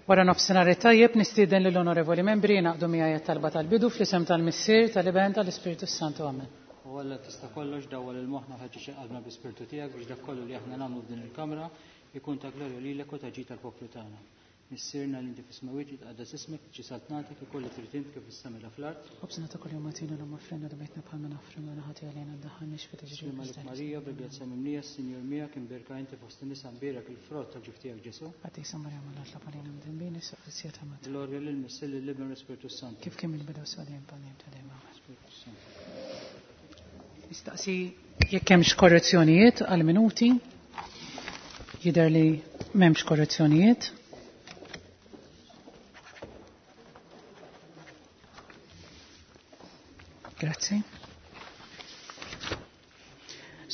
Wara nofsinhar it-tajjeb nistieden lill-onorevoli membri jingħaqdu miegħi għat-talba tal-bidu fl-isem tal-Missier, tal-Iben, tal-Ispirtu s-Santu. Amen. O Alla tista' kollox, dawwal il-moħħna u ħeġġeġ il-qalbna bl-Ispirtu tiegħek biex dak kollu li aħna nagħmlu f'din il-kamra jkun ta' glorja lilek u ta' ġid għall-poplu tagħna. Missierna li inti fis-smewwiet, jitqaddas ismek, tiġi saltnatek, ikun li trid int kif fis-sema la fl-art. Ħobżna ta' kuljum agħtina llum aħfrilna dnubietna bħalma naħfru lil ħati għalina ddaħħalniex fi tiġrib Sliem għalik Marija, bil-grazzja mimlija, s-Sinjur miegħek, imbierka inti fost in-nisa, mbierek il-frott tal-ġuf tiegħek Ġesù. Qaddisa Marija Omm Alla tlob għalina mdinbin issa u fis-siegħa ta' mewtna. Glorja lill-Missier, lill-Iben u l-Ispirtu s-Santu. Kif kien mill-bidu issa u dejjem bħal dejjem ta' dejjem. Amen. Spirtu s-Santu. Nistaqsi jekk hemmx korrezzjonijiet għall-minuti. Jidher li m'hemmx korrezzjonijiet. Grazzi.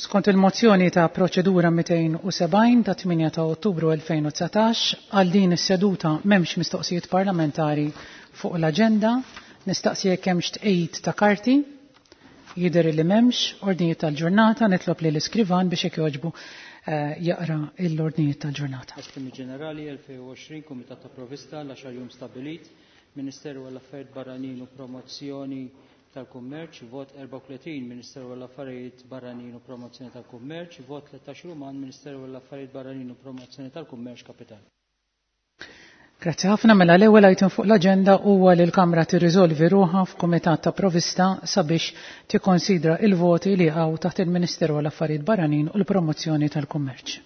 Skont il-mozzjoni ta' proċedura 270 ta' 8 ta' Ottubru 2019, għal din is-seduta m'hemmx mistoqsijiet parlamentari fuq l-aġenda. Nistaqsi jekk hemmx tqegħid ta' karti. Jidher li m'hemmx ordnijiet tal-ġurnata, nitlob lil iskrivan biex jekk jogħġbu jaqra l-ordnijiet tal-ġurnata. Estimi Ġenerali 2020, Kumitat ta' Provista, l-għaxar jum stabbilit, Ministeru għall-Affarijiet Barranin u Promozzjoni tal-Kummerċ, vot 34, Ministeru għall-Affarijiet Barranin u Promozzjoni tal-Kummerċ, vot 13 Ruman, Ministeru għall-Affarijiet Barranin u Promozzjoni tal-Kummerċ Kapital. Grazzi ħafna. Mela l-ewwel item fuq l-aġenda huwa li l-Kamra tirriżolvi ruħha f'Kumitat ta' Provista sabiex tikkonsidra il-voti li jaqgħu taħt il-Ministeru għall-Affarijiet Barranin u l-Promozzjoni tal-Kummerċ.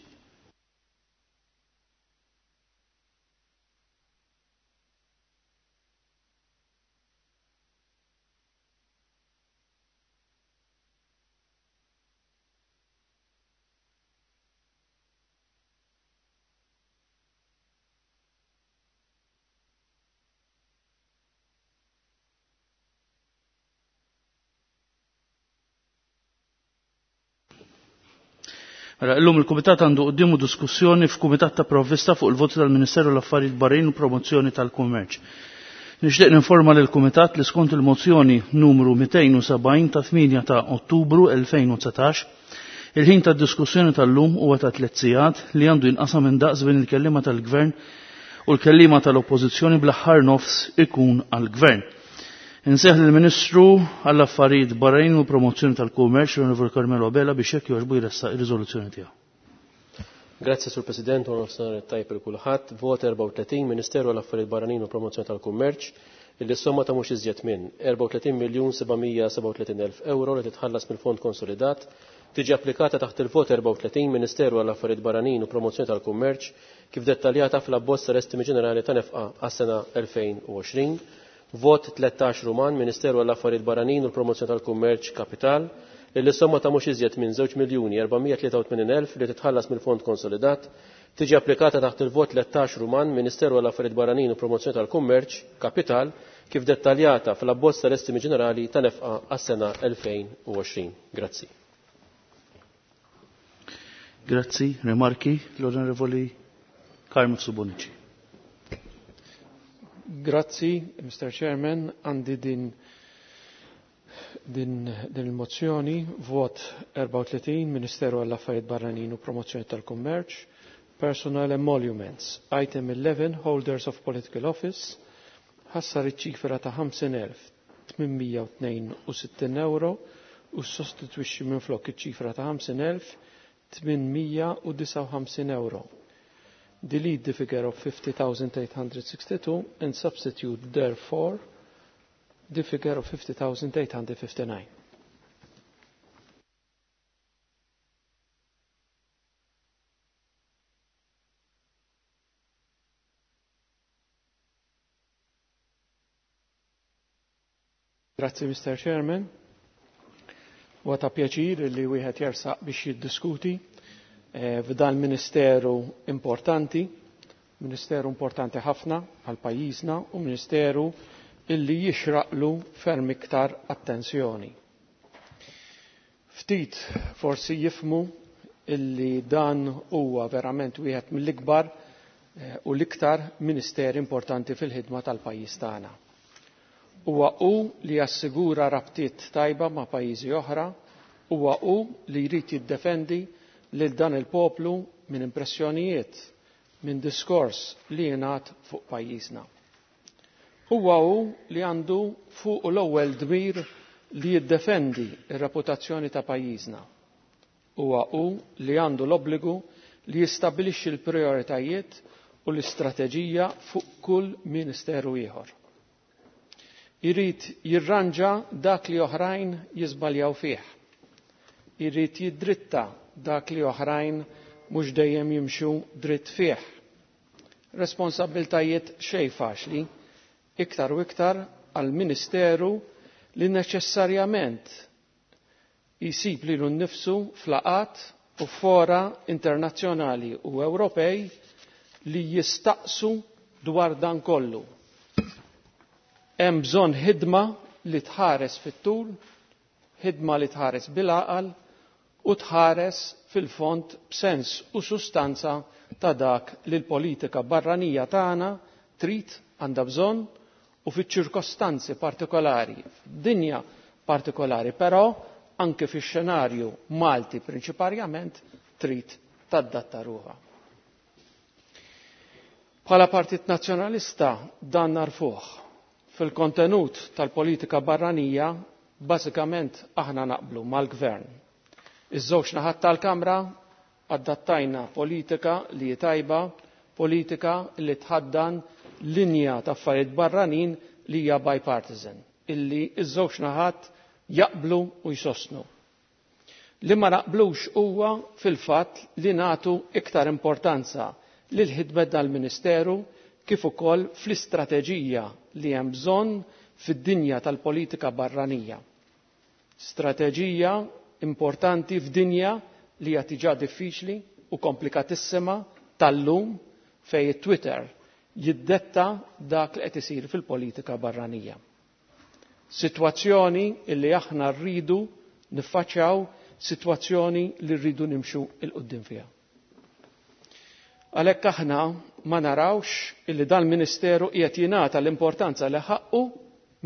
Mela, illum il-Kumitat għandu quddiemu diskussjoni f'Kumitat ta' Provvista fuq il-voti tal-Ministeru l-Affarijiet Barranin u Promozzjoni tal-Kummerċ. Nixtieq ninforma lil kumitat li skont il-mozzjoni numru 270 ta' 8 ta' Ottubru 2019, il-ħin ta' diskussjoni tal-lum huwa ta' tliet sigħat li għandu jinqasam indaqs bejn il-kellima tal-Gvern u l-kellima tal-Oppożizzjoni bl-aħħar nofs ikun għall-Gvern. Inseħ lill-Ministru għall-Affarijiet Barranin u Promozzjoni tal-Kummerċ, l-Onorevoli Carmelo Abela, biex jekk jogħġbu jressaq ir-riżoluzzjoni tiegħu. Grazzi Sur President, u nofsinhar tajjeb lil kulħadd. Vot 34, Ministeru għall-Affarijiet Barranin u Promozzjoni tal-Kummerċ, illi s-somma ta' mhux iżjed minn 34,737,000 euro li titħallas mill-Fond Konsolidat tiġi applikata taħt il-vot 34 Ministeru għall-Affarijiet Barranin u Promozzjoni tal-Kummerċ kif dettaljata fl-abbozz tal-Estimi Ġenerali ta' nefqa għas-sena 2020. Vot 13 Ruman, Ministeru għall-Affarijiet Barranin u l-Promozzjoni tal-Kummerċ Kapital, illi s-somma ta' mhux iżjed minn 2,483,000 li titħallas mill-Fond Konsolidat tiġi applikata taħt il-vot 13 Ruman, Ministeru għall-Affarijiet Barranin u Promozzjoni tal-Kummerċ Kapital, kif dettaljata fl-abbozz tal-Estimi Ġenerali ta' nefqa għas-sena 2020. Grazzi. Grazzi. Rimarki l-Onorevoli Carmel Subonici. Grazzi, Mr. Chairman. Għandi din, din, din il-mozzjoni, vot 34, Ministeru għall-Affarijiet Barranin u Promozzjoni tal-Kummerċ, Personal Emoluments, Item 11, Holders of Political Office, ħassar iċ-ċifra ta' 50,862 euro u sostitwixxi minflok iċ-ċifra ta' 50,859 euro. Delete the figure of 50,862 and substitute therefore the figure of 50,859. Grazzi, Mr. Chairman. Huwa ta' pjaċir li wieħed jersaq biex jiddiskuti f'dan ministeru importanti, ministeru importanti ħafna għal pajjiżna u ministeru illi jixraqlu ferm iktar attenzjoni. Ftit forsi jifmu illi dan huwa verament wieħed mill-ikbar u l-iktar ministeri importanti fil-ħidma tal-pajjiż tagħna. Huwa hu li jassigura rabtiet tajba ma' pajjiżi oħra, huwa hu li jrid jiddefendi lil dan il-poplu minn impressjonijiet minn diskors li jingħad fuq pajjiżna. Huwa hu li għandu fuq l-ewwel dmir li jiddefendi r-reputazzjoni ta' pajjiżna. Huwa hu li għandu l-obbligu li jistabbilixxi l-prijoritajiet u l-istrateġija fuq kull ministeru ieħor. Irid jirranġa dak li oħrajn jiżbaljaw fih. Irid jiddritta dak li oħrajn mhux dejjem jimxu dritt fih. Responsabbiltajiet xejn faċli, iktar u iktar għal ministeru li neċessarjament jisib lilu nnifsu f'laqgħat u fora internazzjonali u Ewropej li jistaqsu dwar dan kollu. Hemm bżonn ħidma li tħares fit-tul, ħidma li tħares bil-għaqal u tħares fil-fond b'sens u sustanza ta' dak li l-politika barranija tagħna trid għandha bżonn u fiċ-ċirkostanzi partikolari, f'dinja partikolari, però anke fix-xenarju Malti prinċiparjament trid tadatta ruħha. Bħala Partit Nazzjonalista dan narfuh. Fil-kontenut tal-politika barranija bażikament aħna naqblu mal-Gvern. Iż-żewġ naħat tal-Kamra adattajna politika li hi tajba, politika li tħaddan linja ta' affarijiet barranin li hija bipartisan, illi iż-żewġ naħat jaqblu u jsostnu. Li ma naqblux huwa fil-fatt li nagħtu iktar importanza lil ħidmet dal-Ministeru kif ukoll fl-istrateġija li hemm bżonn fid-dinja tal-politika barranija. Strateġija importanti f'dinja li hija diġà diffiċli u komplikatissima tal-lum fejn it-Twitter jiddetta dak li qed isir fil-politika barranija. Sitwazzjoni li aħna rridu niffaċċjaw, sitwazzjoni li rridu nimxu 'l quddiem fiha. Għalhekk aħna ma narawx illi dal-Ministeru qiegħed jingħata l-importanza li ħaqqu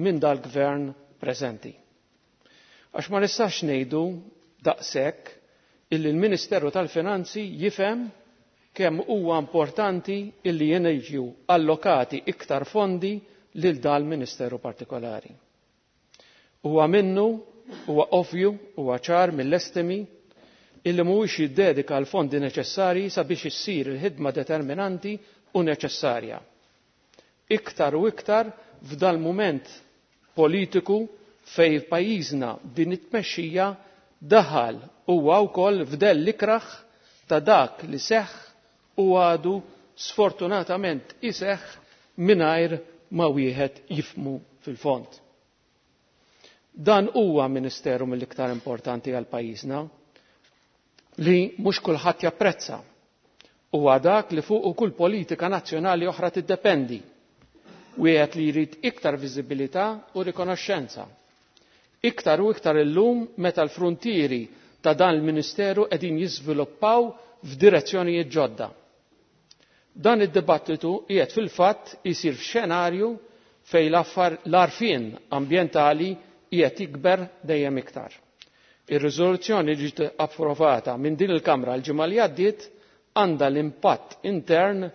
minn dal-Gvern preżenti. Għax ma nistax ngħidu daqshekk illi l-Ministeru tal-Finanzi jifhem kemm huwa importanti illi jiġu allokati iktar fondi lil dal-Ministeru partikolari. Huwa minnu, huwa ovvju, huwa ċar mill-estimi illi mhuwiex jiddedika l-fondi neċessarji sabiex issir il-ħidma determinanti u neċessarja. Iktar u iktar f'dal-mument politiku fej pajjiżna din it-tmexxija daħal huwa wkoll f'dell ikraħ ta' dak li seħħ u għadu sfortunatament iseħħ mingħajr ma wieħed jifmu fil-fond. Dan huwa ministeru mill-iktar importanti għal pajjiżna li mhux kulħadd japprezza. Huwa dak li fuq kull politika nazzjonali oħra tiddependi. Wieħed li jrid iktar viżibilità u rikonoxxenza. Iktar u iktar illum meta l-fruntieri ta' dan il-Ministeru qegħdin jiżviluppaw f'direzzjonijiet ġodda. Dan id-dibattitu qiegħed fil-fatt isir f'xenarju fejn l-għarfien ambjentali qiegħed jikber dejjem iktar. Ir-riżoluzzjoni li ġiet approvata minn din il-Kamra l-ġimgħa li għaddiet għandha l-impatt intern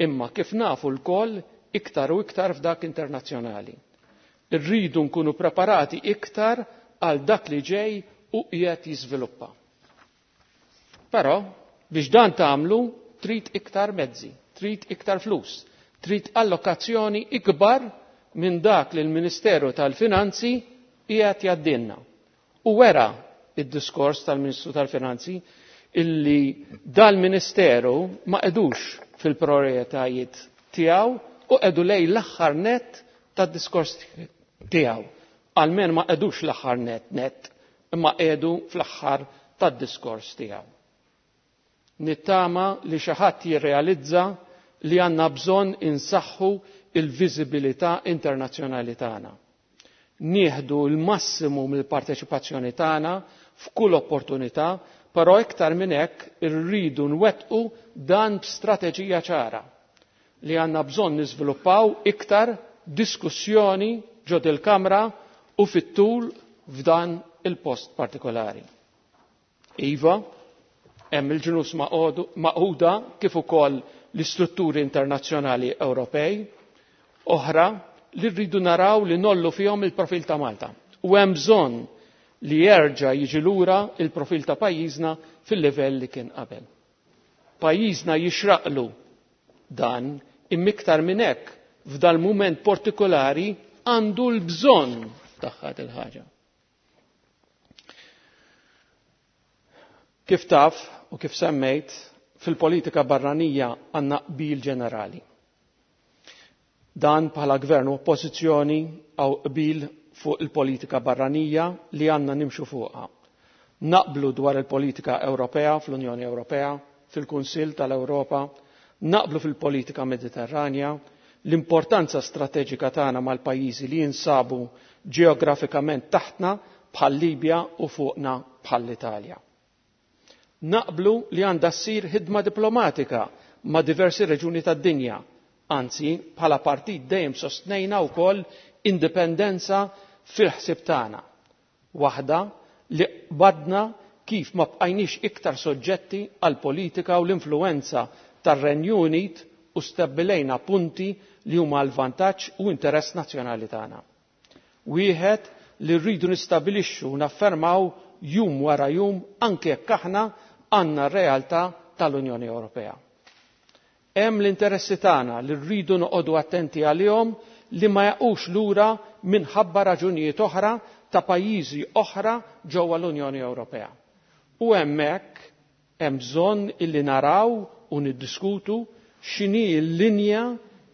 imma kif nafu lkoll iktar u iktar f'dak internazzjonali. Irridu nkunu preparati iktar għal dak li ġej u qiegħed jiżviluppa. Però biex dan tagħmlu trid iktar mezzi, trid iktar flus, trid allokazzjoni ikbar minn dak li l-Ministeru tal-Finanzi qiegħed jgħaddilna. U wera id-diskors tal-Ministru tal-Finanzi illi dal-Ministeru ma qedux fil-prioritajiet tiegħu u qedu lej l-aħħar net tad-diskors tiegħu. Almen ma qedux l-aħħar net net, imma qedu fl-aħħar tad-diskors tiegħu. Nittama li xi ħadd jirrealizza li għandna bżonn insaħħu il-viżibilità internazzjonali tagħna. Nieħdu l-massimu mill-parteċipazzjoni tagħna f'kull opportunità, però iktar minn hekk irridu nwettqu dan b'strateġija ċara li għandna bżonn niżviluppaw iktar diskussjoni ġod il-Kamra u fit-tul f'dan il-post partikolari. Iva, hemm il-ġnus Magħquda kif ukoll l-istrutturi internazzjonali Ewropej oħra li rridu naraw li nollu fihom il-profil ta' Malta. U hemm bżonn li jerġa' jiġi lura il-profil ta' pajjiżna fil-livell li kien qabel. Pajjiżna jixraqlu dan imma iktar minn hekk f'dal mument partikolari għandu l-bżonn tagħha il-ħaġa. Kif taf u kif semmejt, fil-politika barranija għandna qbil ġenerali. Dan bħala gvern u oppożizzjoni għaw qbil fuq il-politika barranija li għandna nimxu fuqha. Naqblu dwar il-politika Ewropea fl-Unjoni Ewropea, fil-Kunsill tal-Ewropa, naqblu fil-politika Mediterranja, l-importanza strateġika tagħna mal-pajjiżi li jinsabu ġeografikament taħtna bħal Libja u fuqna bħal l-Italja. Naqblu li għandha ssir ħidma diplomatika ma' diversi reġuni tad-dinja. Anzi, bħala partit dejjem sostnejna wkoll indipendenza fil-ħsieb tagħna. Waħda li qbadna kif ma bqajniex iktar soġġetti għal politika u l-influenza tar-Renju Unit u stabbilejna punti li huma għal vantaġġ u interess nazzjonali tagħna. Wieħed li rridu nistabilixxu u naffermaw jum wara jum anke jekk aħna għandna r-realtà tal-Unjoni Ewropea. Hemm l-interessi tagħna li rridu noqogħdu attenti għalihom li ma jaqux lura minħabba raġunijiet oħra ta' pajjiżi oħra ġewwa l-Unjoni Ewropea. U hemmhekk hemm bżonn illi naraw u niddiskutu x'inhi l-linja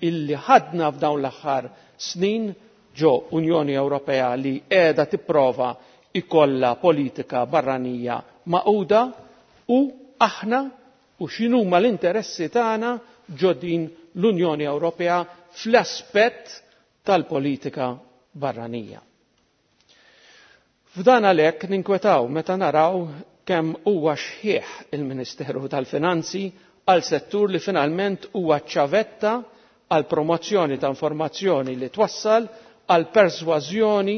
illi ħadna f'dawn l-aħħar snin ġo Unjoni Ewropea li qiegħda tipprova ikolla politika barranija maquda u aħna u x'inhuma l-interessi tagħna ġo din l-Unjoni Ewropea fl-aspett tal-politika barranija. F'dan għalhekk ninkwetaw meta naraw kemm huwa xħieħ il-Ministeru tal-Finanzi għal settur li finalment huwa ċavetta għal promozzjoni ta' informazzjoni li twassal għal persważjoni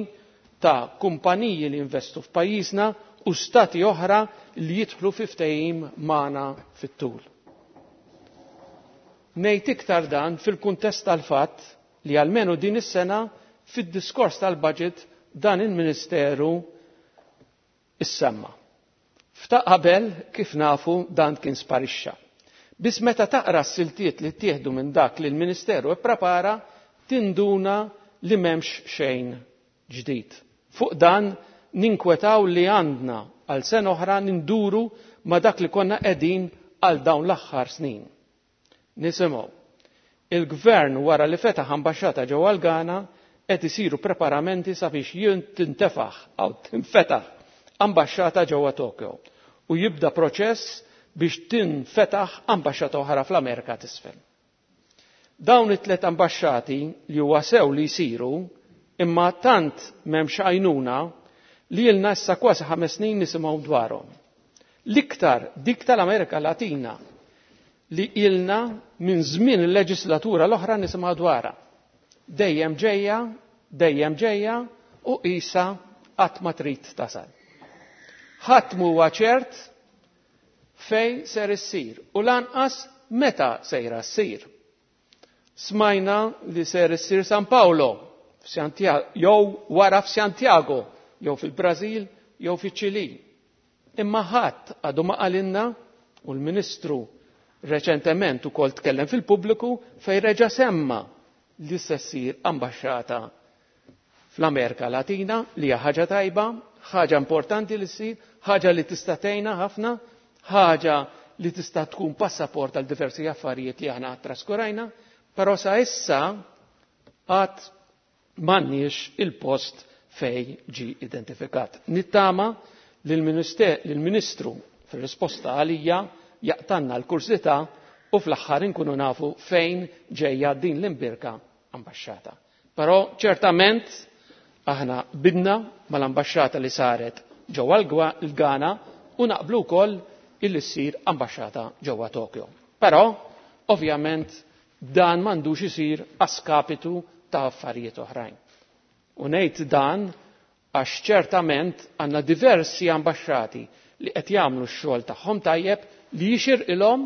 ta' kumpaniji li investu f'pajjiżna u stati oħra li jidħlu fi ftehim magħna fit-tul. Ngħid iktar dan fil-kuntest tal-fatt li almenu din is-sena fid-diskors tal-budget dan il-Ministeru issemma. Fta' qabel kif nafu dan kien sparixxa. Biss meta taqra s-siltiet li ttieħdu minn dak li l-Ministeru ipprepara, tinduna li m'hemmx xejn ġdid. Fuq dan ninkwetaw li għandna għal sena oħra ninduru ma dak li konna qegħdin għal dawn l-aħħar snin. Nisimgħu. Il-gvern wara li fetaħ ambaxxata ġewwa l-Ghana qed isiru preparamenti sabiex tintefaħ aw tinfetaħ ambaxxata ġewwa Tokyo u jibda proċess biex tinfetaħ ambaxxata oħra fl-Amerika t'isfel. Dawn it-tlet ambaxxati li huwa sew li jsiru imma tant m'hemmx għajnuna li ilna issa kważi 5 snin nisimgħu dwarhom. L-iktar dik tal-Amerika Latina li ilna minn żmien il-leġislatura l-oħra nisimgħu dwarha. Dejjem ġejja, dejjem ġejja u qisha qatt ma trid tasal. Ħadd m'huwa ċert fej ser issir u lanqas meta sejra ssir. Smajna li ser issir San Paolo jew wara f'Santiago, jew fil-Brażil, jew fiċ-Ċili. Imma ħadd għadu ma qalilna u l-Ministru reċentement ukoll tkellem fil-pubbliku fejn reġa' semma li se ssir ambaxxata fl-Amerika Latina li hija ħaġa tajba, ħaġa importanti li ssir, ħaġa li tista' tgħinna ħafna, ħaġa li tista' tkun passaport għal diversi affarijiet li aħna traskurajna, però sa issa għad m'għandniex il-post fej ġi identifikat. Nittama li l-Ministru fir-risposta għalija jaqtanna l-kursità u fl-aħħar inkunu nafu fejn ġejja din l-imbirka ambaxxata. Però ċertament aħna bidna mal-ambaxxata li saret ġewwa l-Ghana u naqblu wkoll illi ssir ambaxxata ġewwa Tokyo. Però ovvjament dan m'għandux isir askapitu ta' affarijiet oħrajn. U ngħid dan għax ċertament għandna diversi ambaxxati li qed jagħmlu x-xogħol tagħhom tajjeb li jixirqilhom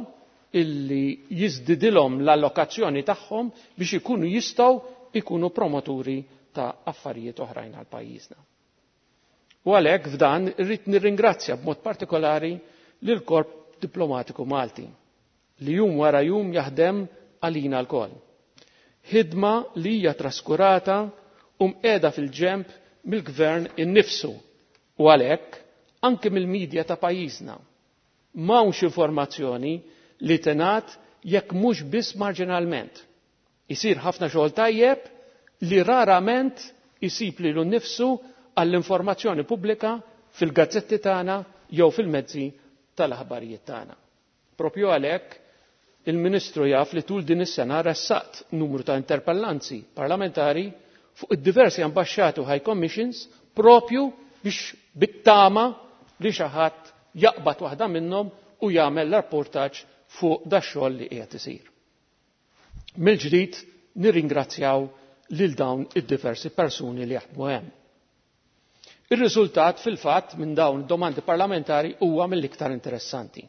illi jiżdidilhom l-allokazzjoni tagħhom biex ikunu jistgħu ikunu promoturi ta' affarijiet oħrajn għal pajjiżna. U għalhekk f'dan irrid nirringrazzja b'mod partikolari lil Korp Diplomatiku Malti li jum wara jum jaħdem għalina lkoll. Ħidma li hija traskurata u mqiegħda fil-ġenb mill-gvern innifsu u għalhekk anke mill-medja ta' pajjiżna. M'hawnx informazzjoni li tingħad jekk mhux biss marġinalment. Isir ħafna xogħol tajjeb li rarament isib lilu nnifsu għall-informazzjoni pubblika fil-gazzetti tagħna jew fil-mezzi tal-aħbarijiet tagħna. Propju għalhekk il-Ministru jaf li tul din is-sena ressaqt numru ta' interpellanzi parlamentari fuq id-diversi ambaxxati u high commissions propju biex bit-tama li xi ħadd jaqbad waħda minnhom u jagħmel rapportaġġ fuq dax-xogħol li qiegħed isir. Mill-ġdid nirringrazzjaw lil dawn id-diversi persuni li jaħdmu hemm. Ir-riżultat fil-fatt minn dawn domandi parlamentari huwa mill-iktar interessanti.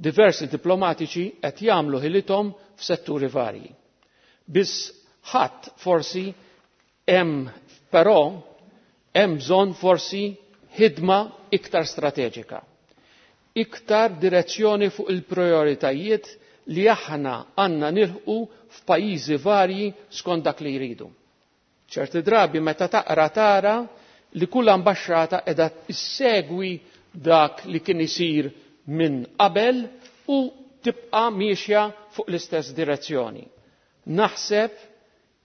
Diversi diplomatiċi qed jagħmlu ħilithom f'setturi varji. Biss ħadd forsi hemm però hemm bżonn forsi ħidma iktar strateġika. Iktar direzzjoni fuq il-prioritajiet li aħna għandna nilħqu f'pajjiżi varji skont dak li jridu. Ċerti drabi meta taqra tara li kull ambaxxata qiegħda issegwi dak li kien isir minn qabel u tibqa' miexja fuq l-istess direzzjoni. Naħseb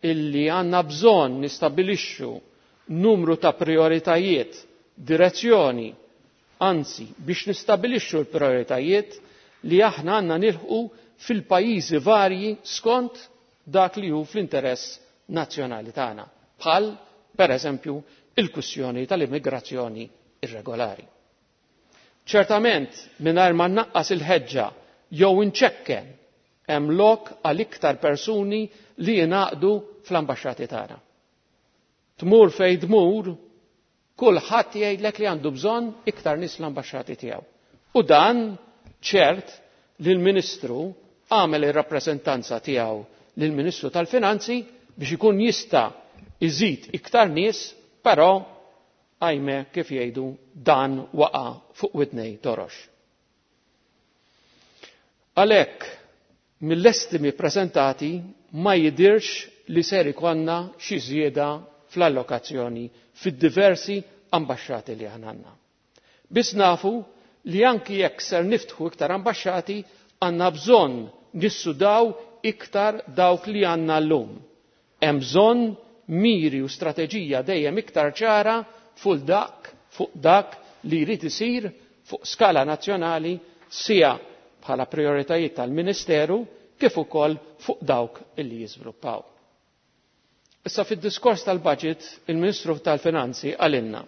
illi għandna bżonn nistabilixxu numru ta' prioritajiet, direzzjoni, anzi biex nistabilixxu l-prioritajiet li aħna għandna nilħqu fil-pajjiżi varji skont dak li hu fl-interess nazzjonali tagħna. Bħal, per eżempju, il-kwistjoni tal-immigrazzjoni irregolari. Ċertament, mingħajr ma nnaqqas il-ħeġġa jew inċekken hemm lok għal iktar persuni li jingħaqdu fl-ambaxxati tagħna. Tmur fejn tmur, kulħadd jgħidlek li għandu bżonn iktar nies l-ambaxxati tiegħu. U dan ċert li l-Ministru għamel ir-rappreżentanza tiegħu lill-Ministru tal-Finanzi biex ikun jista' iżid iktar nies, però għajme kif jgħidu dan waqa' fuq widnej torox. Għalhekk mill-estimi preżentati ma jidirx li ser ikollna xi żieda fl-allokazzjoni fid-diversi ambaxxati li aħna għandna. Biss nafu li anki jekk ser niftħu iktar ambaxxati għandna bżonn nissudaw iktar dawk li għandna llum. Hemm bżonn miri u strateġija dejjem iktar ċara fuq dak, fuq dak li jrid isir fuq skala nazzjonali sija bħala prioritajiet tal-Ministeru kif ukoll fuq dawk illi jiżviluppaw. Issa fid-diskors tal-budget il-Ministru tal-Finanzi qalilna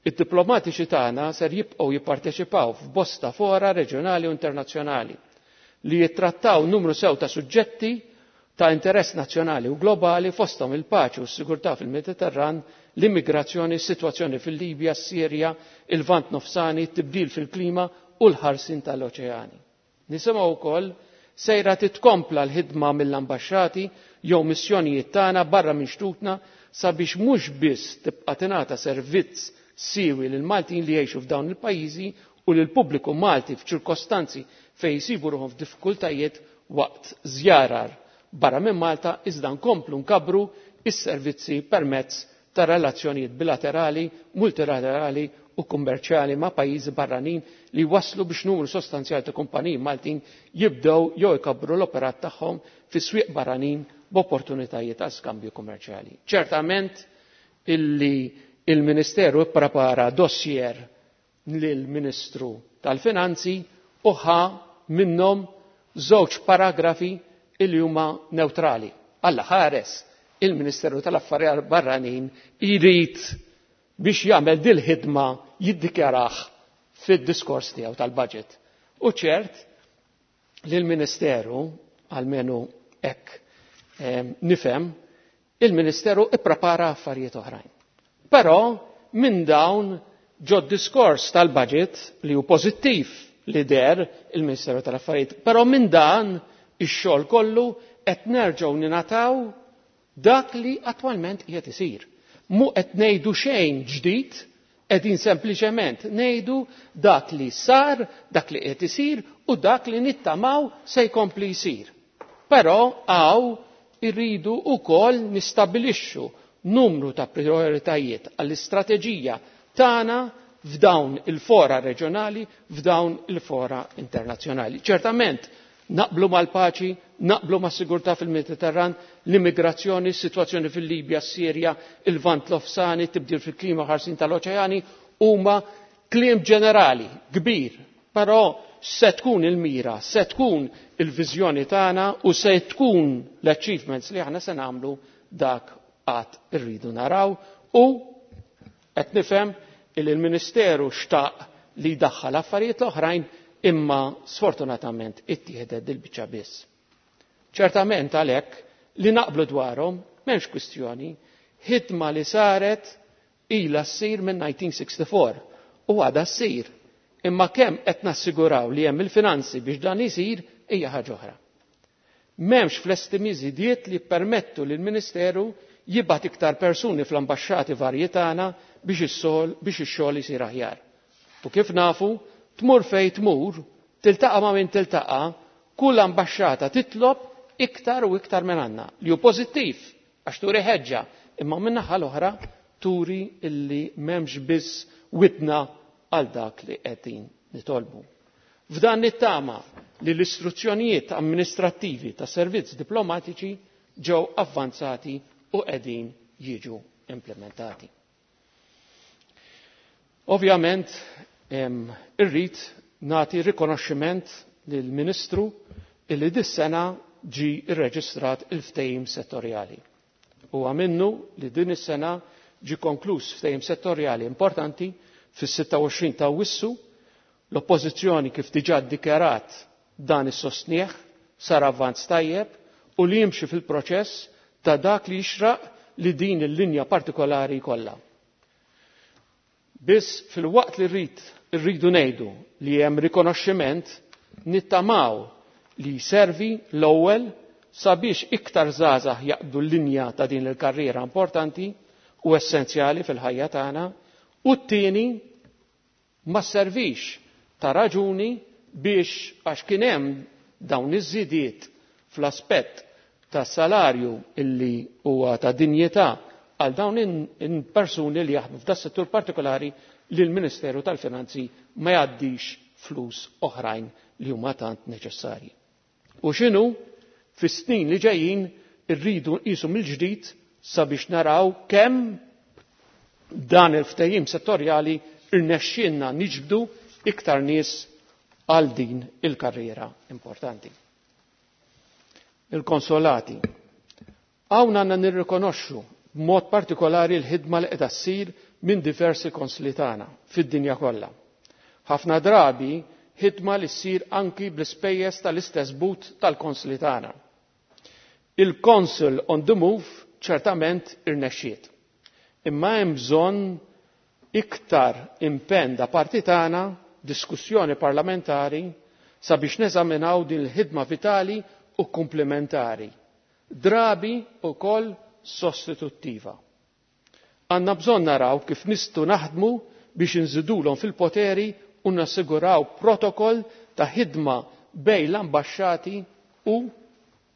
id-diplomatiċi tagħna ser jibqgħu jipparteċipaw f'bosta fora reġjonali u internazzjonali li jittrattaw numru sew ta' suġġetti ta' interess nazzjonali u globali fosthom il-paċi u s-sigurtà fil-Mediterran, l-immigrazzjoni, s-sitwazzjoni fil-Libja, s-Sirja, il-Lvant Nofsani, t-tibdil fil-klima u l-ħarsin tal-oċeani. Nisimgħu wkoll sejra titkompla l-ħidma mill-ambaxxati jew missjonijiet tagħna barra minn xtutna sabiex mhux biss tibqa' tingħata servizz siwi lil Maltin li jgħixu f'dawn il-pajjiżi u lil pubbliku Malti f'ċirkostanzi fejn jsibu ruħhom f'diffikultajiet waqt żjarar barra minn Malta iżda nkomplu nkabbru is-servizzi permezz ta' relazzjonijiet bilaterali, multilaterali u kummerċjali ma' pajjiżi barranin li waslu biex numru sostanzjali ta' kumpaniji Maltin jibdew jew ikabbru l-operat tagħhom fi swieq barranin b'opportunitajiet għal skambju kummerċjali. Ċertament illi il-Ministeru ipprepara dossier lill-Ministru tal-Finanzi u ħa minnhom żewġ paragrafi illi huma neutrali. Alla ħares il-Ministeru tal-Affarijiet Barranin irid biex jagħmel dil-ħidma jiddikjarah fid-diskors tiegħu tal-budget. U ċert li l-Ministeru, almenu hekk nifhem, il-Ministeru ipprepara affarijiet oħrajn. Però minn dawn ġo diskors tal-budget li hu pożittiv li der il-Ministeru tal-Affarijiet. Però minn dan ix-xogħol kollu qed nerġgħu ninataw dak li attwalment qiegħed isir. Mu qed ngħidu xejn ġdid, qegħdin sempliċement ngħidu dak li sar, dak li qed isir u dak li nittamaw se jkompli jsir. Però hawn irridu wkoll nistabilixxu numru ta' prioritajiet għall-istrateġija tagħna f'dawn il-fora reġjonali, f'dawn il-fora internazzjonali. Ċertament, naqblu mal-paċi, naqblu mas-sigurtà fil-Mediterran, l-immigrazzjoni, s-sitwazzjoni fil-Libja, s-Sirja, il-Vant Lofsani, tibdil fil-klima ħarsin tal-oċeani, huma kliem ġenerali, kbir, però se tkun il-mira, se tkun il-viżjoni tagħna u se tkun l-achievements li aħna se nagħmlu dak qatt irridu naraw u qed nifhem il il-Ministeru xtaq li jdaħħal affarijiet l-oħrajn imma sfortunatament ittieħdet dil-biċċa biss. Ċertament għalhekk li naqblu dwarhom m'hemmx kwistjoni, ħidma li saret ilha ssir minn 1964 u għadha ssir. Imma kemm qed nassiguraw li hemm il-finanzi biex dan isir hija ħaġa oħra. M'hemmx fl-estimi żidiet li permettu lill ministeru jibgħat iktar persuni fl-ambaxxati varji tagħna biex ix-xogħol isir aħjar. U kif nafu, tmur fejn tmur, tiltaqa' ma' min tiltaqa', kull ambaxxata titlob iktar u iktar minn għandna, li hu pożittiv għax turi ħeġġa, imma min-naħa l-oħra turi illi m'hemmx biss widna għal dak li qegħdin nitolbu. F'dan nittama li l-istruzzjonijiet amministrattivi ta' servizz diplomatiċi ġew avvanzati u qegħdin jiġu implementati. Ovvjament, irrid nagħti rikonoxximent lill-Ministru illi dis-sena ġi rreġistrat il-ftehim settorjali. Huwa minnu li din is-sena ġi konkluż ftehim settorjali importanti fis-26 ta' Awwissu. L-Oppożizzjoni kif diġà ddikjarat dan is-sostnieħ sar avvanz tajjeb u li jimxi fil-proċess ta' dak li jixraq li din il-linja partikolari jkollha. Biss fil-waqt li rridu ngħidu li hemm rikonoxximent, nittamaw li jservi l-ewwel sabiex iktar żgħażagħ jaqbdu l-linja ta' din il-karriera importanti u essenzjali fil-ħajja tagħna, u t-tieni ma servix ta' raġuni biex għax kien hemm dawn iż-żidiet fl-aspett ta' salarju illi huwa ta' dinjità għal dawn in-persuni li jaħdmu f'da settur partikolari li l-Ministeru tal-Finanzi ma jgħaddix flus oħrajn li huma tant neċessarji. U x'inhu fis-snin li ġejjin irridu nqisu mill-ġdid sabiex naraw kemm dan il-ftehim settorjali irnexxielna niġbdu iktar nies għal din il-karriera importanti. Il-konsolati. Hawn għandna nirrikonoxxu b'mod partikolari l-ħidma li qiegħda ssir minn diversi konsli tagħna fid-dinja kollha. Ħafna drabi ħidma li ssir anki bl-ispejjeż tal-istess but tal-konsli tagħna. Il-Consul on the Move ċertament irnexxiet. Imma hemm bżonn iktar impenn da parti tagħna, diskussjoni parlamentari sabiex neżaminaw din il-ħidma vitali u komplementari, drabi wkoll sostituttiva. Għandna bżonn naraw kif nistgħu naħdmu biex inżidulhom fil-poteri u nassiguraw protokoll ta' ħidma bejn l-ambaxxati u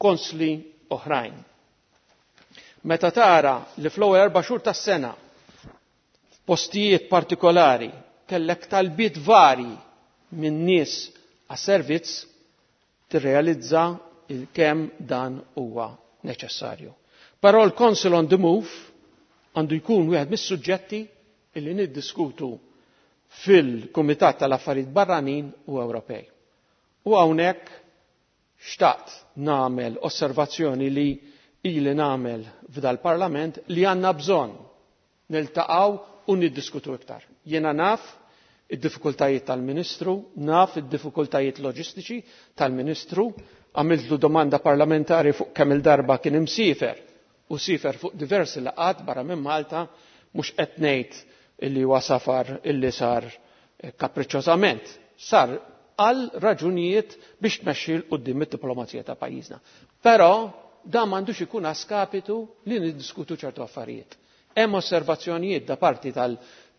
konsli oħrajn. Meta tara li fl-ewwel 4 xhur tas-sena f'postijiet partikolari kellek talbiet vari minn nies għas-servizz, tirrealizza il-kemm dan huwa neċessarju. Però l-Council on the Move għandu jkun wieħed mis-suġġetti illi niddiskutu fil-Kumitat tal-Affarijiet Barranin u Ewropej. U hawnhekk xtaqt nagħmel osservazzjoni li ili nagħmel f'dal-Parlament li għandna bżonn niltaqgħu u niddiskutu iktar. Jiena naf id-diffikultajiet tal-Ministru, naf id-diffikultajiet loġistiċi tal-Ministru, għamiltlu domanda parlamentari fuq kemm il-darba kien imsiefer u sifer fuq diversi laqgħat barra minn Malta, mhux qed ngħid illi huwa safar illi sar kapriċċożament, sar għal raġunijiet biex tmexxi 'l quddiem id-diplomazija ta' pajjiżna. Però dan m'għandux ikun a skapitu li niddiskutu ċertu affarijiet. Hemm osservazzjonijiet da parti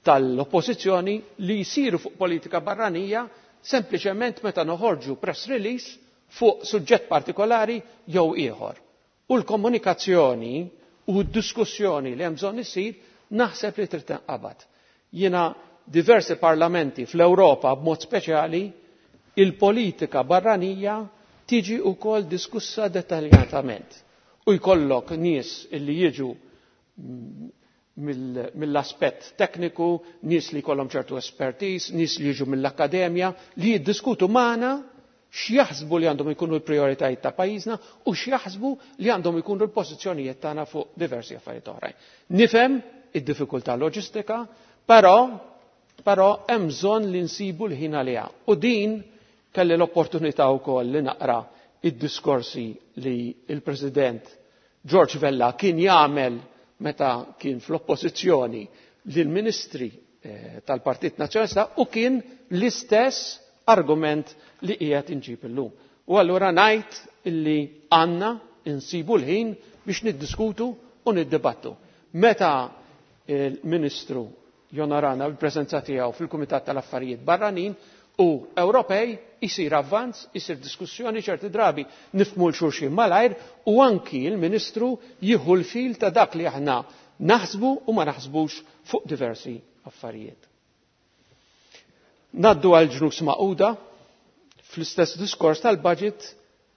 tal-oppożizzjoni li jsiru fuq politika barranija sempliċement meta noħorġu press release fuq suġġett partikolari jew ieħor. U l-komunikazzjoni u d-diskussjoni li hemm bżonn isir naħseb li trid tinqabad. Jiena diversi parlamenti fl-Ewropa b'mod speċjali il-politika barranija tiġi wkoll diskussa dettaljatament. U jkollok nies illi jiġu mill-aspett tekniku, nies li jkollhom ċertu expertise, nies li jiġu mill-akkademja, li jiddiskutu magħna x'jaħsbu li għandhom ikunu l-prijoritajiet ta' pajjiżna u x'jaħsbu li għandhom ikunu l-pożizzjonijiet tagħna fuq diversi affarijiet oħrajn. Nifhem id-diffikultà loġistika, però hemm bżonn li nsibu l-ħin għaliha. U din kelli l-opportunità wkoll li naqra id-diskorsi li il-President George Vella kien jagħmel meta kien fl-oppożizzjoni lill-ministri tal-Partit Nazzjonalista u kien l-istess argument li qiegħed inġib illum. U allura ngħid illi għandna insibu l-ħin biex niddiskutu u niddibattu. Meta il-Ministru jonorana bil-preżenza tiegħu fil-Kumitat tal-Affarijiet Barranin u Ewropej, isir avvanz, isir diskussjoni, ċerti drabi nifhmu 'l xulxin malajr u anki l-Ministru jieħu l-fil ta' dak li aħna naħsbu u ma naħsbux fuq diversi affarijiet. Naddu għal ġnus Magħquda. Fl-istess diskors tal-budget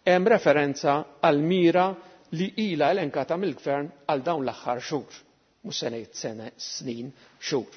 hemm referenza għal mira li ila elenkata mill-gvern għal dawn l-aħħar xhur. Mhux se ngħid sena, snin, xhur.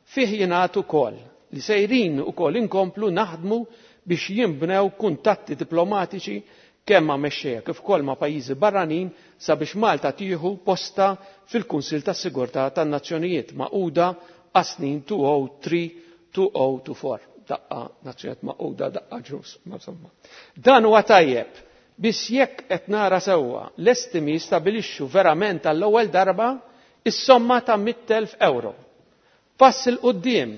Fih jingħad ukoll li sejrin ukoll inkomplu naħdmu biex jinbnew kuntatti diplomatiċi kemm ma' mexxejja kif ukoll ma' pajjiżi barranin sabiex Malta tieħu posta fil-Kunsill tas-Sigurtà tan-Nazzjonijiet Magħquda għas-snin 2003-2024. Daqqa Nazzjonijiet Magħquda, daqqa ġnus, ma insomma. Dan huwa tajjeb, biss jekk qed nara sewwa l-estimi jistabilixxu verament għall-ewwel darba is-somma ta' 100,000 euro. Pass 'il quddiem,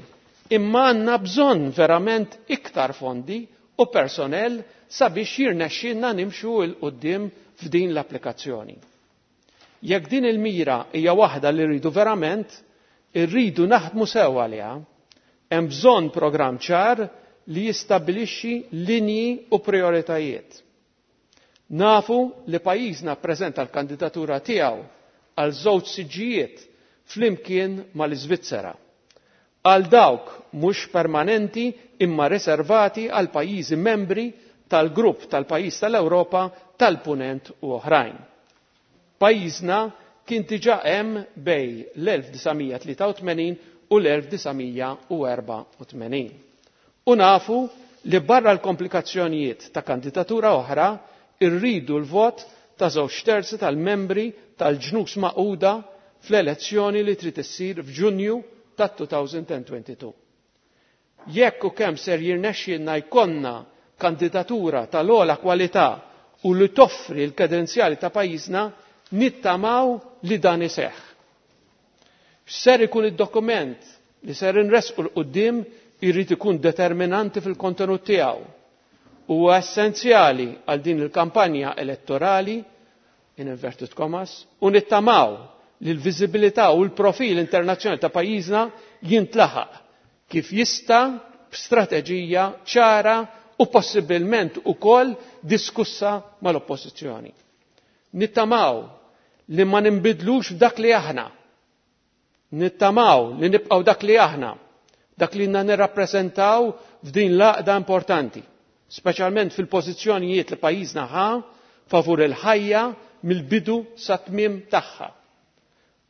imma għandna bżonn verament iktar fondi u personel sabiex jirnexxilna nimxu 'l quddiem f'din l-applikazzjoni. Jekk din il-mira hija waħda li rridu verament, irridu naħdmu sew għaliha. Hemm bżonn programm ċar li jistabbilixxi linji u prioritajiet. Nafu li pajjiżna ppreżenta l-kandidatura tiegħu għal żewġ siġġijiet flimkien mal-Iżvizzera. Għal dawk mhux permanenti imma riservati għal pajjiżi membri tal-grupp tal-pajjiż tal-Ewropa tal-Punent u oħrajn. Pajjiżna kien diġà hemm bejn l-1983 u l-1984. U nafu li barra l-komplikazzjonijiet ta' kandidatura oħra irridu l-vot ta' żewġ terzi tal-membri tal-ġnus Magħquda fl-elezzjoni li trid issir f'Ġunju tat-2022. Jekk u kemm ser jirnexxielna jkollna kandidatura tal-ogħla kwalità u li toffri l-kredenzjali ta' pajjiżna, nittamaw li dan iseħħ. X'ser ikun id-dokument li ser inresqu 'l quddiem irid ikun determinanti fil-kontenut tiegħu. Huwa essenzjali għal din il-kampanja elettorali, in inverted commas, u nittamaw li l-viżibilità u l-profil internazzjonali ta' pajjiżna jintlaħaq kif jista' b'strateġija ċara u possibilment ukoll diskussa mal-oppożizzjoni. Nittamaw li ma ninbidlux f'dak li aħna. Nittamaw li nibqgħu dak li aħna, dak li nirrappreżentaw f'din l-għaqda importanti, speċjalment fil-pożizzjonijiet li pajjiżna ħa favur il-ħajja mill-bidu sa tmiem tagħha.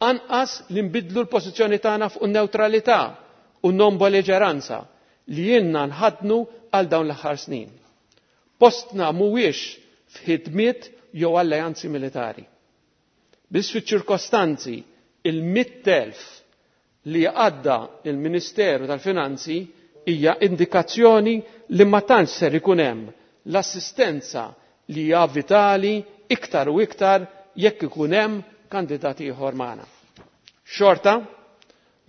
Anqas li nbidlu l-pożizzjoni tagħna fuq in-newtralità u non-belliġeranza li jiena nħadnu għal dawn l-aħħar snin. Postna mhuwiex f'ħidmiet jew alleanzi militari. Biss fiċ-ċirkostanzi il-100,000 li għadda il-Ministeru tal-Finanzi hija indikazzjoni li ma tantx ser ikun hemm l-assistenza li hija vitali iktar u iktar jekk ikun hemm kandidati ieħor magħna. Xorta,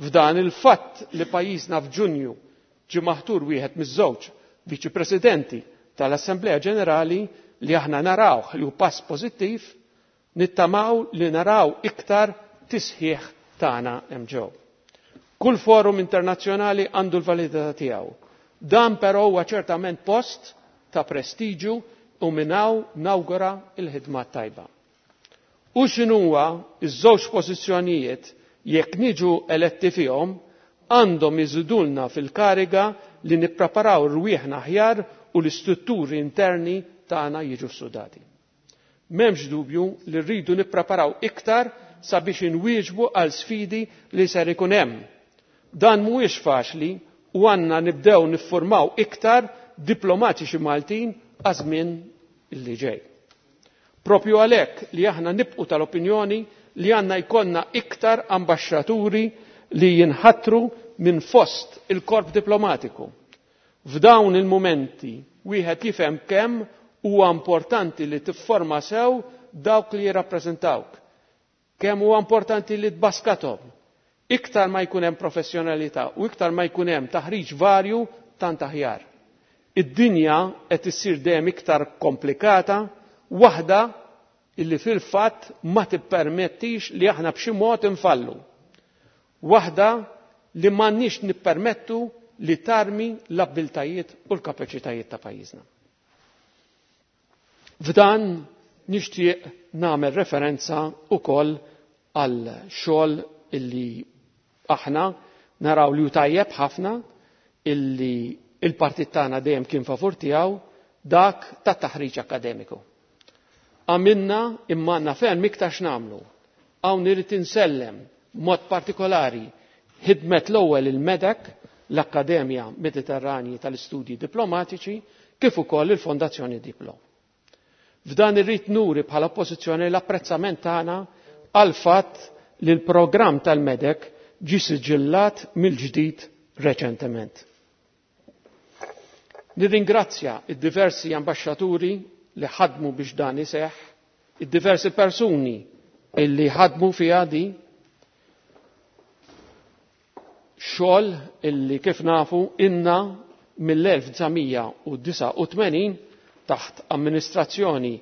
f'dan il-fatt li pajjiżna f'Ġunju ġie maħtur wieħed miż-żewġ Viċi Presidenti tal-Assemblea Ġenerali li aħna narawh li hu pass pożittiv, nittamaw li naraw iktar tisħiħ tagħna hemm ġew. Kull forum internazzjonali għandu l-validità tiegħu. Dan però huwa ċertament post ta' prestiġu u minn hawn nawgura l-ħidma tajba. U x'inhuwa iż-żewġ pożizzjonijiet jekk niġu eletti fihom għandhom iżidulna fil-kariga li nippreparaw rwieħna aħjar u l-istrutturi interni tagħna jiġu sudati. M'hemmx dubju li rridu nippreparaw iktar sabiex inwieġbu għal sfidi li ser ikun hemm. Dan mhuwiex faċli u għandna nibdew niffurmaw iktar diplomatiċi Maltin għaż-żmien li ġej. Propju għalhekk li aħna nibqu tal-opinjoni li għandna jkollna iktar ambaxxaturi li jinħatru minn fost il-korp diplomatiku. F'dawn il-mumenti wieħed jifhem kemm huwa importanti li tifforma sew dawk li jirrappreżentawk. Kemm huwa importanti li tbaskathom. Iktar ma jkun hemm professjonalità u iktar ma jkun hemm taħriġ varju tant aħjar. Id-dinja qed issir dejjem iktar komplikata, waħda illi fil-fatt ma tippermettix li aħna b'xi mod infallu. Waħda li m'għandniex nippermettu li tarmi l-abbiltajiet u l-kapaċitajiet ta' pajjiżna. F'dan nixtieq nagħmel referenza wkoll għal xogħol illi aħna naraw li hu tajjeb ħafna illi il-partit tagħna dejjem kien favur tiegħu dak tat-taħriġ akkademiku. Għamilna imma għandna ferm iktar x'nagħmlu. Hawn irid insellem mod partikolari ħidmet l-ewwel il-MEDEC, l-Akkademja Mediterranji tal-Istudji Diplomatiċi, kif ukoll il-Fondazzjoni Diplo. F'dan irrid nuri bħala oppożizzjoni l-apprezzament tagħna għal fatt li l-programm tal-MEDEC ġie siġillat mill-ġdid reċentement. Nirringrazzja id-diversi ambaxxaturi li ħadmu biex dan iseħħ, id-diversi persuni illi ħadmu fiha di xogħol illi kif nafu inna mill-1989 taħt amministrazzjoni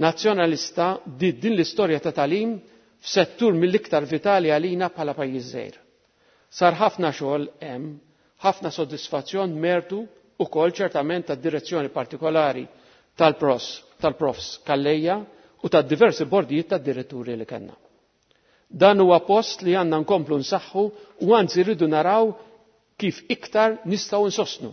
nazzjonalista di din l-istorja ta' talim f'settur mill-iktar vitali għalina bħala pajjiż żgħir. Sar ħafna xogħol hemm, ħafna soddisfazzjon mertu ukoll ċertament tad-direzzjoni partikolari tal-profs Calleja u tad-diversi bordijiet tad-diretturi li kellna. Dan huwa post li għandna nkomplu nsaħħu u anzi rridu naraw kif iktar nistgħu nsostnu.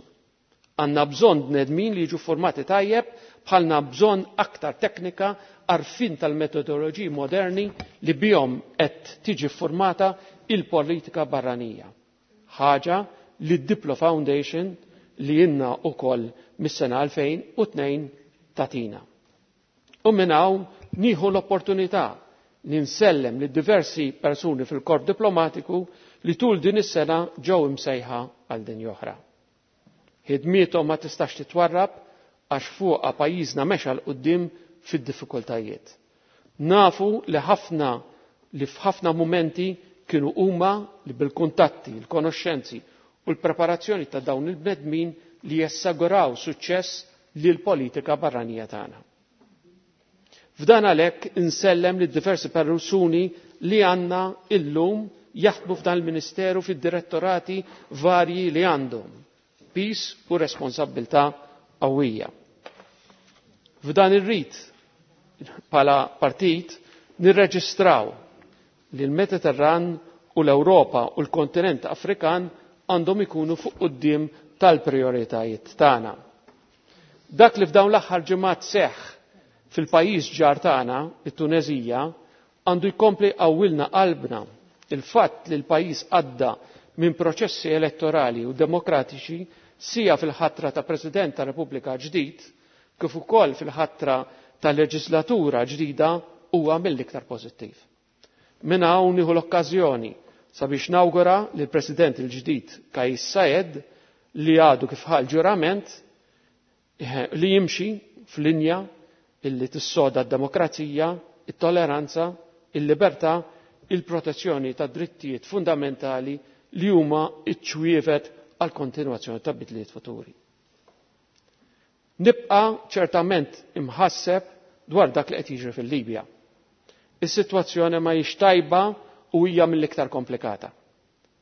Għandna bżonn bnedmin li jiġu formati tajjeb, bħalna bżonn aktar teknika, għarfien tal-metodoloġiji moderni li bihom qed tiġi formata il-politika barranija. Ħaġa li d-Diplo Foundation li inna ukoll mis-sena 2002 tatina. U minn hawn nieħu l-opportunità li nsellem li diversi persuni fil-korp diplomatiku li tul din is-sena ġew imsejħa għal din oħra. Ħidmiethom ma tistax titwarrab għax fuqha pajjiżna mexa 'l quddiem fid-diffikultajiet. Nafu li ħafna li f'ħafna mumenti kienu huma li bil-kuntatti, il-konoxxenzi u l-preparazzjoni ta' dawn il-bnedmin li jassaguraw suċċess lil politika barranija tagħna. F'dan għalhekk insellem li diversi persuni li għandna illum jaħdmu f'dan il-Ministeru fid-direttorati varji li għandhom pis u responsabbiltà qawwija. F'dan ir-rit bħala partit nirreġistraw li l-Mediterran u l-Ewropa u l-kontinent Afrikan għandhom ikunu fuq quddiem tal-prioritajiet tagħna. Dak li f'dawn l-aħħar ġimgħat seħħ fil-pajjiż ġar tagħna, it-Tunezija, għandu jkompli qawwilna qalbna il-fatt li l-pajjiż għadda minn proċessi elettorali u demokratiċi sija fil-ħatra ta' President ta' Repubblika ġdid, kif ukoll fil-ħatra ta' leġislatura ġdida huwa mill-iktar pożittiv. Minn hawn nieħu l-okkażjoni sabiex nawgura lill President il-ġdid Kais Saied li għadu kif ħa l-ġurament li jimxi f'linja illi tissoda d-demokrazija, it-toleranza, il-libertà, il-protezzjoni ta' drittijiet fundamentali li huma iċ-ċwievet għal kontinwazzjoni ta' bidliet futuri. Nibqa' ċertament imħasseb dwar dak li qed jiġri fil-Libja. Is-sitwazzjoni ma hijiex tajba u hija mill-iktar komplikata.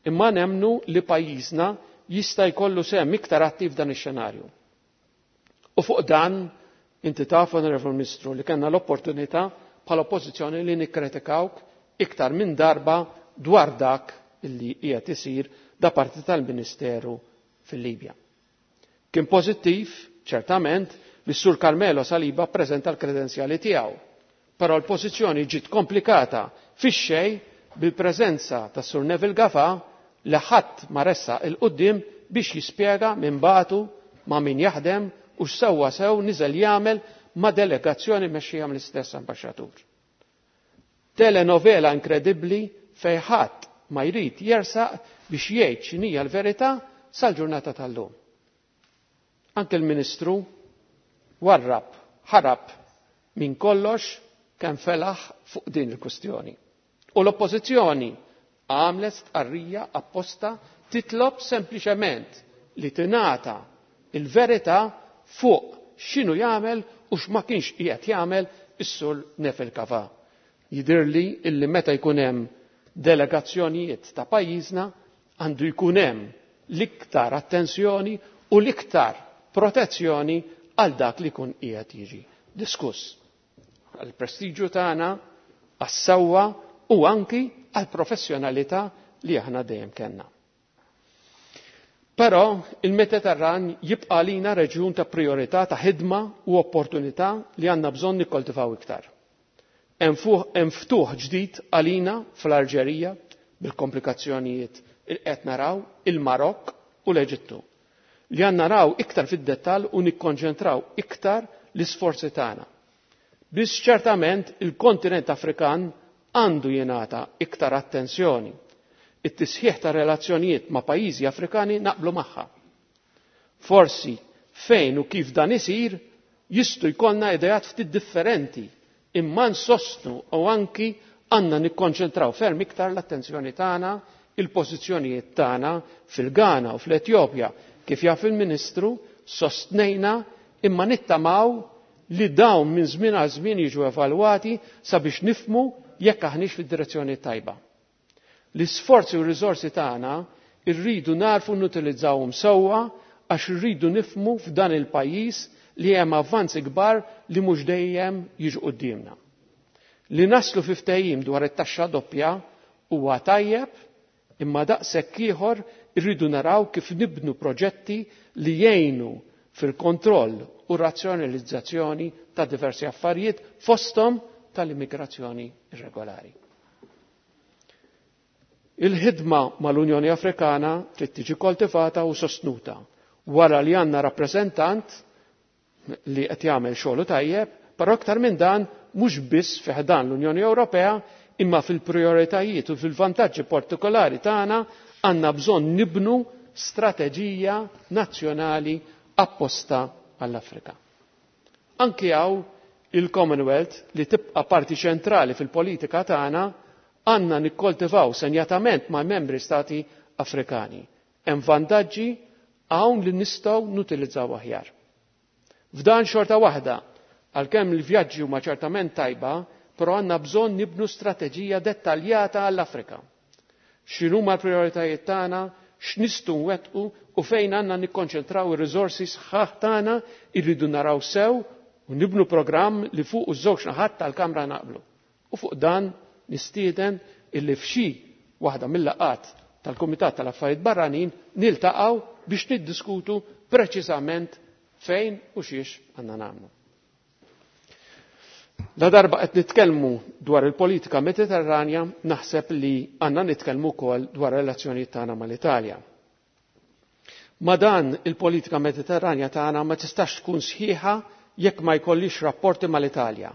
Imma nemmnu li pajjiżna jista' jkollu sehem iktar attiv dan ix-xenarju. U fuq dan, inti taf, Onorevole Ministru, li kellna l-opportunità bħala oppożizzjoni li nikkritikawk iktar minn darba dwar dak illi qiegħed isir da parti tal-Ministeru fil-Libja. Kien pożittiv, ċertament, li s-Sur Carmelo Saliba ppreżenta l-kredenzjali tiegħu, però l-pożizzjoni ġiet komplikata fix-xejn bil-preżenza tas-Sur Neville Gafà li ħadd ma ressaq 'il quddiem biex jispjega min bagħtu, ma' min jaħdem u x'sewwa sew niżel jagħmel ma' delegazzjoni mmexxija mill-istess ambaxxatur. Telenovela inkredibbli fejn ħadd ma jrid jersaq biex jgħid x'inhija l-verità sal-ġurnata tal-lum. Anke l-Ministru warrab, ħarab minn kollox kemm felaħ fuq din il-kwistjoni. U l-Oppożizzjoni għamlet stqarrija apposta titlob sempliċement li tingħata l-verità fuq x'inhu jagħmel u x'ma kienx qiegħed jagħmel is-Sur Neville Cavà. Jidhirli illi meta jkun hemm delegazzjonijiet ta' pajjiżna għandu jkun hemm l-iktar attenzjoni u l-iktar protezzjoni għal dak li jkun qiegħed jiġi diskuss. Għall-prestiġju tagħna, għas-sewwa u anki għall-professjonalità li aħna dejjem kellna. Però il-Mediterran jibqa' għalina reġjun ta' prijorità ta' ħidma u opportunità li għandna bżonn nikkoltivaw iktar. Hemm ftuħ ġdid għalina fl-Alġerija bil-komplikazzjonijiet li qed naraw, il-Marokk u l-Eġittu, li għandna naraw iktar fid-dettall u nikkonċentraw iktar l-isforzi tagħna. Biss ċertament il-kontinent Afrikan għandu jingħata iktar attenzjoni. It-tisħiħ ta' relazzjonijiet ma' pajjiżi Afrikani naqblu magħha. Forsi fejn u kif dan isir jistgħu jkollna ideat ftit differenti imma nsostnu u anki għandna nikkonċentraw ferm iktar l-attenzjoni tagħna, il-pożizzjonijiet tagħna fil-Ghana u fl-Etjopja. Kif jaf il-Ministru, sostnejna imma nittamaw li dawn minn żmien għal żmien jiġu evalwati sabiex nifhmu jekk aħniex fid-direzzjoni tajba. L-isforzi u r-riżorsi tagħna rridu narfu nutilizzawhom sewwa għax irridu nifhmu f'dan il-pajjiż li hemm avvanzi kbar li mhux dejjem jiġu quddiemna. Li naslu fi ftehim dwar it-taxxa doppja huwa tajjeb imma daqshekk ieħor irridu naraw kif nibnu proġetti li jgħinu fil-kontroll u razzjonalizzazzjoni ta' diversi affarijiet fosthom tal-immigrazzjoni irregolari. Il-ħidma mal-Unjoni Afrikana trid tiġi koltivata u sostnuta wara li għandna rappreżentant li qed jagħmel xogħlu tajjeb, però aktar minn dan mhux biss fi ħdan l-Unjoni Ewropea imma fil-prijoritajiet u fil-vantaġġi partikolari tagħna għandna bżonn nibnu strateġija nazzjonali apposta għall-Afrika. Anki hawn il-Commonwealth li tibqa' parti ċentrali fil-politika tagħna għandna nikkoltivaw senjatament ma' membri stati Afrikani. Hemm vantaġġi hawn li nistgħu nutilizzaw aħjar. F'dan xorta waħda, għalkemm il-vjaġġi huma ċertament tajba, però għandna bżonn nibnu strateġija dettaljata għall-Afrika. X'inhuma l-prijoritajiet tagħna, x'nistgħu nwettqu u fejn għandna nikkonċentraw ir-riżorsi sħaħ tagħna irridu naraw sew u nibnu programm li fuq iż-żewġ naħat tal-Kamra naqblu. U fuq dan nistieden illi f'xi waħda mill-laqgħat tal-Kumitat tal-Affarijiet Barranin niltaqgħu biex niddiskutu preċiżament fejn u xiex għandna nagħmlu. La darba qed nitkellmu dwar il-politika Mediterranja, naħseb li għandna nitkellmu wkoll dwar relazzjonijiet tagħna mal-Italja. Ma dan il-politika Mediterranja tagħna ma tistax tkun sħiħa jekk ma jkollix rapporti mal-Italja.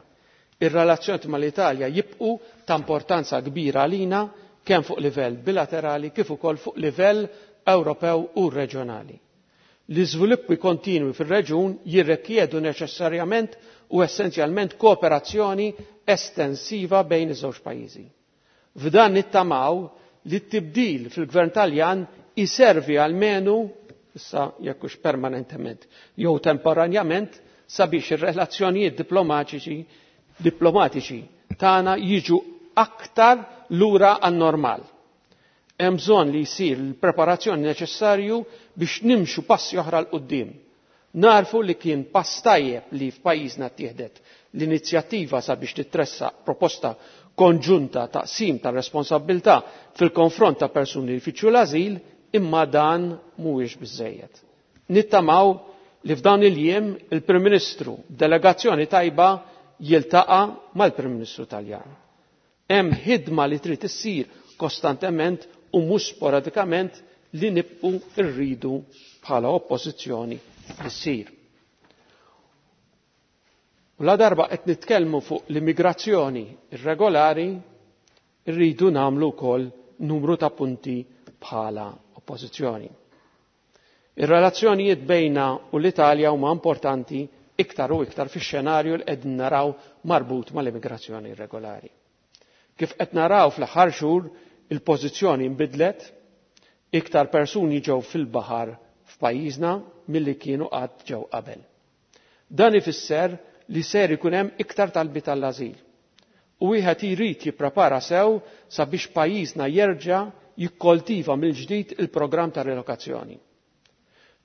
Ir-relazzjoni mal-Italja jibqu ta' importanza kbira għalina kemm fuq livell bilaterali kif ukoll fuq livell Ewropew u reġjonali. L-iżviluppi kontinwi fir-reġjun jirrikjedu neċessarjament u essenzjalment kooperazzjoni estensiva bejn iż-żewġ pajjiżi. F'dan nittamaw li t-tibdil fil-Gvern Taljan iservi almenu issa jekk hux permanentement jew temporanjament, sabiex ir-relazzjonijiet diplomatiċi tagħna jiġu aktar lura għan-normal. Hemm bżonn li jsir l-preparazzjoni neċessarju biex nimxu passi oħra 'l quddiem. Narfu li kien pass tajjeb li f'pajjiżna ttieħdet l-inizjattiva sabiex titressaq proposta konġunta ta' qsim ta' responsabbiltà fil-konfront ta' persuni li jfittxu l-ażil, imma dan mhuwiex biżżejjed. Nittamaw li f'dawn il-jiem il-Prim Ministru b'delegazzjoni tajba jiltaqa' mal-Prim Ministru Taljan. Hemm ħidma li trid issir kostantement u mhux sporadikament li nibqu rridu bħala oppożizzjoni li ssir. U la darba qed nitkellmu fuq l-immigrazzjoni irregolari, rridu nagħmlu wkoll numru ta' punti bħala oppożizzjoni. Ir-relazzjonijiet bejna u l-Italja huma importanti iktar u iktar fix-xenarju li qegħdin naraw marbut mal-immigrazzjoni irregolari. Kif qed naraw fl-aħħar xhur, il-pożizzjoni nbidlet, iktar persuni ġew fil-baħar f'pajjiżna milli kienu qatt ġew qabel. Dan ifisser li ser ikun hemm iktar talbiet għall-ażil. U wieħed jrid jipprepara sew sabiex pajjiżna jerġa' jikkoltiva mill-ġdid il-programm ta' relokazzjoni.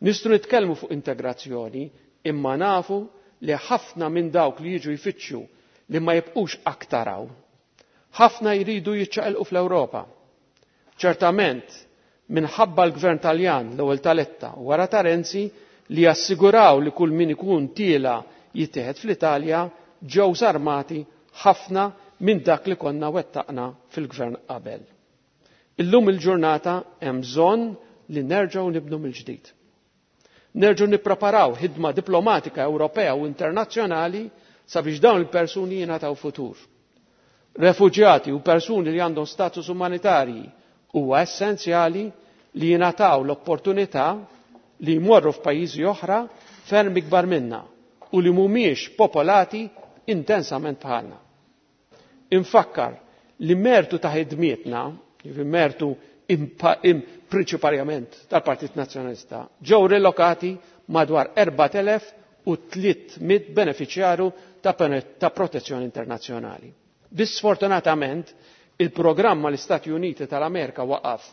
Nistgħu nitkellmu fuq integrazzjoni, imma nafu li ħafna minn dawk li jiġu jfittxu li ma jibqux aktar hawn. Ħafna jridu jiċċaqilqu fl-Ewropa. Ċertament, minħabba l-Gvern Taljan l-ewwel ta' Letta u wara ta' Renzi li jassiguraw li kull min ikun tiela jittieħed fl-Italja, ġew żarmati ħafna minn dak li konna wettaqna fil-gvern qabel. Illum il-ġurnata hemm bżonn li nerġgħu nibnu mill-ġdid. Nerġgħu nippreparaw ħidma diplomatika Ewropea u internazzjonali sabiex dawn il-persuni jingħataw futur. Refuġjati u persuni li għandhom status umanitarji huwa essenzjali li jingħataw l-opportunità li jmorru f'pajjiżi oħra ferm ikbar minna u li mhumiex popolati intensament bħalna. Infakkar li mertu ta' ħidmietna, jiġifieri mertu prinċiparjament tal-Partit Nazzjonalista, ġew rilokati madwar 4,300 beneficjarju ta' protezzjoni internazzjonali. Biss sfortunatament il-programm mal-Istati Uniti tal-Amerika waqaf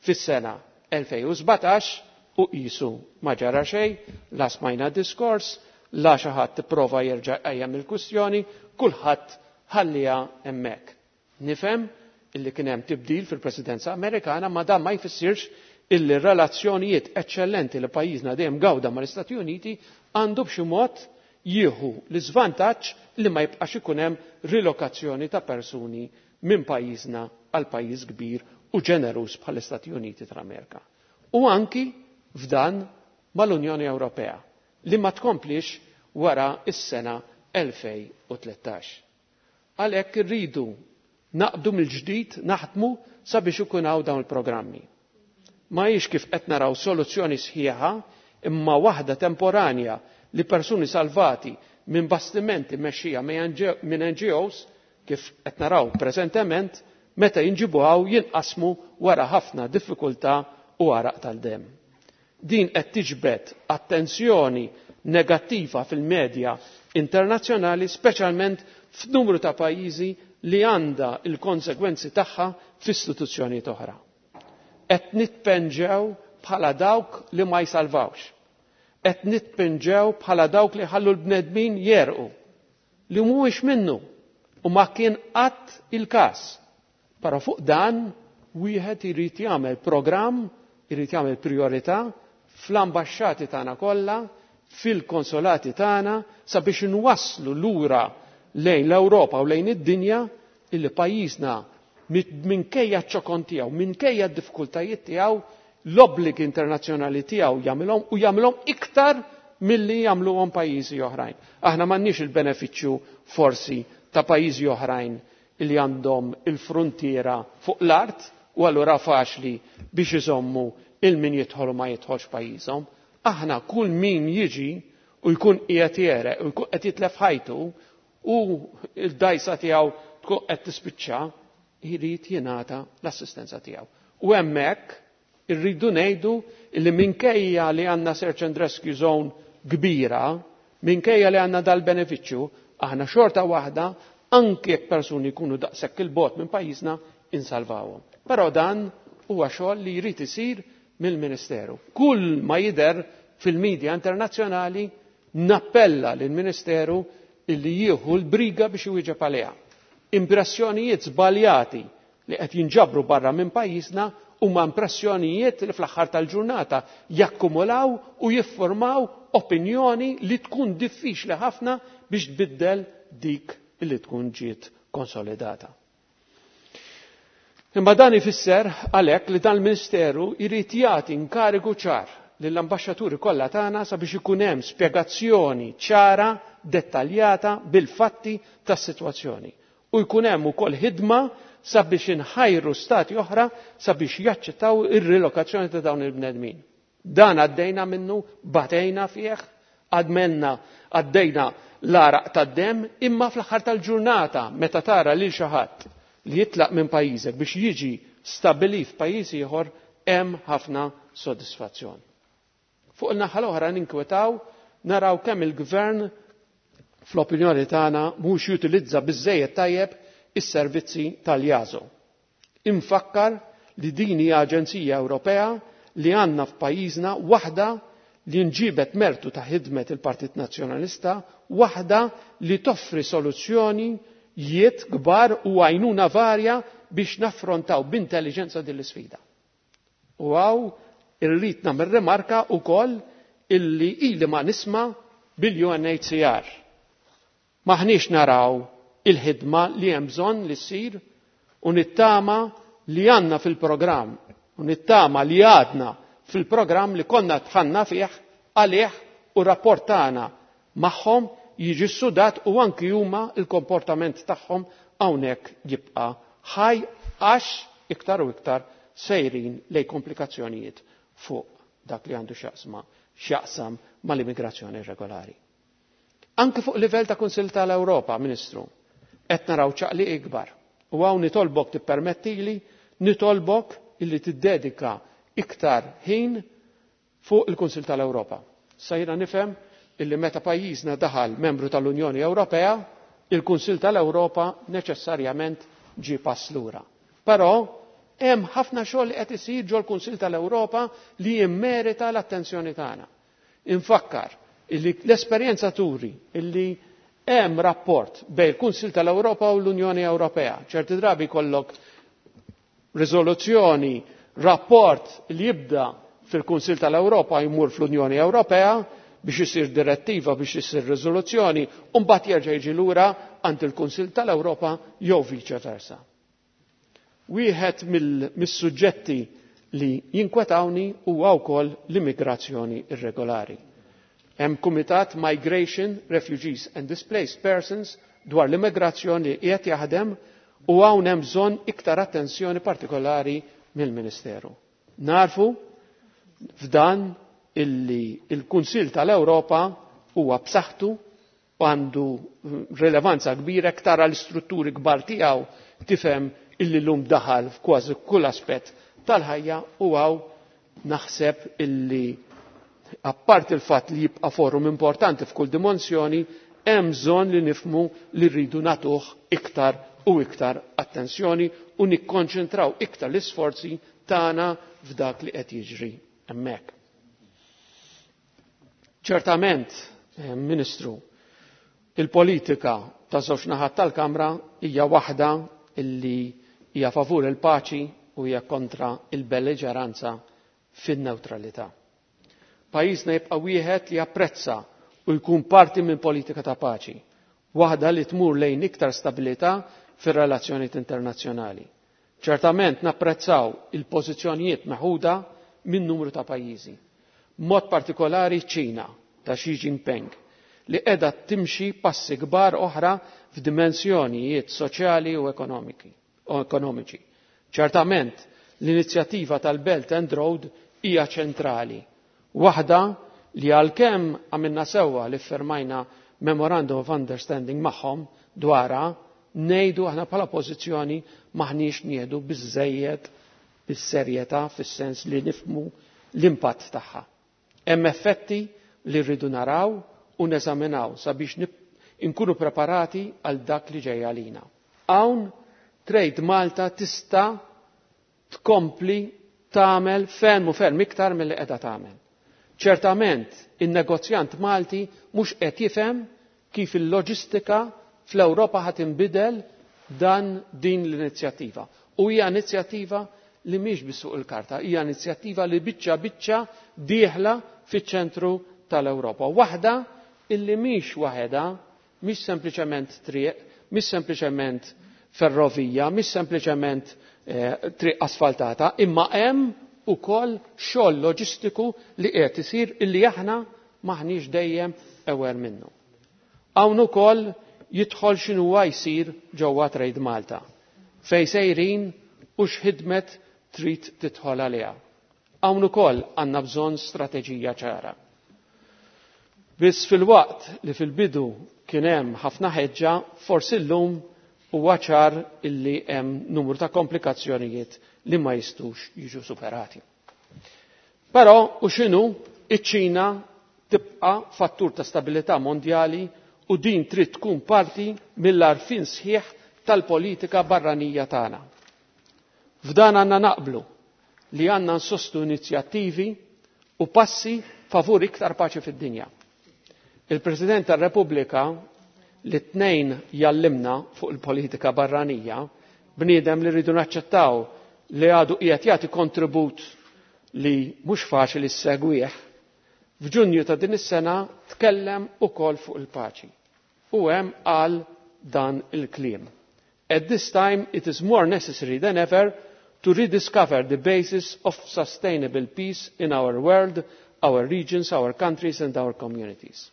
fis-sena 2017 u qisu ma ġara xejn, la smajna diskors, la xi ħadd ipprova jerġa' jqajjem il-kwistjoni, kulħadd ħalliha hemmhekk. Nifhem illi kien hemm tibdil fil-Presidenza Amerikana, ma dan ma jfissirx illi r-relazzjonijiet eċċellenti li pajjiżna dejjem gawda mal-Istati Uniti għandu b'xi mod jieħu l-iżvantaġġ li ma jibqax ikun hemm rilokazzjoni ta' persuni minn pajjiżna għal pajjiż kbir u ġeneruż bħall-Istati Uniti tal-Amerika. U anki f'dan mal-Unjoni Ewropea li ma tkomplix wara s-sena 2013. Għalhekk irridu naqbdu mill-ġdid naħdmu sabiex ikun hawn dawn il-programmi. Ma hijiex kif qed naraw soluzzjoni sħiħa imma waħda temporanja li persuni salvati minn bastimenti mexxija minn NGOs kif qed naraw preżentement meta jinġibu hawn jinqasmu wara ħafna diffikultà u għaraq tal-demm. Din qed tiġbed attenzjoni negattiva fil-medja internazzjonali, speċjalment f'numru ta' pajjiżi li għandha l-konsegwenzi tagħha f'istituzzjonijiet oħra. Qed nitpenġew bħala dawk li ma jsalvawx. Qed nitpenġew bħala dawk li ħallu l-bnedmin jerqu li mhuwiex minnu u ma kien qatt il-każ. Però fuq dan wieħed irid jagħmel programm, irid jagħmel priorità fl-ambaxxati tagħna kollha, fil-konsolati tagħna sabiex inwasslu lura lejn l-Ewropa u lejn id-dinja illi pajjiżna minkejja ċ-ċokon tiegħu, minkejja d-diffikultajiet tiegħu, l-obbligi internazzjonali tiegħu jagħmilhom u jagħmilhom iktar milli jagħmluhom pajjiżi oħrajn. Aħna m'għandniex il-benefiċċju forsi ta' pajjiżi oħrajn illi għandhom il-fruntiera fuq l-art u allura faċli biex iżommu il-min jidħol u ma jidħolx pajjiżhom. Aħna kull min jiġi u jkun qiegħed jereq u jkun qed jitlef ħajtu u l-dajsa tiegħu tkun qed tispiċċa, jrid jingħata l-assistenza tiegħu. U hemmhekk Irridu ngħidu li minkejja li għandna search and rescue zone kbira, minkejja li għandna dal-benefiċċju, aħna xorta waħda anke jekk persuni jkunu daqshekk il-bot minn pajjiżna insalvawhom. Però dan huwa xogħol li jrid isir mill-Ministeru. Kull ma jidher fil-medja internazzjonali nappella lill-Ministeru illi jieħu l-briga biex iwieġeb għaliha. Impressjonijiet żbaljati li qed jinġabru barra minn pajjiżna huma impressjonijiet li fl-aħħar tal-ġurnata jakkumulaw u jiffurmaw opinjoni li tkun diffiċli ħafna biex tbiddel dik li tkun ġiet konsolidata. Imma dan ifisser għalhekk li dan il-Ministeru jrid jagħti inkarigu ċar lill-ambaxxaturi kollha tagħna sabiex ikun hemm spjegazzjoni ċara, dettaljata bil-fatti tas-sitwazzjoni. U jkun hemm ukoll ħidma sabiex inħajru stati oħra sabiex jaċċettaw ir-rilokazzjoni ta' dawn il-bnedmin. Dan għaddejna minnu, batejna fih, għadmenna għaddejna l-għaraq tad-demm, imma fl-aħħar tal-ġurnata meta tara lil xi ħadd li jitlaq minn pajjiżek biex jiġi stabbilit f'pajjiż ieħor hemm ħafna sodisfazzjon. Fuq il-naħa l-oħra ninkwetaw naraw kemm il-gvern fl-opinjoni tagħna mhux jutilizza biżżejjed tajjeb is-servizzi tal-EASO. Infakkar li din hija aġenzija Ewropea li għandna f'pajjiżna waħda li nġibet mertu ta' ħidmet il-Partit Nazzjonalista, waħda li toffri soluzzjonijiet kbar u għajnuna varja biex naffrontaw b'intelligenza din l-isfida. U hawn irrid nagħmel rimarka wkoll illi ili ma nisma' bil-UNHCR. Maħniex naraw il-ħidma li hemm bżonn li ssir u nittama li għandna fil-programm u nittama li għadna fil-programm li konna dħalna fih għalih u rapport tagħna magħhom jiġi sudat u anki huma il-komportament tagħhom hawnhekk jibqa' ħaj għax iktar u iktar sejrin lej komplikazzjonijiet fuq dak li għandu x'jaqsam mal-immigrazzjoni irregolari. Anki fuq livell ta' Kunsill tal-Ewropa, Ministru, qed naraw ċaqli ikbar. U hawn nitolbok tippermettili, nitolbok illi tiddedika iktar ħin fuq il-Kunsill tal-Ewropa. Sajra nifhem illi meta pajjiżna daħal membru tal-Unjoni Ewropea, il-Kunsill tal-Ewropa neċessarjament ġie pass lura. Però hemm ħafna xogħol li qed isir ġol-Kunsill tal-Ewropa li jimmerita l-attenzjoni tagħna. Infakkar illi l-esperjenza turi illi hemm rapport bejn il-Kunsill tal-Ewropa u l-Unjoni Ewropea. Ċerti drabi kollok riżoluzzjoni, rapport li jibda fil-Kunsill tal-Ewropa jmur fl-Unjoni Ewropea biex isir direttiva, biex isir riżoluzzjoni, u mbagħad jerġa' jiġi lura għand il-Kunsill tal-Ewropa jew vice versa. Wieħed mis-suġġetti li jinkwetawni huwa wkoll l-immigrazzjoni irregolari. Hemm Kumitat Migration, Refugees and Displaced Persons dwar l-immigrazzjoni li qiegħed jaħdem u hawn hemm bżonn iktar attenzjoni partikolari mill-Ministeru. Narfu f'dan illi il-Kunsill tal-Ewropa huwa b'saħħtu u għandu rilevanza kbira iktar għal strutturi kbar tiegħu tifhem illi llum daħal f'kważi kull aspett tal-ħajja u hawn naħseb illi apart il-fatt li jibqa' forum importanti f'kull dimensjoni, hemm bżonn li nifhmu li rridu nagħtuh iktar u iktar attenzjoni u nikkonċentraw iktar l-isforzi tagħna f'dak li qed jiġri hemmhekk. Ċertament, Ministru, il-politika ta' żewġ naħat tal-Kamra hija waħda illi hija favur il-paċi u hija kontra il-belliġeranza fin-newtralità. Pajjiżna jibqa' wieħed li japprezza u jkun parti minn politika ta' paċi, waħda li tmur lejn iktar stabilità fir-relazzjonijiet internazzjonali. Ċertament napprezzaw il-pożizzjonijiet meħuda minn numru ta' pajjiżi. Mod partikolari ċ-Ċina ta' Xi Jinping li qiegħda timxi passi kbar oħra f'dimensjonijiet soċjali u ekonomiċi. Ċertament l-inizjattiva tal-Belt and Road hija ċentrali, waħda li għalkemm għamilna sewwa li firmajna Memorandum of Understanding magħhom dwarha, ngħidu aħna bħala pożizzjoni maħniex nieħdu biżżejjed bis-serjetà fis-sens li nifhmu l-impatt tagħha. Hemm effetti li rridu naraw u neżaminaw sabiex inkunu preparati għal dak li ġej għalina. Hawn Trade Malta tista' tkompli tagħmel ferm u ferm iktar milli qiegħda tagħmel. Ċertament in-negozjant Malti mhux qed jifhem kif il-loġistika fl-Ewropa ħa tinbidel dan din l-inizjattiva. U hija inizjattiva li mhix biss fuq il-karta, hija inizjattiva li biċċa biċċa dieħla fiċ-ċentru tal-Ewropa. Waħda illi mhix waħedha, mhix sempliċement triq, mhix sempliċement ferrovija, mhix sempliċement triq asfaltata, imma hemm ukoll xogħol loġistiku li qiegħed isir illi aħna maħniex dejjem aware minnu. Hawn ukoll jidħol x'inhuwa jsir ġewwa Trade Malta, fejn sejrin u x'ħidmet trid tidħol għaliha. Hawn ukoll għandna bżonn strateġija ċara. Biss fil-waqt li fil-bidu kien hemm ħafna ħeġġa, forsi llum huwa ċar illi hemm numru ta' komplikazzjonijiet li ma jistux jiġu superati. Però u x'inhu, iċ-Ċina tibqa' fattur ta' stabilità mondjali u din trid tkun parti mill-għarfien sħiħ tal-politika barranija tagħna. F'dan għandna naqblu li għandna nsostu inizjattivi u passi favur iktar paċi fid-dinja. Il-President tar-Repubblika li tnejn jallimna fuq il-politika barranija, bniedem li rridu naċċettaw li għadu qiegħed jagħti kontribut li mhux faċli ssegwih, f'Ġunju ta' din is-sena tkellem ukoll fuq il-paċi. U hemm qal dan il-kliem. At this time it is more necessary than ever to rediscover the basis of sustainable peace in our world, our regions, our countries and our communities.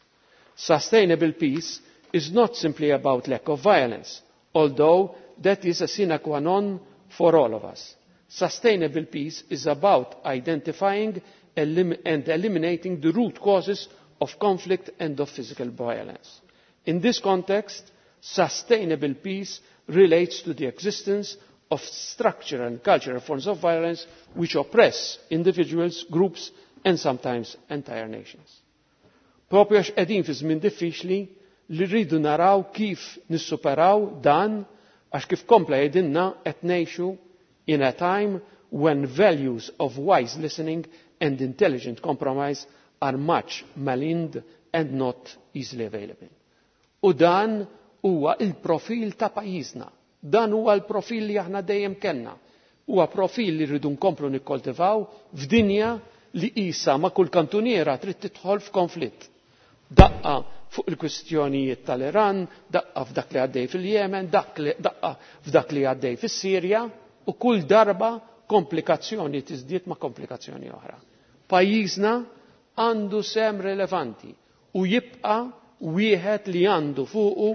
Sustainable peace is not simply about lack of violence, although that is a sine qua non for all of us. Sustainable peace is about identifying and eliminating the root causes of conflict and of physical violence. In this context, sustainable peace relates to the existence of structural and cultural forms of violence which oppress individuals, groups and sometimes entire nations. Propju għax qegħdin fi żmien diffiċli li rridu naraw kif nissuperaw dan, għax kif kompla jgħidilna qed ngħixu in a time when values of wise listening and intelligent compromise are much maligned and not easily available. U dan huwa il-profil ta' pajjiżna. Dan huwa l-profil li aħna dejjem kellna. Huwa profil li rridu nkomplu nikkoltivaw f'dinja li qisha ma' kull kantuniera trid tidħol f'konflitt. Daqqa fuq il-kwistjonijiet tal-Iran, daqqa f'dak li għaddej fil-Jemen, daqqa f'dak li għaddej fis-Sirja, u kull darba komplikazzjoni tiżdied ma' komplikazzjoni oħra. Pajjiżna għandu sem relevanti u jibqa' wieħed li għandu fuqu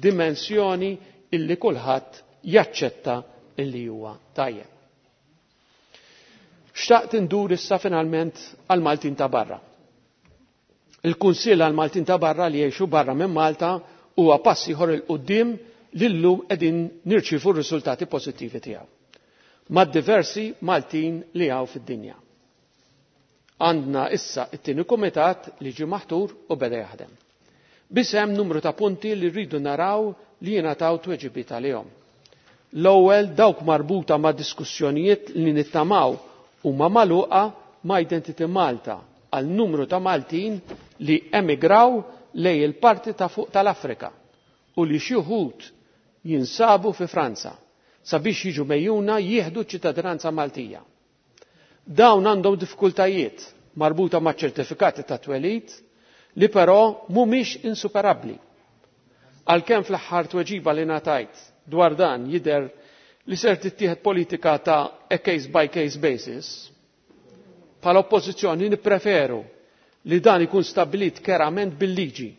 dimensjoni illi kulħadd jaċċetta illi huwa tajjeb. Xtaqt indur issa finalment għal Maltin ta' barra. Il-Kunsill għal Maltin ta' barra li jgħixu barra minn Malta huwa pass ieħor il quddiem li llum qegħdin nirċievu r-riżultati pożittivi tiegħu. Ma' diversi Maltin li hawn fid-dinja. Għandna issa it-tieni kumitat li ġie maħtur u beda jaħdem. Biss hemm numru ta' punti li rridu naraw li jingħataw tweġibiet għalihom. L-ewwel dawk marbuta ma' diskussjonijiet li nittamaw huma magħluqa ma' Identity Malta għal numru ta' Maltin li emigraw lej il-parti ta' fuq tal-Afrika u li xi wħud jinsabu fi Franza sabiex jiġu mejjuna jieħdu ċittadinanza Maltija. Dawn għandhom diffikultajiet marbuta ma' ċertifikati ta' twelid li però mhumiex insuperabbli. Għalkemm fl-aħħar tweġiba li ngħatajt dwar dan jidher li ser tittieħed politika ta' a case by case basis, bħala oppożizzjoni nippreferu li dan ikun stabbilit kerament bil-liġi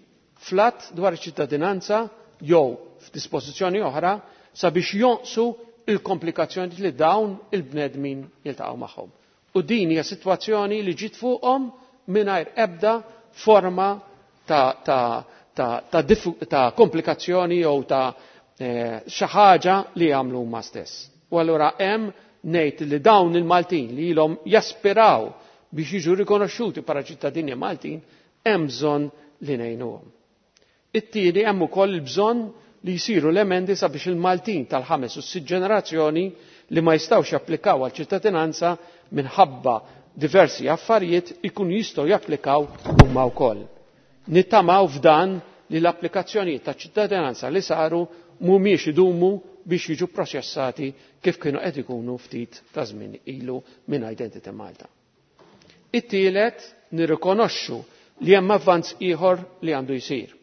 flat dwar iċ-ċittadinanza jew f'dispożizzjoni oħra sabiex jonqsu il-komplikazzjoni li dawn il-bnedmin jiltaqgħu magħhom. U din hija sitwazzjoni li ġiet fuqhom mingħajr ebda forma ta' komplikazzjoni jew ta' xi ħaġa li jagħmlu huma stess. U allura hemm ngħid li dawn il-Maltin li ilhom jaspiraw biex jiġu rikonoxxuti bħala ċittadini Maltin hemm bżonn li ngħinuhom. It-tieni, hemm ukoll il-bżonn li jsiru l-emendi sabiex il-Maltin tal-ħames u s-sitt ġenerazzjoni li ma jistgħux japplikaw għal ċittadinanza minħabba diversi affarijiet ikunu jistgħu japplikaw huma wkoll. Nittamaw f'dan li l-applikazzjonijiet ta' ċittadinanza li saru mhumiex idumu biex jiġu proċessati kif kienu qed ikunu ftit ta' żmien ilu minn Identity Malta. It-tielet, nirrikonoxxu li hemm avvanz ieħor li għandu jsir.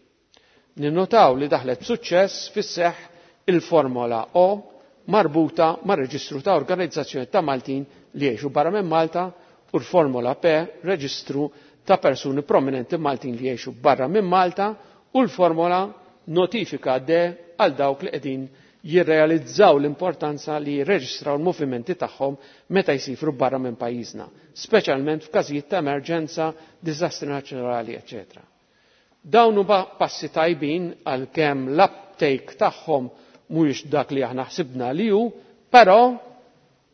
Ninnotaw li daħlet b'suċċess fis-seħħ il-Formola O marbuta mar-reġistru ta' organizzazzjoni ta' Maltin li jgħixu barra minn Malta u l-Formola P, reġistru ta' persuni prominenti Maltin li jgħixu barra minn Malta, u l-formola notifika D għal dawk li qegħdin jirrealizzaw l-importanza li jirreġistraw l-movimenti tagħhom meta jsifru barra minn pajjiżna, speċjalment f'każijiet ta' emerġenza, diżastri nazzjonali, eċċetera. Dawn huma passi tajbin għalkemm l-uptake tagħhom mhuwiex dak li aħna ħsibna li hu, però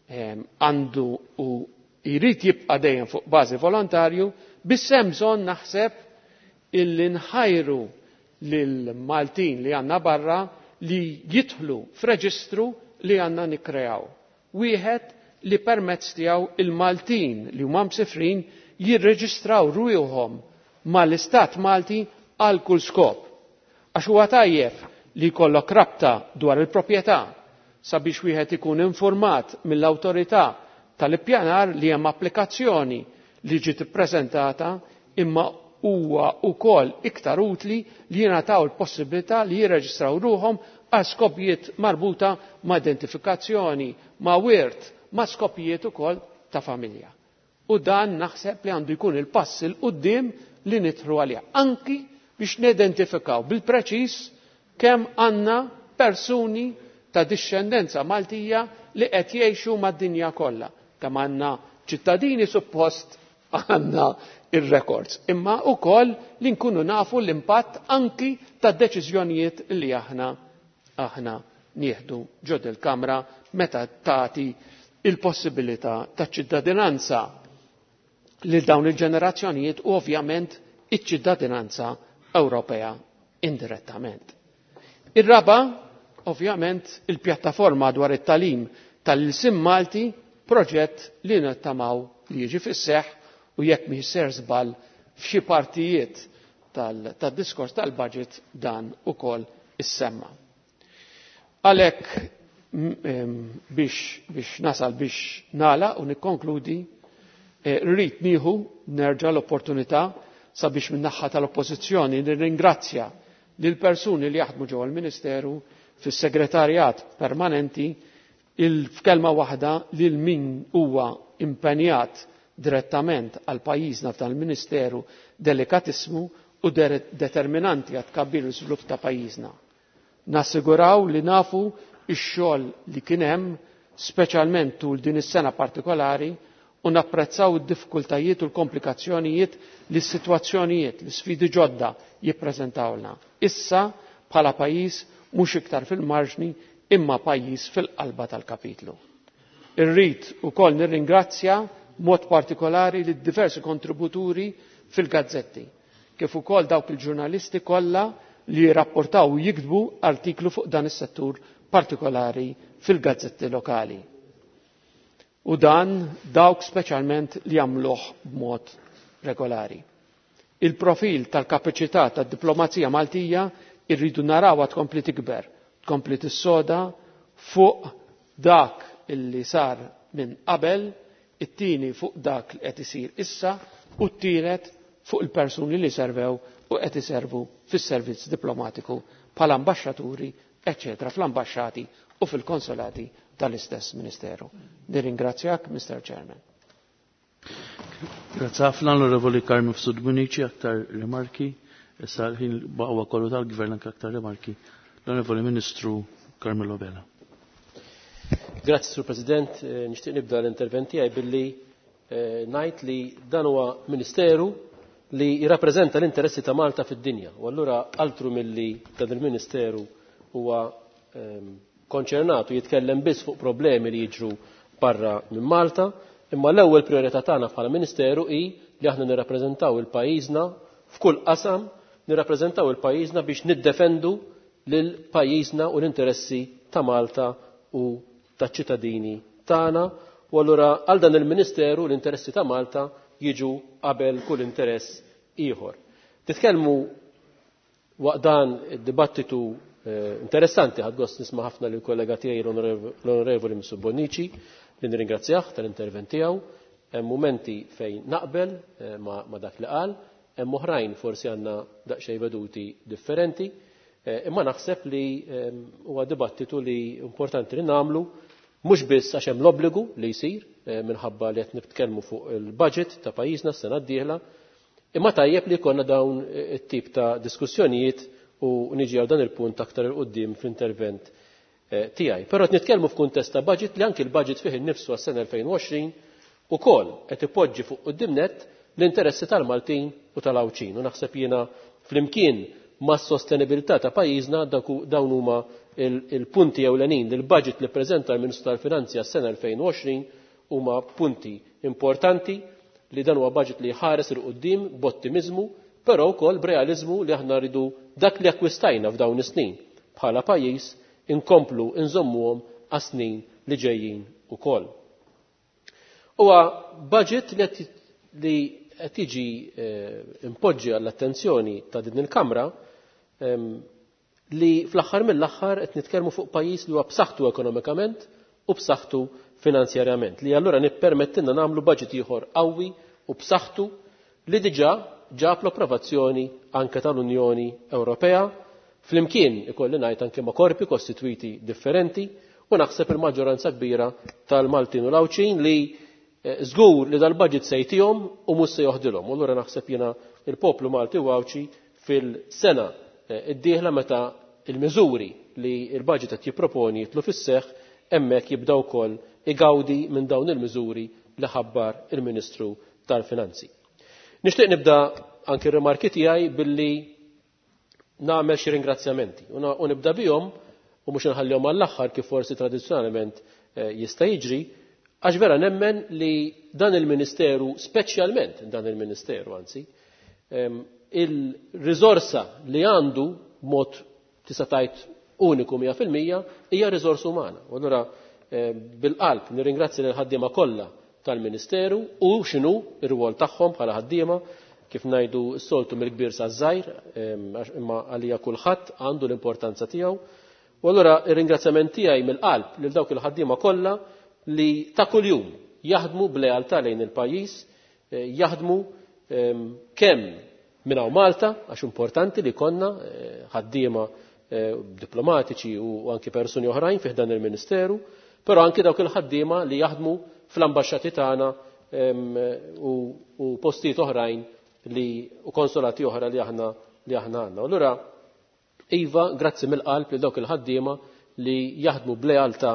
għandu u jrid jibqa' dejjem fuq bażi volontarju, biss hemm bżonn naħseb illi nħajru lil Maltin li għandna barra li jidħlu f'reġistru li għandna nikkreaw. Wieħed li permezz tiegħu il-Maltin li huma msifrin jirreġistraw ruħhom mal-Istat Malti għal kull skop. Għax huwa tajjeb li jkollok rabta dwar il-proprjetà sabiex wieħed ikun informat mill-awtorità tal-ippjanar li hemm applikazzjoni li ġiet ippreżentata, imma huwa wkoll iktar utli li jingħataw il-possibilità li jirreġistraw ruħhom għal skopijiet marbuta ma' identifikazzjoni, ma' wirt, ma' skopijiet ukoll ta' familja. U dan naħseb li għandu jkun il-pass il quddiem li nidħlu għalih, anki biex nidentifikaw bil-preċiż kemm għandna persuni ta' dixxendenza Maltija li qed jgħixu mad-dinja kollha. Kemm għandna ċittadini suppost għandna ir-records, imma wkoll li nkunu nafu l-impatt anki ta' deċiżjonijiet li aħna nieħdu ġod il-Kamra meta tagħti il-possibilità ta' ċittadinanza lil dawn il-ġenerazzjonijiet u ovvjament iċ-ċittadinanza Ewropea indirettament. Ir-raba, ovvjament, il-pjattaforma dwar it-talim tal-ilsim Malti, proġett li nittamaw li jiġi fis-seħħ u jekk mhix ser żball f'xi partijiet tad-diskors tal-budget dan ukoll issemma. Għalhekk biex nasal biex nagħlaq u nikkonkludi, rrid nieħu nerġa' l-opportunità sabiex min-naħa tal-Oppożizzjoni nirringrazzja lil persuni li jaħdmu ġewwa l-Ministeru fis-segretarjat permanenti, il-f'kelma waħda lil min huwa impenjat direttament għal pajjiżna f'dan il-Ministeru delikatissimu u determinanti għat tkabbir u żvilupp ta' pajjiżna. Nassiguraw li nafu x-xogħol li kien hemm, speċjalment tul din is-sena partikolari, u napprezzaw id-diffikultajiet u l-komplikazzjonijiet li s-sitwazzjonijiet, li sfidi ġodda jippreżentawlna. Issa bħala pajjiż mhux iktar fil-marġni imma pajjiż fil-qalba tal-kapitlu. Irrid ukoll nirringrazzja mod partikolari lid diversi kontributuri fil-gazzetti, kif ukoll dawk il-ġurnalisti kollha li jirrapportaw u jiktbu artiklu fuq dan is-settur partikolari fil-gazzetti lokali. U dan dawk speċjalment li jagħmluh b'mod regolari. Il-profil tal-kapaċità tad-diplomazija Maltija irridu narawha tkompli tikber, tkompli tissoda fuq dak illi sar minn qabel, it-tieni fuq dak li qed isir issa u t-tielet fuq il-persuni li servew u qed iservu fis-servizz diplomatiku bħala ambaxxaturi, eċċetera, fl-ambaxxati u fil-konsolati tal-istess Ministeru. Nirringrazzjak, Mr. Chairman. Grazie ħafna l-Onorevoli Carm Mifsud Bonnici, aktar rimarki. Issa l-ħin baqwa kollu tal-Gvern anke aktar rimarki. L-Onorevoli Ministru Carmelo Abela. Grazzi, Sur President. Nixtieq nibda l-intervent tiegħi billi ngħid li dan huwa ministeru li jirrappreżenta l-interessi ta' Malta fid-dinja. U allura altru milli dan il-ministeru huwa konċernat u jitkellem biss fuq problemi li jiġru barra minn Malta, imma l-ewwel priorità tagħna bħala Ministeru hi li aħna nirrappreżentaw il-pajjiżna f'kull qasam, nirrappreżentaw il-pajjiżna biex niddefendu lil pajjiżna u l-interessi ta' Malta u taċ-ċittadini tagħna. U allura għal dan il-Ministeru l-interessi ta' Malta jiġu qabel kull interess ieħor. Titkellmu waqt dan id-dibattitu interessanti, ħadt gost nisma' ħafna lill kollega tiegħi l-Onorevoli Mifsud Bonnici, li nirringrazzjah tal-intervent tiegħu. Hemm mumenti fejn naqbel ma' dak li qal, hemm oħrajn forsi għandna daqsxejn veduti differenti, imma naħseb li huwa dibattitu li importanti li nagħmlu, mhux biss għax hemm l-obbligu li jsir minħabba li qed nitkellmu fuq il-budget ta' pajjiżna s-sena d-dieħla, imma tajjeb li jkollna dawn it-tip ta' diskussjonijiet u niġi għal dan il-punt aktar 'il quddiem fl-intervent tiegħi. Però qed nitkellmu f'kuntest ta' budget li anki l-budget fih innifsu għas-sena 2020 ukoll qed ipoġġi fuq quddiem nett l-interessi tal-Maltin u tal-Għawdxin. U naħseb jiena flimkien mas-sostenibilità ta' pajjiżna dawn huma il-punti ewlenin li l-budget li ppreżenta l-Ministru tal-Finanzi għas-sena 2020 huma punti importanti, li dan huwa budget li jħares 'il quddiem b'ottimiżmu, però wkoll b'realiżmu li aħna rridu dak li akkwistajna f'dawn is-snin bħala pajjiż inkomplu nżommuhom għas-snin li ġejjin ukoll. Huwa budget li qed jiġi impoġġi għall-attenzjoni ta' din il-Kamra li fl-aħħar mill-aħħar qed nitkellmu fuq pajjiż li huwa b'saħħtu ekonomikament u b'saħħtu finanzjarjament, li allura nippermettilna nagħmlu budget ieħor qawwi u b'saħħtu li diġà ġab l-approvazzjoni anke tal-Unjoni Ewropea, flimkien ikolli ngħid anke ma' korpi kostitwiti differenti, u naħseb il-maġġoranza kbira tal-Maltin u l-Għawdxin li żgur li dal-budget se jtihom u mhux se joħdilhom. U allura naħseb jiena il-poplu Malti u Għawdxi fil-sena d-dieħla meta il-miżuri li l-budget qed jipproponi jidħlu fis-seħħ, hemmhekk jibda wkoll igawdi minn dawn il-miżuri li ħabbar il-Ministru tal-Finanzi. Nixtieq nibda anki r-rimarki tiegħi billi nagħmel xi ringrazzjamenti u nibda bihom u mhux inħallihom għall-aħħar kif forsi tradizzjonalment jista' jiġri, għax vera nemmen li dan il-Ministeru, speċjalment dan il-Ministeru anzi, il-riżorsa li għandu b'mod tista' tgħid uniku 100% hija riżorsa umana. U allura bil-qalb nirringrazzja lil ħaddiema kollha tal-Ministeru u x'inhu r-rwol tagħhom bħala ħaddiema, kif ngħidu s-soltu mill-kbir saż-żgħir, imma għalija kulħadd għandu l-importanza tiegħu. U allura ir-ringrazzjament tiegħi mill-qalb lil dawk il-ħaddiema kollha li ta' kuljum jaħdmu b'lealtà lejn il-pajjiż, jaħdmu kemm minn hawn Malta, għax importanti li konna ħaddiema diplomatiċi u anki persuni oħrajn fih dan il-Ministeru, però anki dawk il-ħaddiema li jaħdmu fl-ambaxxati tagħna u postijiet oħrajn li u konsolati oħra li aħna li aħna għandna. U allura iva, grazzi mill-qalb li dawk il-ħaddiema li jaħdmu b'lealtà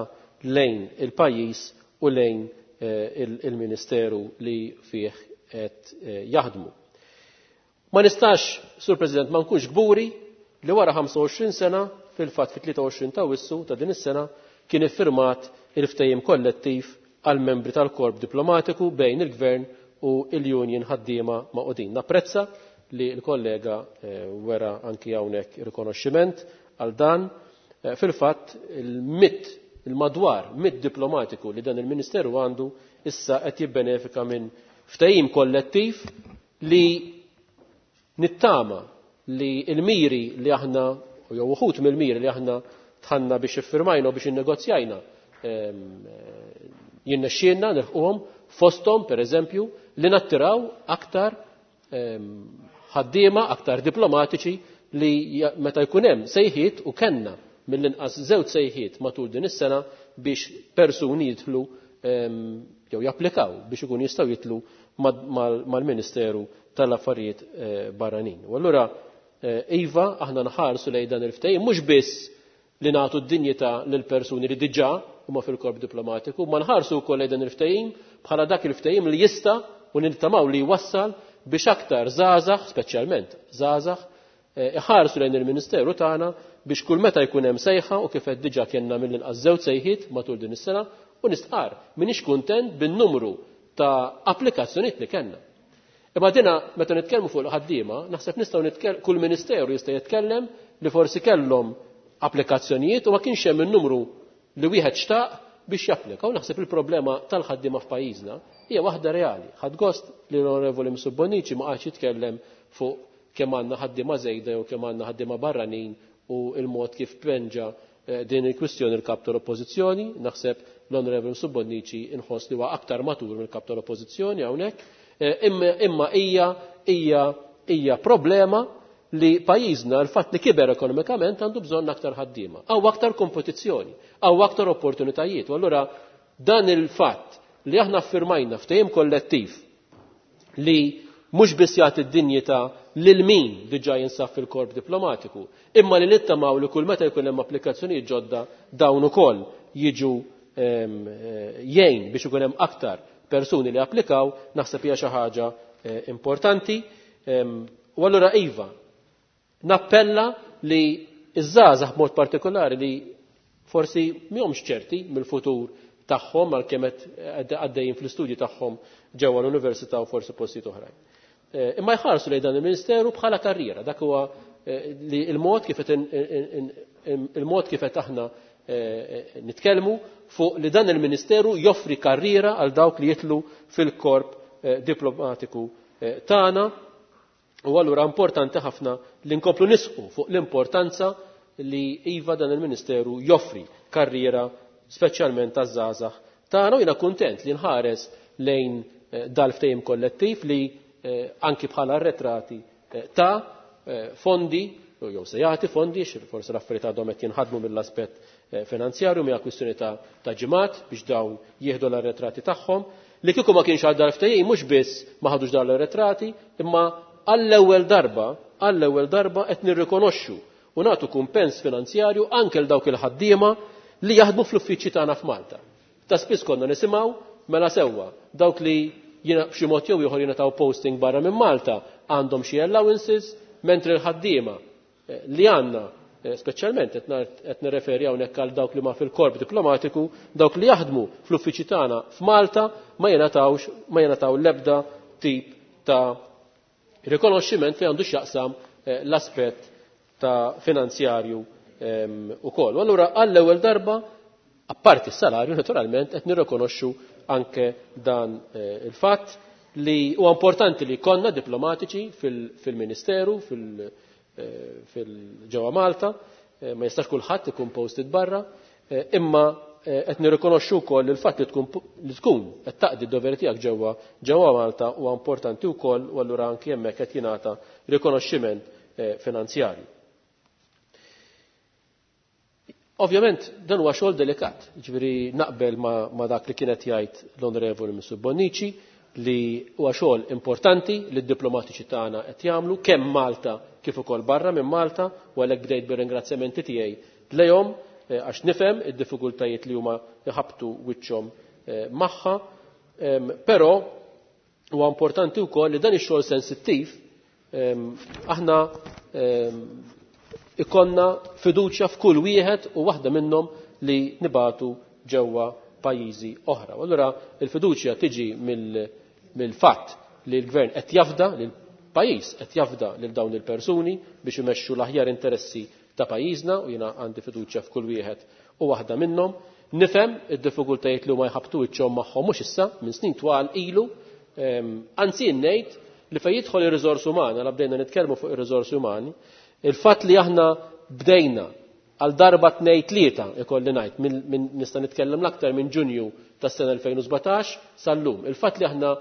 lejn il-pajjiż u lejn il-Ministeru li fih qed jaħdmu. Ma nistax, Sur President, ma nkunx kburi li wara 25 sena, fil-fatt fit-23 ta' Awwissu ta' din is-sena, kien iffirmat il-ftehim kollettiv għal membri tal-korp diplomatiku bejn il-Gvern u l-Union ħaddiema Magħqudin. Napprezza li l-kollega wera anki hawnhekk rikonoxximent għal dan. Fil-fatt il-mitt il-madwar mitt diplomatiku li dan il-Ministeru għandu issa qed jibbenefika minn ftehim kollettiv li nittama li l-miri li aħna jew uħud mill-miri li aħna tħanna biex iffirmajna u biex innegozjajna jinnexxielna nilħquhom, fosthom pereżempju li nattiraw aktar ħaddiema, aktar diplomatiċi li meta jkun hemm sejħiet, u kellna mill-inqas żewġ sejħiet matul din is-sena biex persuni jidħlu jew japplikaw biex ikun jistgħu jidħlu mal-Ministeru tal-Affarijiet Barranin. U allura iva, aħna nħarsu lejn dan il-ftehim mhux biss li nagħtu d-dinjità lil persuni li diġà huma fil-korp diplomatiku, ma nħarsu wkoll lejn dan il-ftehim bħala dak il-ftehim li jista' u nittamaw li jwassal biex aktar żgħażagħ, speċjalment żgħażagħ, iħarsu lejn il-Ministeru tagħna biex kull meta jkun hemm sejħa, u kif qed diġà kellna mill-inqas żewġ sejħiet matul din is-sena, u nistqar m'iniex kuntent bin-numru ta' applikazzjonijiet li kellna. Imma dina meta nitkellmu fuq il-ħaddiema, naħseb nistgħu nitkellem kull ministeru jista' jitkellem li forsi kellhom applikazzjonijiet u ma kienx hemm in-numru li wieħed xtaq biex japplika. U naħseb il-problema tal-ħaddiema f'pajjiżna hija waħda reali. Ħadd gost li l-Onorevoli Mifsud Bonnici ma qagħadx jitkellem fuq kemm għandna ħaddiema żejda jew kemm għandna ħaddiema barranin u il-mod kif penġa din il-kwistjoni l-kap tal-Oppożizzjoni. Naħseb l-Onorevoli Mifsud Bonnici inħoss li huwa aktar matur mill-kap tal-Oppożizzjoni hawnhekk. Imma hija problema li pajjiżna l-fatt li kiber ekonomikament għandu bżonn aktar ħaddiema. Hawn aktar kompetizzjoni, hawn aktar opportunitajiet. U allura dan il-fatt li aħna ffirmajna ftehim kollettiv li mhux biss jagħti d-dinjità lil min diġà jinsab fil-korp diplomatiku, imma li nittamaw li kull meta jkun hemm applikazzjonijiet ġodda dawn ukoll jiġu jgħin biex ikun hemm aktar persuni li applikaw, naħseb hija xi ħaġa importanti. U allura iva, nappella li iż-żgħażagħ b'mod partikolari li forsi mhomx ċerti mill-futur tagħhom għalkemm qed għaddejjin fl-istudji tagħhom ġewwa l-università u forsi postijiet oħrajn. Imma jħarsu lejn dan il-Ministeru bħala karriera, dak huwa li il-mod kif qed il-mod kif qed aħna nitkellmu fuq li dan il-Ministeru joffri karriera għal dawk li jitlu fil-korp diplomatiku tagħna. U allura importanti ħafna li nkomplu nisqu fuq l-importanza li iva dan il-Ministeru joffri karriera speċjalment taż-żgħażagħ tagħna. U jiena kuntent li nħares lejn dal-ftehim kollettiv li anki bħala arretrati ta' fondi, jew se jagħti fondi, forsi l-affarijiet għadhom qed jinħadmu mill-aspett finanzjarju, mija kwistjoni ta' ġimgħat biex dawn jieħdu l-arretrati tagħhom. Li kieku ma kienx għal dal-ftehim mhux biss ma ħadux dawn l-arretrati, imma għall-ewwel darba qed nirrikonoxxu u nagħtu kumpens finanzjarju anke l dawk il-ħaddiema li jaħdmu fl-uffiċċji tagħna f'Malta. Ta' spiss konna nisimgħu mela sewwa dawk li jiena b'xi mod jew ieħor jingħataw posting barra minn Malta għandhom xi allowances, mentri l-ħaddiema li għandna, speċjalment qed nirreferi hawnhekk għal dawk li ma fil-korp diplomatiku, dawk li jaħdmu fl-uffiċċji tagħna f'Malta ma jingħataw l-ebda tip ta' rikonoxximent li għandu x'jaqsam l-aspett ta' finanzjarju ukoll. U allura għall-ewwel darba, apparti s-salarju naturalment, qed nirrikonoxxu anke dan il-fatt li huwa importanti li konna diplomatiċi fil-Ministeru, fil-ġewwa Malta, ma jistax kulħadd ikun posted barra, imma qed nirrikonoxxu wkoll il-fatt li tkun qed taqdi d-doveri tiegħek ġewwa Malta huwa importanti wkoll, u allura anke hemmhekk qed jingħata rikonoxximent finanzjarju. Ovvjament dan huwa xogħol delikat, jiġifieri naqbel ma dak li kienet jgħid l-Onorevoli Mifsud Bonnici li huwa xogħol importanti li d-diplomatiċi tagħna qed jagħmlu kemm Malta kif ukoll barra minn Malta, u għalhekk bdejt bir-ringrazzjamenti tiegħi lejhom għax nifhem id-diffikultajiet li huma jħabtu wiċċhom magħha, però huwa importanti wkoll li dan ix-xogħol sensittiv aħna ikonna fiduċja f'kull wieħed u waħda minnhom li nibatu ġewwa pajjiżi oħra. U allura il-fiduċja tiġi mill-fatt li l-gvern qed jafda, li l-pajjiż qed jafda lil dawn il-persuni biex imexxu l-aħjar interessi ta' pajjiżna, u jiena għandi fiduċja f'kull wieħed u waħda minnhom. Nifhem id-diffikultajiet li huma jħabtu wiċċhom magħhom mhux issa minn snin twal ilu, anzi ngħid li fejn jidħol ir-riżorsi umani, għal bdejna nitkellmu fuq ir-riżorsi umani, il-fatt li aħna bdejna għal darba tnej tlieta ikolli ngħid, nista' nitkellem l-aktar minn Ġunju tas-sena 2017 sal-lum. Il-fatt li aħna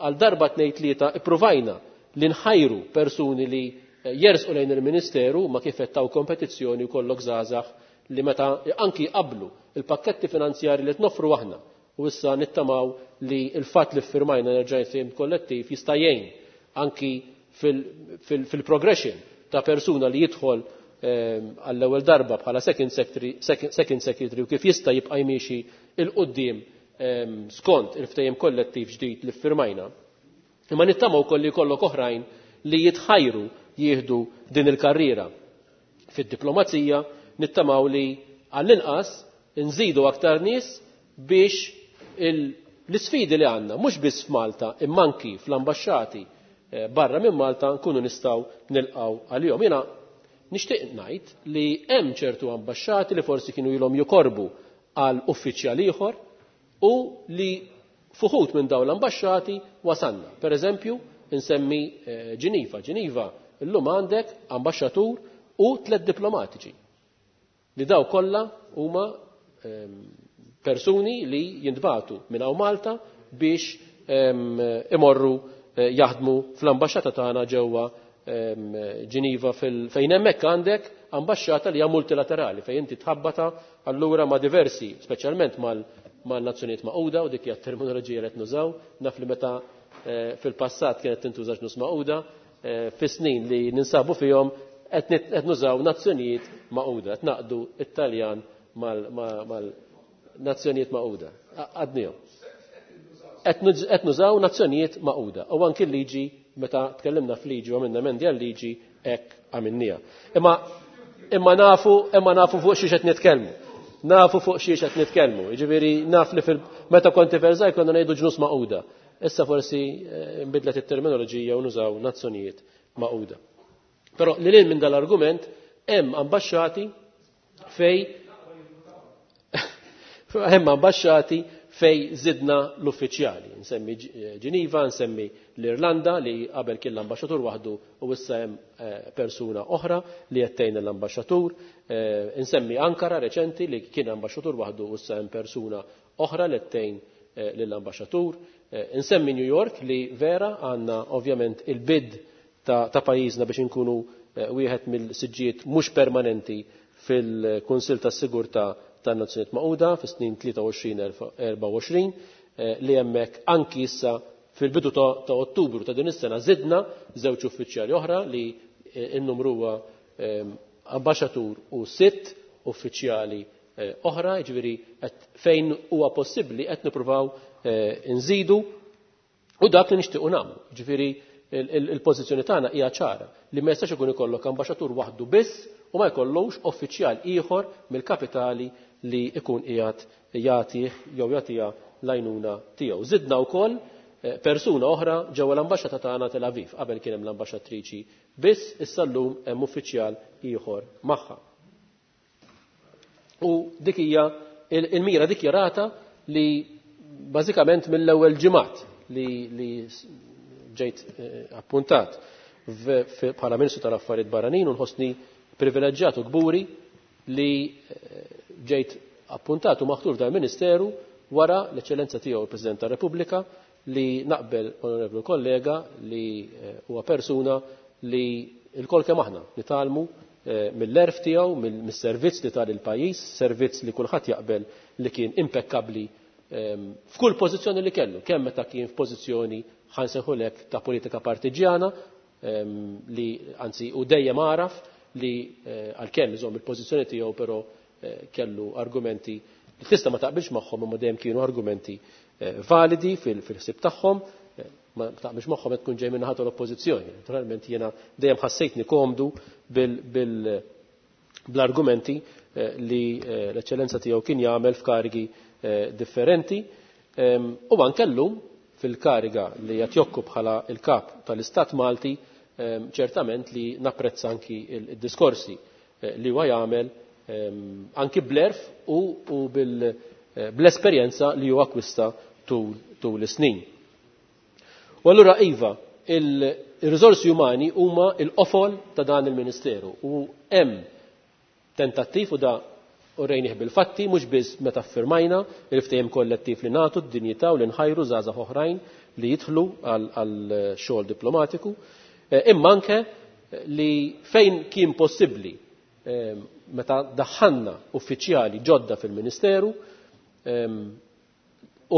għal darba tnej tlieta ippruvajna li nħajru persuni li jersqu lejn il-Ministeru ma kif qed taw kompetizzjoni u kollok żgħażagħ li meta anki qablu il-pakketti finanzjari li tnoffru aħna, u issa nittamaw li il-fatt li ffirmajna nerġa' ftehim kollettiv jista' jgħin anki fil-progression ta' persuna li jidħol għall-ewwel darba bħala second secretary u kif jista' jibqa' jmiexi il quddiem skont il-ftehim kollettiv ġdid li ffirmajna. Imma nittamaw ukoll li jkollok oħrajn li jitħajru jieħdu din il-karriera fid-diplomazija, nittamaw li għall-inqas nżidu aktar nies biex l-isfidi li għandna mhux biss f'Malta imma anki fl-ambaxxati barra minn Malta nkunu nistgħu nilqgħu għalihom. Jiena nixtieq ngħid li hemm ċertu ambaxxati li forsi kienu ilhom jokorbu għal uffiċjal ieħor u li fuħut minn dawn l-ambaxxati wasanna. Per eżempju, insemmi Ġiniva. Ġiniva illum għandek ambaxxatur u 3 diplomatiċi li daw kollha huma persuni li jintbagħtu minn hawn Malta biex imorru jaħdmu fl-ambaxxata tagħna ġewwa Ġiniva fejn hemmhekk għandek ambaxxata li hija multilaterali fejn inti tħabbata allura ma' diversi, speċjalment mal-Nazzjonijiet Magħquda, u dik hija t-terminoloġija li qed nużaw, naf li meta fil-passat kienet tintuża ġnus Magħquda, fis-snin li ninsabu fihom qed nużaw Nazzjonijiet Magħquda, qed naqdu it-Taljan mal-Nazzjonijiet Magħquda. Għadnihom. Qed nużaw Nazzjonijiet Magħquda. U anki l-liġi, meta tkellimna f'liġi u għamilna emendi għal-liġi, hekk għamilniha. Imma nafu fuq xiex qed nitkellmu. Nafu fuq xiex qed nitkellmu. Jiġifieri naf li meta konti Versailles konna ngħidu ġnus Magħquda. Issa forsi nbidlet it-terminoloġija u nużaw Nazzjonijiet Magħquda. Però lil hinn minn dal-argument hemm ambaxxati fej hemm ambaxxati fej zidna l-uffiċjali. Nsemmi Ġiniva, nsemmi l-Irlanda li qabel kien l-ambaxxatur waħdu u issa hemm persuna oħra li qed tgħin l-ambaxxatur. Nsemmi Ankara reċenti li kien ambaxxatur waħdu u issa hemm persuna oħra li qed tgħin lill-ambaxxatur. Nsemmi New York li vera għandna ovvjament il-bid ta' pajjiżna biex inkunu wieħed mill-siġġijiet mhux permanenti fil-Kunsill tas-Sigurtà tan-Nazzjonijiet Magħquda fis-snin 23-24, li hemmhekk anki issa fil-bidu ta' Ottubru ta' din is-sena żidna żewġ uffiċjali oħra li n-numru huwa ambaxxatur u 6 uffiċjali oħra, jiġifieri fejn huwa possibbli qed nippruvaw inżidu u dak li nixtiequ nagħmlu. Jiġifieri il-pożizzjoni tagħna hija ċara li ma jistax ikun ikollok ambaxxatur waħdu biss u ma jkollux uffiċjal ieħor mill-kapitali li ikun qiegħed jagħtih jew jagħtiha l-għajnuna tiegħu. Żidna wkoll persuna oħra ġewwa l-ambaxxata tagħna Tel Aviv. Qabel kien hemm l-ambaxxatriċi biss, issa llum hemm uffiċjal ieħor magħha. U dik hija il-mira dikjarata li bażikament mill-ewwel ġimgħat li ġejt appuntat bħala Ministru tal-Affarijiet Barranin u nħossni privileġġjat u kburi li ġejt appuntat u maħtur dal ministeru wara l-eċċellenza tiegħu il-President tar-Repubblika li naqbel onorevoli kollega li huwa persuna li l-kol kemm aħna nitgħallmu mill-erf tiegħu, mis-servizz li tal il-pajjiż, servizz li kulħadd jaqbel li kien impekkabbli f'kull pożizzjoni li kellu, kemm meta kien f'pożizzjoni ħansejħulek ta' politika partiġjana li anzi u dejjem għaraf li għalkemm iżomm il-pożizzjoni tiegħu però kellu argumenti li tista' ma taqbilx magħhom imma dejjem kienu argumenti validi fil-ħsieb tagħhom, ma taqbilx magħhom qed tkun ġej minn naħa tal-oppożizzjoni. Naturalment jiena dejjem ħassejtni komdu bl-argumenti li l-eċċellenza tiegħu kien jagħmel f'karigi differenti. U anke llum fil-kariga li qed jokku bħala il-kap tal-Istat Malti, ċertament li napprezza anki il-diskorsi li huwa jagħmel anki bl-erf u bl-esperjenza li huwa akkwista tul is-snin. U allura iva, il-riżorsi umani huma l-qofol ta' dan il-Ministeru u hemm tentattiv u da u rejnih bil-fatti, mhux biss meta ffirmajna il-ftehim kollettiv li nagħtu d-dinjità u li nħajru żgħażagħ oħrajn li jidħlu għal xogħol diplomatiku, imma anke li fejn kien possibbli meta daħħalna uffiċjali ġodda fil-Ministeru,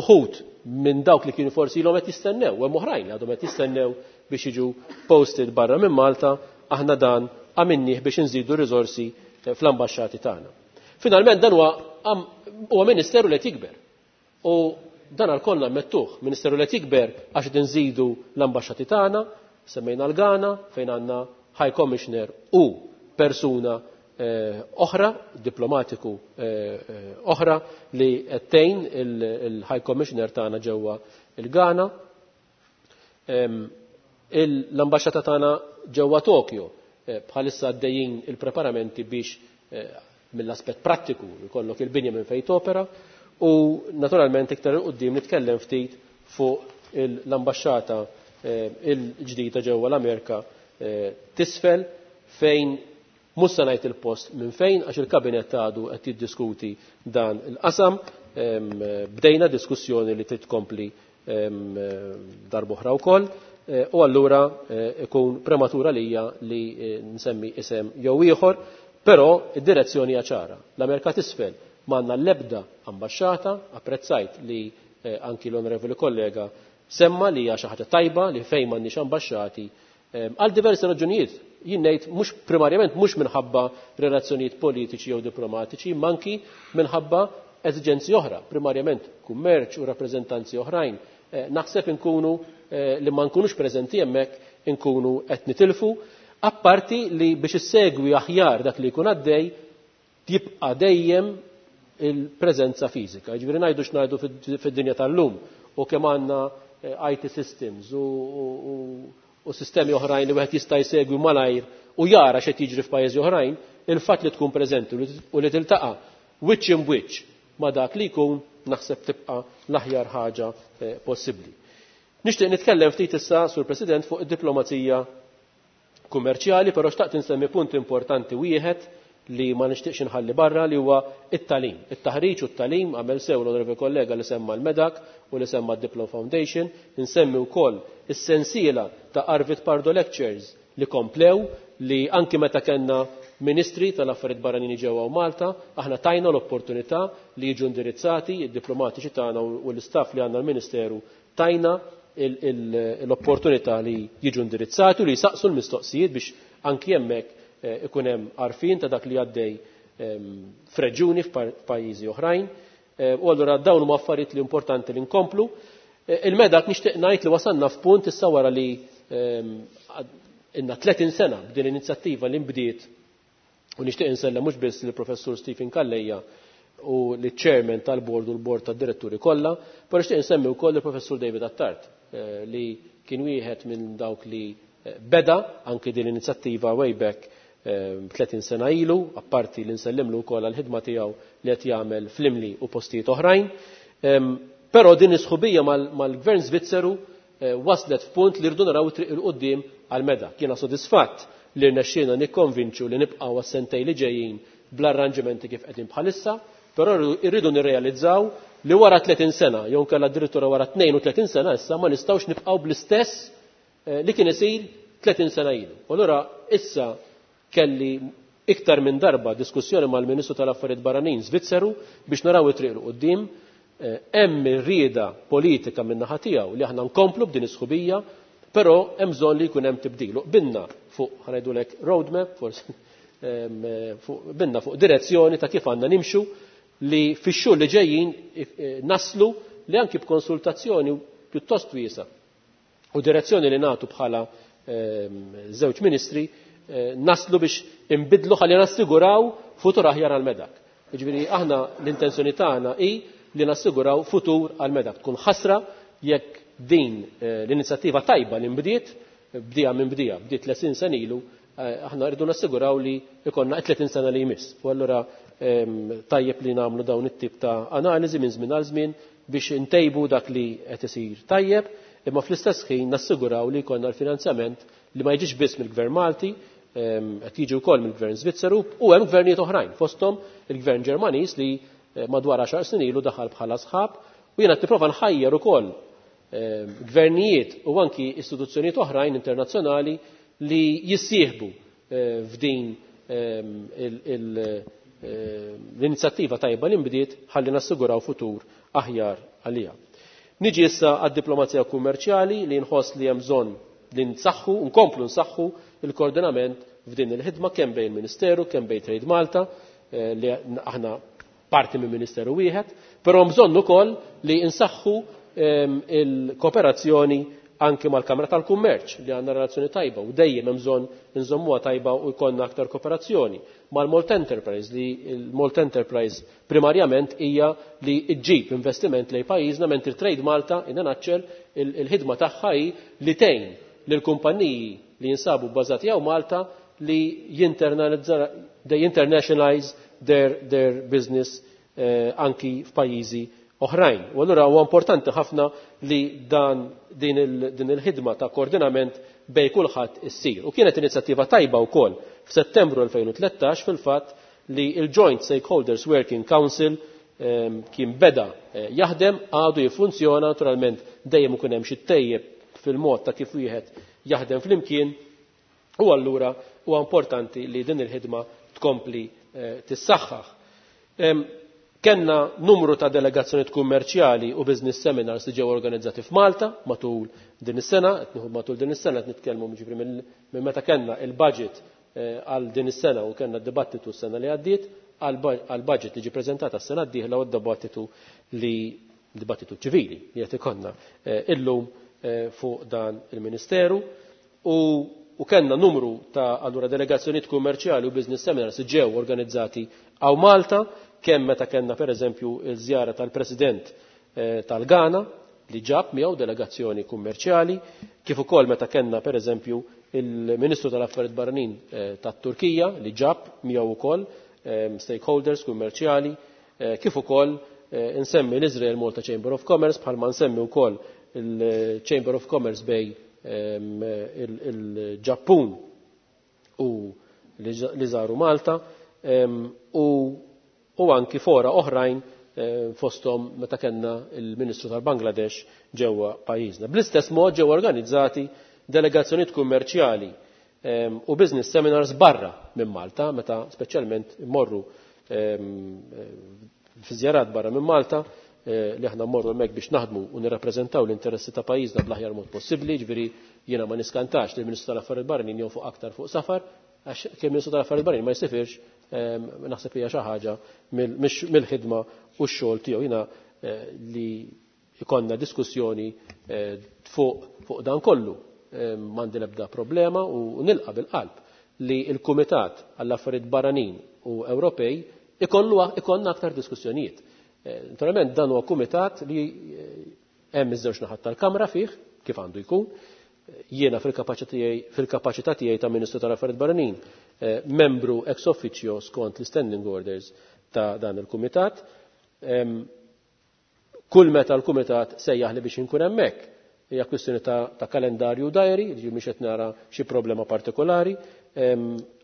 uħud minn dawk li kienu forsi ilhom qed jistennew, u hemm oħrajn li għadhom qed jistennew biex jiġu posted barra minn Malta, aħna dan għamilnieh biex inżidu r-riżorsi fl-ambaxxati tagħna. Finalment dan huwa ministeru li qed jikber. U dan għal-kollna mettuh, ministeru li qed jikber għax qed inżidu l-ambaxxati tagħna, semmejna l-Ghana fejn għandna High Commissioner u persuna oħra, diplomatiku oħra li qed tgħin il-High Commissioner tagħna ġewwa il-Ghana. L-ambaxxata tagħna ġewwa Tokyo bħalissa għaddejjin il-preparamenti biex mill-aspett prattiku jkollok il-binja minn fejn topera u naturalment iktar 'il quddiem nitkellem ftit fuq l-ambaxxata il-ġdida ġewwa l-Amerika t'Isfel fejn mhux se ngħid il-post minn fejn għax il-kabinett għadu qed jiddiskuti dan il-qasam. Bdejna diskussjoni li trid tkompli darb'oħra wkoll u allura ikun prematur għalija li nsemmi isem jew ieħor, però id-direzzjoni hija ċara. L-Amerika t'Isfel m'għandna l-ebda ambaxxata, apprezzajt li anki l-onorevoli kollega semma li hija xi ħaġa tajba li fejn m'għandniex ambaxxati għal diversi raġunijiet. Jien ngħid mhux primarjament mhux minħabba relazzjonijiet politiċi jew diplomatiċi, imma anki minħabba eżiġenzi oħra, primarjament kummerċ u rappreżentanzi oħrajn. Naħseb inkunu li ma nkunux preżenti hemmhekk inkunu qed nitilfu, apparti li biex issegwi aħjar dak li jkun għaddej jibqa' dejjem il-preżenza fiżika. Jiġifieri ngħidu x'ngħidu fid-dinja tal-lum u kemm għandna IT systems u sistemi oħrajn li wieħed jista' jsegwi malajr u jara x'qed jiġri f'pajjiżi oħrajn, il-fatt li tkun preżenti u li tiltaqa' wiċċ imb wiċċ ma' dak li jkun naħseb tibqa' l-aħjar ħaġa possibbli. Nixtieq nitkellem ftit issa, Sur President, fuq id-diplomazija kummerċjali, però xtaqt insemmi punt importanti wieħed li ma nixtieqx inħalli barra li huwa it-tagħlim. It-taħriġ u t-tagħlim għamel sew l-onorevoli kollega li semma l-Medak u li semma d-Diplom Foundation, insemmi wkoll is-sensiela ta' Arvid Pardo Lectures li komplew li anki meta kellna ministri tal-affarijiet barranin ġewwa Malta, aħna tajna l-opportunità li jiġu indirizzati id-diplomatiċi tagħna u l-istaff li għandna l-Ministeru tajna l-opportunità li jiġu indirizzati u li jsaqsu l-mistoqsijiet biex anki hemmhekk ikun hemm għarfien ta' dak li għaddej f'reġjuni f'pajjiżi oħrajn. U allura dawn huma affarijiet li importanti li nkomplu. Il-Medak nixtieq ngħid li wasalna f'punt issa wara li inna 30 sena b'din l-inizjattiva li nbdiet u nixtieq insellem mhux biss lill-Professur Stephen Calleja u l-chairman tal-board u l-board tad-diretturi kollha, però nixtieq insemmi wkoll il-Professur David Attard li kien wieħed minn dawk li beda anki din l-inizjattiva way back 30 sena ilu, apparti li nsellimlu wkoll għall-ħidma tiegħu li qed jagħmel fl-Imli u postijiet oħrajn. Però din is-sħubija mal-Gvern Svizzeru waslet f'punt li rridu naraw triq 'il quddiem għal-Medak. Jiena sodisfatt li rnexxielna nikkonvinċu li nibqgħu għas-sentej li ġejjin bl-arranġamenti kif qegħdin bħalissa, però rridu nirrealizzaw li wara 30 sena, jew nkella addirittura wara 32 sena issa ma nistgħux nibqgħu bl-istess li kien isir 30 sena ilu. U allura issa kelli iktar minn darba diskussjoni mal-Ministru tal-Affarijiet Barranin Svizzeru biex naraw it-triq 'il quddiem. Hemm ir-rieda politika min naħa tiegħu li aħna nkomplu b'din is-sħubija, però hemm bżonn li jkun hemm tibdil. Qbilna fuq ħa ngħidulek roadmap, forsi qbilna fuq direzzjoni ta' kif għandna nimxu li fix-xhur li ġejjin naslu li anki b'konsultazzjoni pjuttost wiesa u direzzjoni li nagħtu bħala żewġ ministri naslu biex imbidlu ħalli nassiguraw futur aħjar għal-Medak. Jiġifieri aħna l-intenzjoni tagħna hi li nassiguraw futur għal-Medak. Tkun ħasra jekk din l-inizjattiva tajba li nbdiet, bdija minn bdija, bdiet 30 sena ilu, aħna rridu nassiguraw li ikonna 30 sena li jmiss. U allura tajjeb li nagħmlu dawn it-tip ta' analiżi minn żmien għal żmien biex intejbu dak li qed isir tajjeb, imma fl-istess ħin nassiguraw li jkollna l-finanzjament li ma jiġix biss mill-Gvern Malti, qed jiġi wkoll mill-Gvern Svizzeru u hemm gvernijiet oħrajn, fosthom il-Gvern Ġermaniż li madwar 10 snin ilu daħal bħala sħab u jiena nipprova nħajjar ukoll gvernijiet u anki istituzzjonijiet oħrajn internazzjonali li jissieħbu f'din l-inizjattiva tajba li nbdiet ħalli nassiguraw futur aħjar għalija. Niġi issa għad-diplomazija kummerċjali li nħoss li hemm bżonn li nsaħħu, nkomplu nsaħħu il-koordinament f'din il-ħidma kemm bejn il-Ministeru, kemm bejn Trade Malta, li aħna parti minn Ministeru wieħed, però bżonn ukoll li nsaħħu il-kooperazzjoni anki mal-Kamra tal-Kummerċ li għandna relazzjoni tajba u dejjem hemm bżonn inżommuha tajba u jkollna aktar kooperazzjoni. Mal-Malt Enterprise li l-Malt Enterprise primarjament hija li ġġib investiment lejn pajjiżna mentri Trade Malta in a nutshell il-ħidma tagħha hi li tgħin lill-kumpaniji li jinsabu bbażati hawn Malta li they internationalize their business anki f'pajjiżi oħrajn. U allura huwa importanti ħafna li dan din il-ħidma ta' koordinament bej kulħadd issir. U kienet inizjattiva tajba wkoll f'Settembru 2013 fil-fatt li il-Joint Stakeholders Working Council kien beda jaħdem, għadu jiffunzjona, naturalment dejjem ikun hemm xi tejjeb fil-mod ta' kif wieħed jaħdem flimkien, u allura huwa importanti li din il-ħidma tkompli tissaħħaħ. Kenna numru ta' delegazzjonijiet kummerċjali u business seminars li ġew organizzati f'Malta matul din is-sena, qed nieħu matul din is-sena qed nitkellmu jiġifieri minn meta kellna il-budget għal din is-sena u kellna d-dibattitu s-sena li għaddiet għal budget li ġie preżentata s-sena d-dieħla u d-dibattitu li dibattitu ċivili li qed ikollna illum fuq dan il-Ministeru. U kellna numru ta' allura delegazzjonijiet kummerċjali u business seminars li ġew organizzati hawn Malta, kemm meta kellna pereżempju l-żjara tal-President tal-Ghana li ġab miegħu delegazzjoni kummerċjali, kif ukoll meta kellna pereżempju il-Ministru tal-Affarijiet Barranin tat-Turkija li ġab miegħu ukoll stakeholders kummerċjali, kif ukoll insemmi l-Israel Malta Chamber of Commerce bħalma nsemmi wkoll il-Chamber of Commerce bej il-Ġappun u li żaru Malta, u anki fora oħrajn fosthom meta kellna il-Ministru tal-Bangladesh ġewwa pajjiżna. Bl-istess mod ġew organizzati delegazzjonijiet kummerċjali u business seminars barra minn Malta, meta speċjalment immorru fi żjarat barra minn Malta, li aħna mmorru hemmhekk biex naħdmu u nirrappreżentaw l-interessi ta' pajjiżna bl-aħjar mod possibbli, ġifieri jiena ma niskantax li l-Ministru tal-Affarijiet Barranin jonfoq aktar fuq safar, għax kien Ministru tal-Affarijiet Barranin ma jsifirx, naħseb hija xi ħaġa mill-ħidma u x-xogħol tiegħu. Jiena li jkollna diskussjoni fuq dan kollu, m'għandi l-ebda problema u nilqa' bil-qalb li l-Kumitat għall-Affarijiet Barranin u Ewropej ikollna aktar diskussjonijiet. Naturalment dan huwa kumitat li hemm iż-żewġ naħat tal-Kamra fih, kif għandu jkun. Jiena fil-kapaċità tiegħi ta' Ministru tal-Affarijiet Barranin, membru ex officio skont l-standing orders ta' dan il-kumitat. Kull meta l-kumitat sejjaħ li biex inkun hemmhekk, hija kwistjoni ta' kalendarju diary, li mhix qed nara xi problema partikolari.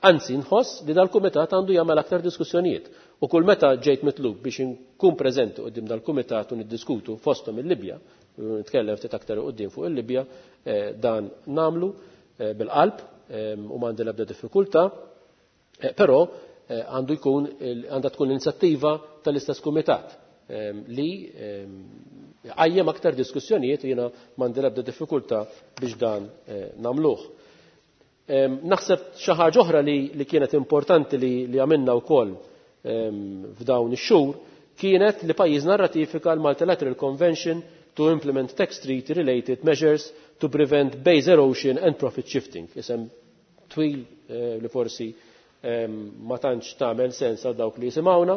Anzi nħoss li dal-kumitat għandu jagħmel aktar diskussjonijiet. U kull meta ġejt mitlub biex inkun preżenti quddiem dal-kumitat u niddiskutu fosthom il-Libja, nitkellem ftit aktar quddiem fuq il-Libja, dan nagħmlu bil-qalb u m'għandi l-ebda diffikultà, però għandha tkun l-inizjattiva tal-istess kumitat li għajjem aktar diskussjonijiet u jiena m'għandi l-ebda diffikultà biex dan nagħmluh. Naħseb xi ħaġa oħra li kienet importanti li għamilna wkoll f'dawn ix-xhur kienet li pajjiżna rratifika l-Multilateral Convention to implement tax treaty related measures to prevent base erosion and profit shifting. Isem twil li forsi ma tantx tagħmel sens għal dawk li jisimgħuna,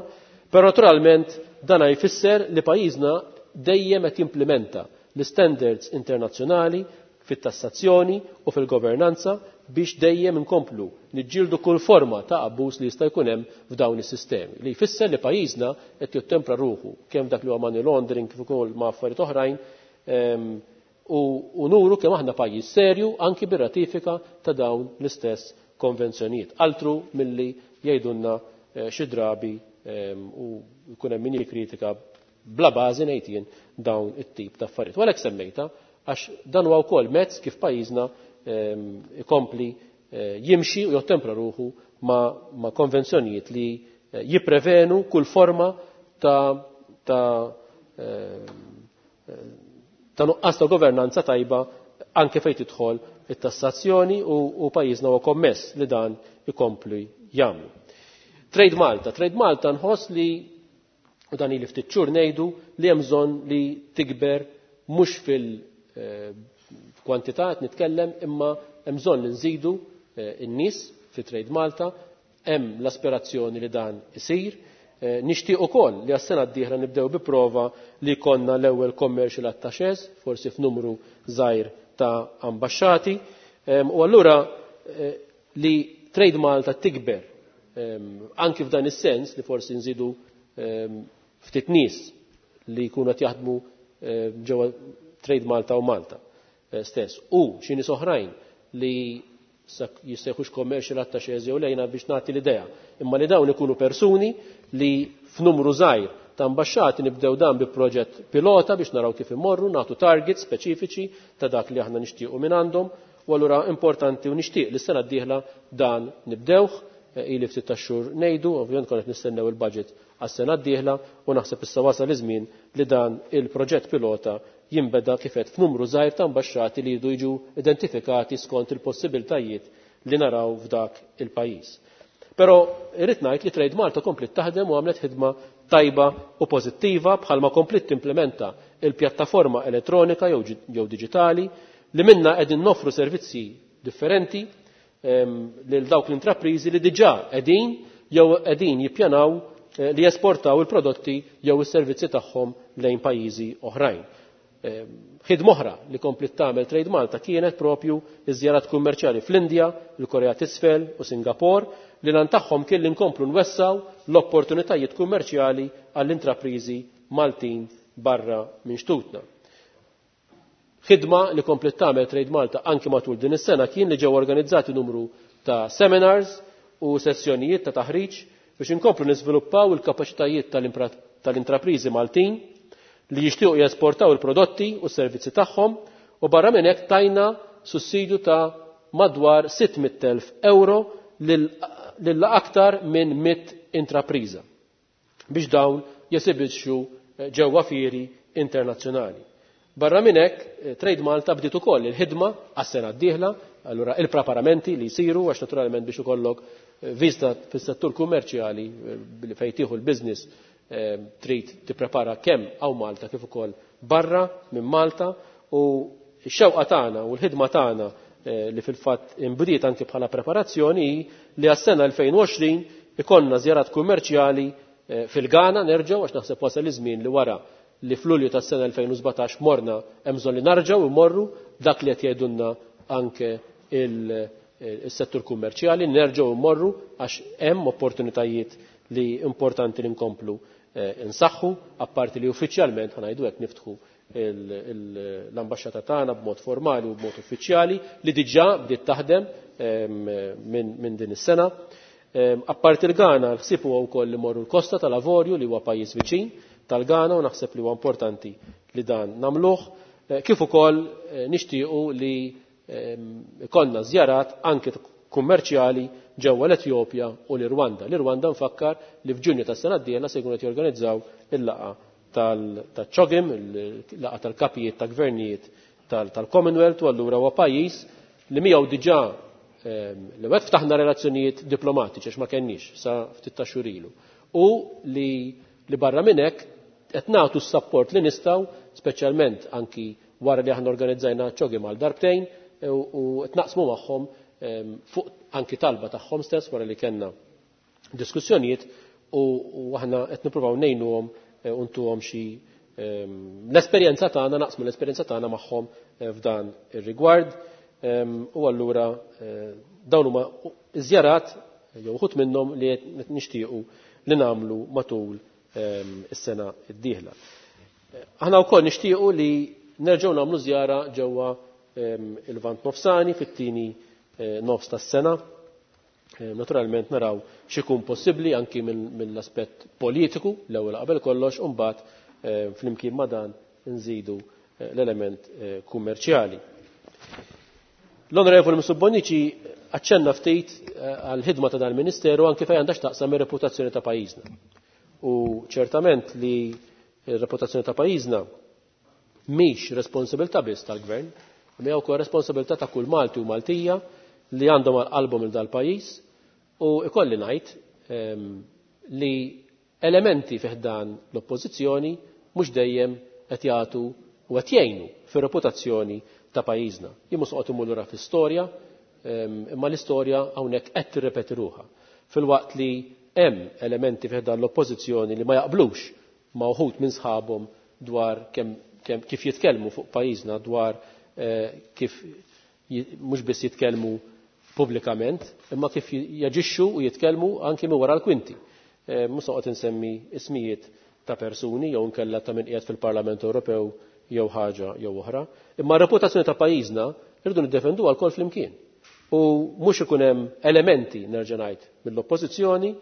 però naturalment dan jfisser li pajjiżna dejjem qed jimplementa l-standards internazzjonali fit-tassazzjoni u fil-governanza biex dejjem inkomplu niġġieldu kull forma ta' abbuż li jista' jkun hemm f'dawn is-sistemi. Li jfisser li pajjiżna qed jottempra ruħu kemm dak li huwa money laundering kif ukoll ma' affarijiet oħrajn, u nuru kemm aħna pajjiż serju anki bir-ratifika ta' dawn l-istess konvenzjonijiet. Altru milli jgħidulna xi drabi u jkun hemm min jikkritika bla bażi ngħid jien dawn it-tip ta' affarijiet. U għalhekk semmejta għax dan huwa wkoll mezz kif pajjiżna ikompli jimxi u jottempra ruħu ma' konvenzjonijiet li jipprevenu kull forma ta' nuqqas ta' governanza tajba anke fejn tidħol it-tassazzjoni u pajjiżna huwa kommess li dan ikompli jagħmlu. Trade Malta. Trade Malta nħoss li, u dan ili ftit xhur ngħidu, li hemm bżonn li tikber mhux fil- Kwantità qed nitkellem imma hemm bżonn li nżidu n-nies fi Trade Malta, hemm l-aspirazzjoni li dan isir. Nixtieq ukoll li għas-sena d-dieħla nibdew bi prova li jkollna l-ewwel commercial attachés, forsi f'numru żgħir ta' ambaxxati. U allura li Trade Malta tikber anki f'dan is-sens li forsi nżidu ftit nies li jkunu qed jaħdmu ġewwa Trade Malta u Malta stess. U xi nies oħrajn li jissejħux commercial attachés jew lejna biex nagħti l-idea, imma li dawn ikunu persuni li f'numru żgħir ta' ambaxxati nibdew dan bi proġett pilota biex naraw kif immorru, nagħtu targets speċifiċi ta' dak li aħna nixtiequ minn għandhom, u allura importanti u nixtieq li s-sena d-dieħla dan nibdewh, ili ftit ta' xhur ngħidu, ovvjament konna qed nistennew il-budget għas-sena d-dieħla u naħseb issa wasal iż-żmien li dan il-proġett pilota jinbeda kif qed f'numru żgħir ta' ambaxxati li jridu jiġu identifikati skont il-possibiltajiet li naraw f'dak il-pajjiż. Però irrid ngħid li Trade Malta komplet taħdem u għamlet ħidma tajba u pożittiva bħalma komplet timplementa il-pjattaforma elettronika jew diġitali li minna qegħdin noffru servizzi differenti lil dawk l-intrapriżi li diġà qegħdin jew qegħdin jippjanaw li jesportaw il-prodotti jew is-servizzi tagħhom lejn pajjiżi oħrajn. Ħidma oħra li komplet tagħmel Trade Malta kienet propju iż-żjarat kummerċjali fl-Indja, il-Korea t'Isfel u Singapore li lan tagħhom kien li nkomplu nwessaw l-opportunitajiet kummerċjali għall-intrapriżi Maltin barra minn xtutna. Ħidma li komplet tagħmel Trade Malta anki matul din is-sena kien li ġew organizzati numru ta' seminars u sessjonijiet ta' taħriġ biex inkomplu niżviluppaw il-kapaċitajiet tal-intrapriżi Maltin li jixtiequ jesportaw il-prodotti u s-servizzi tagħhom, u barra minn hekk tajna sussidju ta' madwar 600,000 euro lil aktar minn 100 intrapriża biex dawn jesibixxu ġewwa fieri internazzjonali. Barra minn hekk, Trade Malta bdiet ukoll il-ħidma għas-sena d-dieħla, allura il-preparamenti li jsiru għax naturalment biex ikollok viżta fis-settur kummerċjali fejn tieħu l-business trid tipprepara kemm hawn Malta kif ukoll barra minn Malta, u x-xewqa tagħna u l-ħidma tagħna li fil-fatt inbdiet anke bħala preparazzjoni hi li għas-sena 2020 ikollna żjarat kummerċjali fil-Ghana nerġgħu, għax naħseb wasal iż-żmien li wara li f'Lulju tas-sena 2017 morna hemm bżonn li narġgħu immorru dak li qed jgħidulna anke il-settur kummerċjali, nerġgħu immorru għax hemm opportunitajiet li importanti li nkomplu insaħħu, apparti li uffiċjalment ħanajdu hekk niftħu l-ambaxxata tagħna b'mod formali u b'mod uffiċjali li diġà bdiet taħdem minn din is-sena. Apparti l-Ghana, l-ħsieb huwa wkoll li morru l-Kosta tal-Avorju li huwa pajjiż viċin tal-Ghana u naħseb li huwa importanti li dan nagħmluh, kif ukoll nixtiequ li ikollna żjarat anke kummerċjali ġewwa l-Etjopja u l-Irwanda. L-Irwanda nfakkar li f'Ġunju tas-sena d-dieħla se jkunu qed jorganizzaw il-laqgħa tal-CHOGM, il-laqgħa tal-kapijiet ta' gvernijiet tal-Commonwealth, u allura huwa pajjiż li miegħu diġà li wet ftaħna relazzjonijiet diplomatiċi għax ma kenniex sa ftit ta' xhur ilu, u li barra minn hekk qed nagħtu s-sapport li nistgħu, speċjalment anki wara li aħna organizzajna CHOGM għal darbtejn u qed naqsmu magħhom fuq anki talba tagħhom stess wara li kellna diskussjonijiet, u aħna qed nippruvaw ngħinuhom u ntuhom xi l-esperjenza tagħna, naqsmu l-esperjenza tagħna magħhom f'dan ir-rigward. U allura dawn huma żjarat jew uħud minnhom li qed nixtiequ li nagħmlu matul is-sena d-dieħla. Aħna wkoll nixtiequ li nerġgħu nagħmlu żjara ġewwa il-Lvant Nofsani fit-tieni nofs tas-sena. Naturalment naraw x'ikun possibbli anki mill-aspett politiku l-ewwel qabel kollox, u mbagħad flimkien ma' dan nżidu l-element kummerċjali. L-Onorevoli Mifsud Bonnici aċċenna ftit għall-ħidma ta' dal-Ministeru anki fejn għandha x'taqsam ir-reputazzjoni ta' pajjiżna. U ċertament li r-reputazzjoni ta' pajjiżna mhix responsabilità biss tal-Gvern, imma hija wkoll responsabilità ta' kull Malti u Maltija li għandhom għal qalbhom il dal-pajjiż, u ikolli ngħid li elementi fih dan l-oppożizzjoni mhux dejjem qed jagħtu u qed jgħinu fir-reputazzjoni ta' pajjiżna. Jien mhux noqgħod immur lura fl-istorja, imma l-istorja hawnhekk qed tirrepeti ruħha. Filwaqt li hemm elementi fih dan l-oppożizzjoni li ma jaqblux ma' uħud minn sħabhom dwar kemm kif jitkellmu fuq pajjiżna dwar kif mhux biss jitkellmu pubblikament, imma kif jaġixxu u jitkellmu anki minn wara l-kwinti. Mhux noqgħod insemmi ismijiet ta' persuni jew inkella ta' min qiegħed fil-Parlament Ewropew jew ħaġa jew oħra. Imma r-reputazzjoni ta' pajjiżna rridu niddefenduha lkoll flimkien. U mhux ikun hemm elementi nerġa' ngħid mill-oppożizzjoni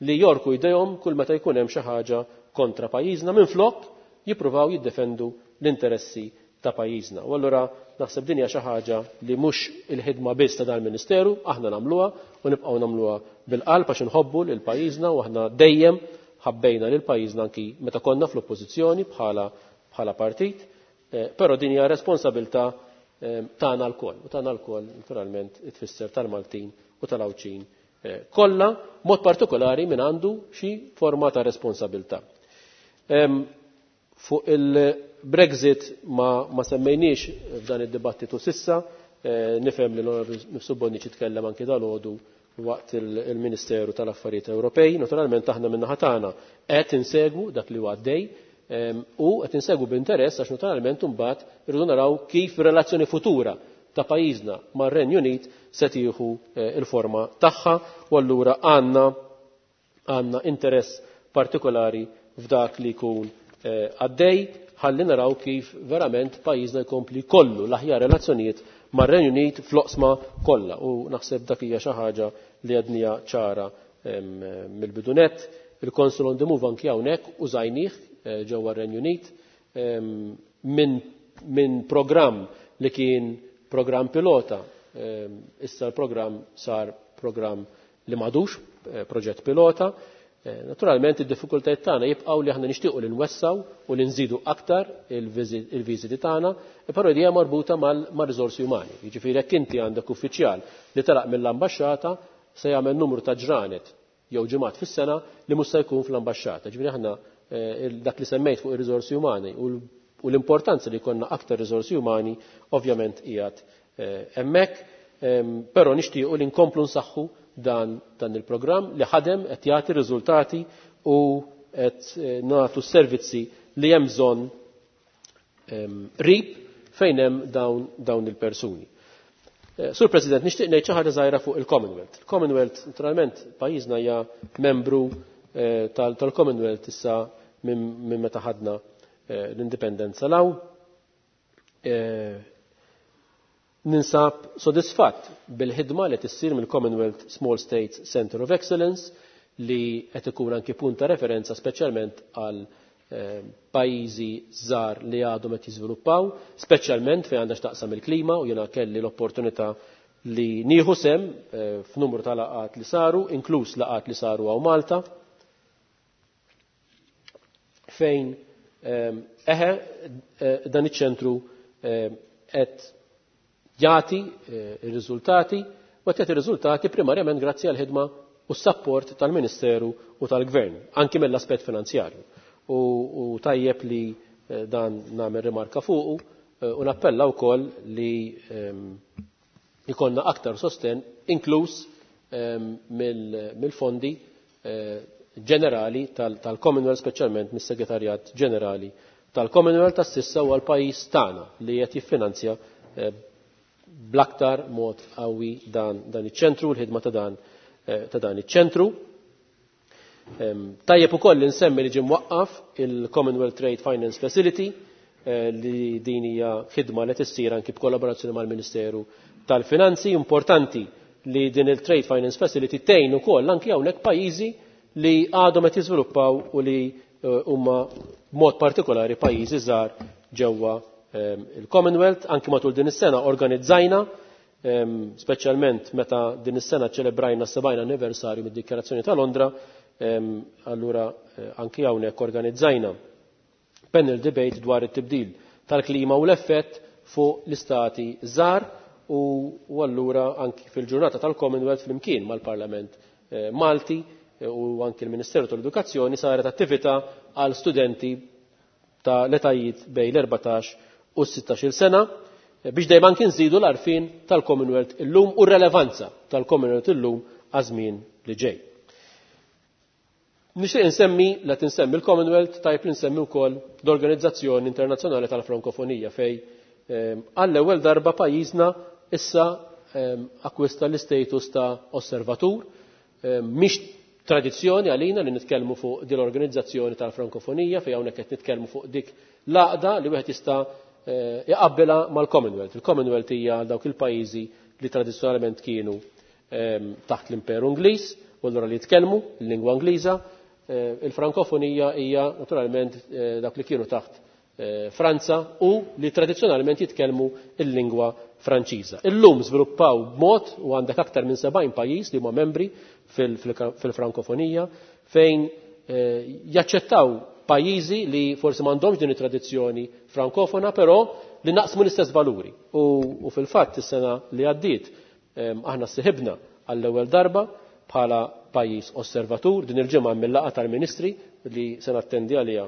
li jorku jdejhom kull meta jkun hemm xi ħaġa kontra pajjiżna minflok jippruvaw jiddefendu l-interessi ta' pajjiżna. U allura naħseb din hija xi ħaġa li mhux il-ħidma biss ta' dal-Ministeru, aħna nagħmluha u nibqgħu nagħmluha bil-qalb għax inħobbu lil pajjiżna u aħna dejjem ħabbejna lil pajjiżna anki meta konna fl-oppożizzjoni bħala partit, però din hija responsabilità tagħna lkoll. U tagħna lkoll naturalment tfisser tal-Maltin u tal-Għawdxin kollha, mod partikolari min għandu xi forma ta' responsabilità. Fuq il-Brexit ma semmejniex f'dan id-dibattitu sissa, nifhem li l-Onorevoli Mifsud Bonnici tkellem anki dalgħodu waqt il-Ministeru tal-Affarijiet Ewropej. Naturalment aħna min-naħa tagħna qed insegwu dak li huwa għaddej u qed insegwu b'interess għax naturalment imbagħad irridu naraw kif relazzjoni futura ta' pajjiżna mar-Renju Unit se tieħu il-forma tagħha u allura għandna interess partikolari f'dak li jkun għaddej ħalli naraw kif verament pajjiżna jkompli kollu l-aħjar relazzjonijiet mar-Renju Unit fl-oqsma kollha u naħseb dak hija xi ħaġa li għadnija ċara mill-bidunet. Il-Consul on the Move anki hawnhekk użajnih ġewwa r-Renju Unit minn programm li kien programm pilota, issa l-programm sar programm li m'għadux proġett pilota. Naturalment id-diffikultajiet tagħna jibqgħu li aħna nixtiequ li nwessaw u li nżidu aktar il-viżiti tagħna, però hija marbuta mar-riżorsi umani. Jiġifieri jekk inti għandek uffiċjal li telaq mill-ambaxxata se jagħmel numru ta' ġranet jew ġimgħat fis-sena li mhux se jkun fl-ambaxxata. Ġifieri aħna dak li semmejt fuq ir-riżorsi umani u l-importanza li jkollna aktar riżorsi umani ovvjament qiegħed hemmhekk, però nixtiequ li nkomplu nsaħħu dan il-programm li ħadem qed jagħti riżultati u qed nagħtu s-servizzi li hemm bżonn qrib fejn hemm dawn il-persuni. Sur President, nixtieq ngħid xi ħaġa żgħira fuq il-Commonwealth. Il-Commonwealth, naturalment, pajjiżna hija membru tal-Commonwealth issa minn meta ħadna l-indipendenza law. Ninsab sodisfatt bil-ħidma li tissir mill-Commonwealth Small States Center of Excellence li qed ikun anki punt ta' referenza speċjalment għal pajjiżi żgħar li għadhom qed jiżviluppaw, speċjalment fejn għandha x'taqsam il-klima u jiena kelli l-opportunità li nieħu sem f'numru ta' laqgħat li saru, inkluż laqgħat li saru hawn Malta, fejn eħe dan iċ-ċentru qed jagħti ir-riżultati u qed jagħti riżultati primarjament grazzi għall ħidma u s-sapport tal-Ministeru u tal-Gvern, anki mill-aspett finanzjarju. U tajjeb li dan nagħmel rimarka fuqu u nappella wkoll li jkollna aktar sosten inkluż mill-fondi ġenerali tal-Commonwealth, speċjalment mis-Segretarjat Ġenerali tal-Commonwealth tas-sissa huwa l-pajjiż tagħna li qed jiffinanzja bl-aktar mod qawwi dan iċ-ċentru, l-ħidma ta' dan iċ-ċentru. Tajjeb ukoll li nsemmi li ġie mwaqqaf il-Commonwealth Trade Finance Facility li din hija ħidma li tissir anki b'kollaborazzjoni mal-Ministeru tal-Finanzi. Importanti li din il-Trade Finance Facility tgħin ukoll anki hawnhekk pajjiżi li għadhom qed jiżviluppaw u li huma b'mod partikolari pajjiżi żgħar ġewwa il-Commonwealth. Anki matul din is-sena organizzajna, speċjalment meta din is-sena ċelebrajna s-70 anniversarju mid-Dikjarazzjoni ta' Londra, allura anki hawnhekk organizzajna panel debate dwar it-tibdil tal-klima u l-effett fuq l-istati żgħar u allura anki fil-ġurnata tal-Commonwealth flimkien mal-Parlament Malti u anki l-Ministeru tal-Edukazzjoni saret attività għal studenti ta' l-etajiet bejn l-14 u 16 sena. Biex dejjem anki nżidu l-għarfien tal-Commonwealth illum u r-relevanza tal-Commonwealth illum għaż-żmien li ġej. Nixtieq insemmi, la tinsemmi l-Commonwealth, tajb li nsemmi wkoll l-Organizzazzjoni Internazzjonali tal-Frankofonija fej għall-ewwel darba pajjiżna issa akkwista l-istatus ta' osservatur. Mhix tradizzjoni għalina li nitkellmu fuq din l-organizzazzjoni tal-Frankofonija fejn hawnhekk qed nitkellmu fuq dik l-għaqda li wieħed jista' iqabbilha mal-Commonwealth. Il-Commonwealth hija dawk il-pajjiżi li tradizzjonalment kienu taħt l-Imperu Ingliż u allura li jitkellmu l-lingwa Ingliża. Il-Frankofonija hija naturalment dak li kienu taħt Franza u li tradizzjonalment jitkellmu l-lingwa Franċiża. Illum żviluppaw b'mod u għandek aktar minn 70 pajjiż li huma membri fil-Frankofonija fejn jaċċettaw pajjiżi li forsi m'għandhomx din it-tradizzjoni frankofona, però li naqsmu l-istess valuri. U fil-fatt is-sena li għaddiet aħna siħibna għall-ewwel darba bħala pajjiż osservatur. Din il-ġimgħa mill-laqgħa tal-Ministri li se nattendi għaliha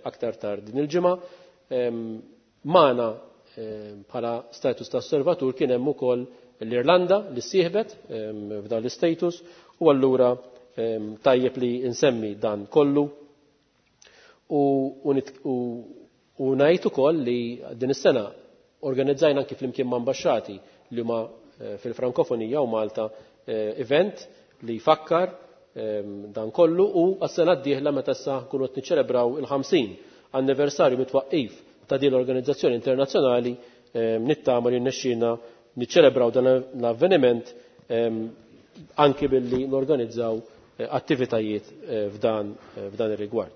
aktar tard din il-ġimgħa. Magħna bħala status ta' osservatur kien hemm ukoll l-Irlanda li sieħbet f'dan l-istatus u allura tajjeb li nsemmi dan kollu u ngħid ukoll li din is-sena organizzajna anki flimkien ma' ambaxxati li huma fil-Frankofonija u Malta event li jfakkar dan kollu u għas-sena d-dieħla meta issa nkunu qed niċċelebraw il-50 anniversarju mit-twaqqif ta' din l-organizzazzjoni internazzjonali, nittama li nnexxielna niċċelebraw dan l-avveniment anki billi norganizzaw attivitajiet f'dan ir-rigward.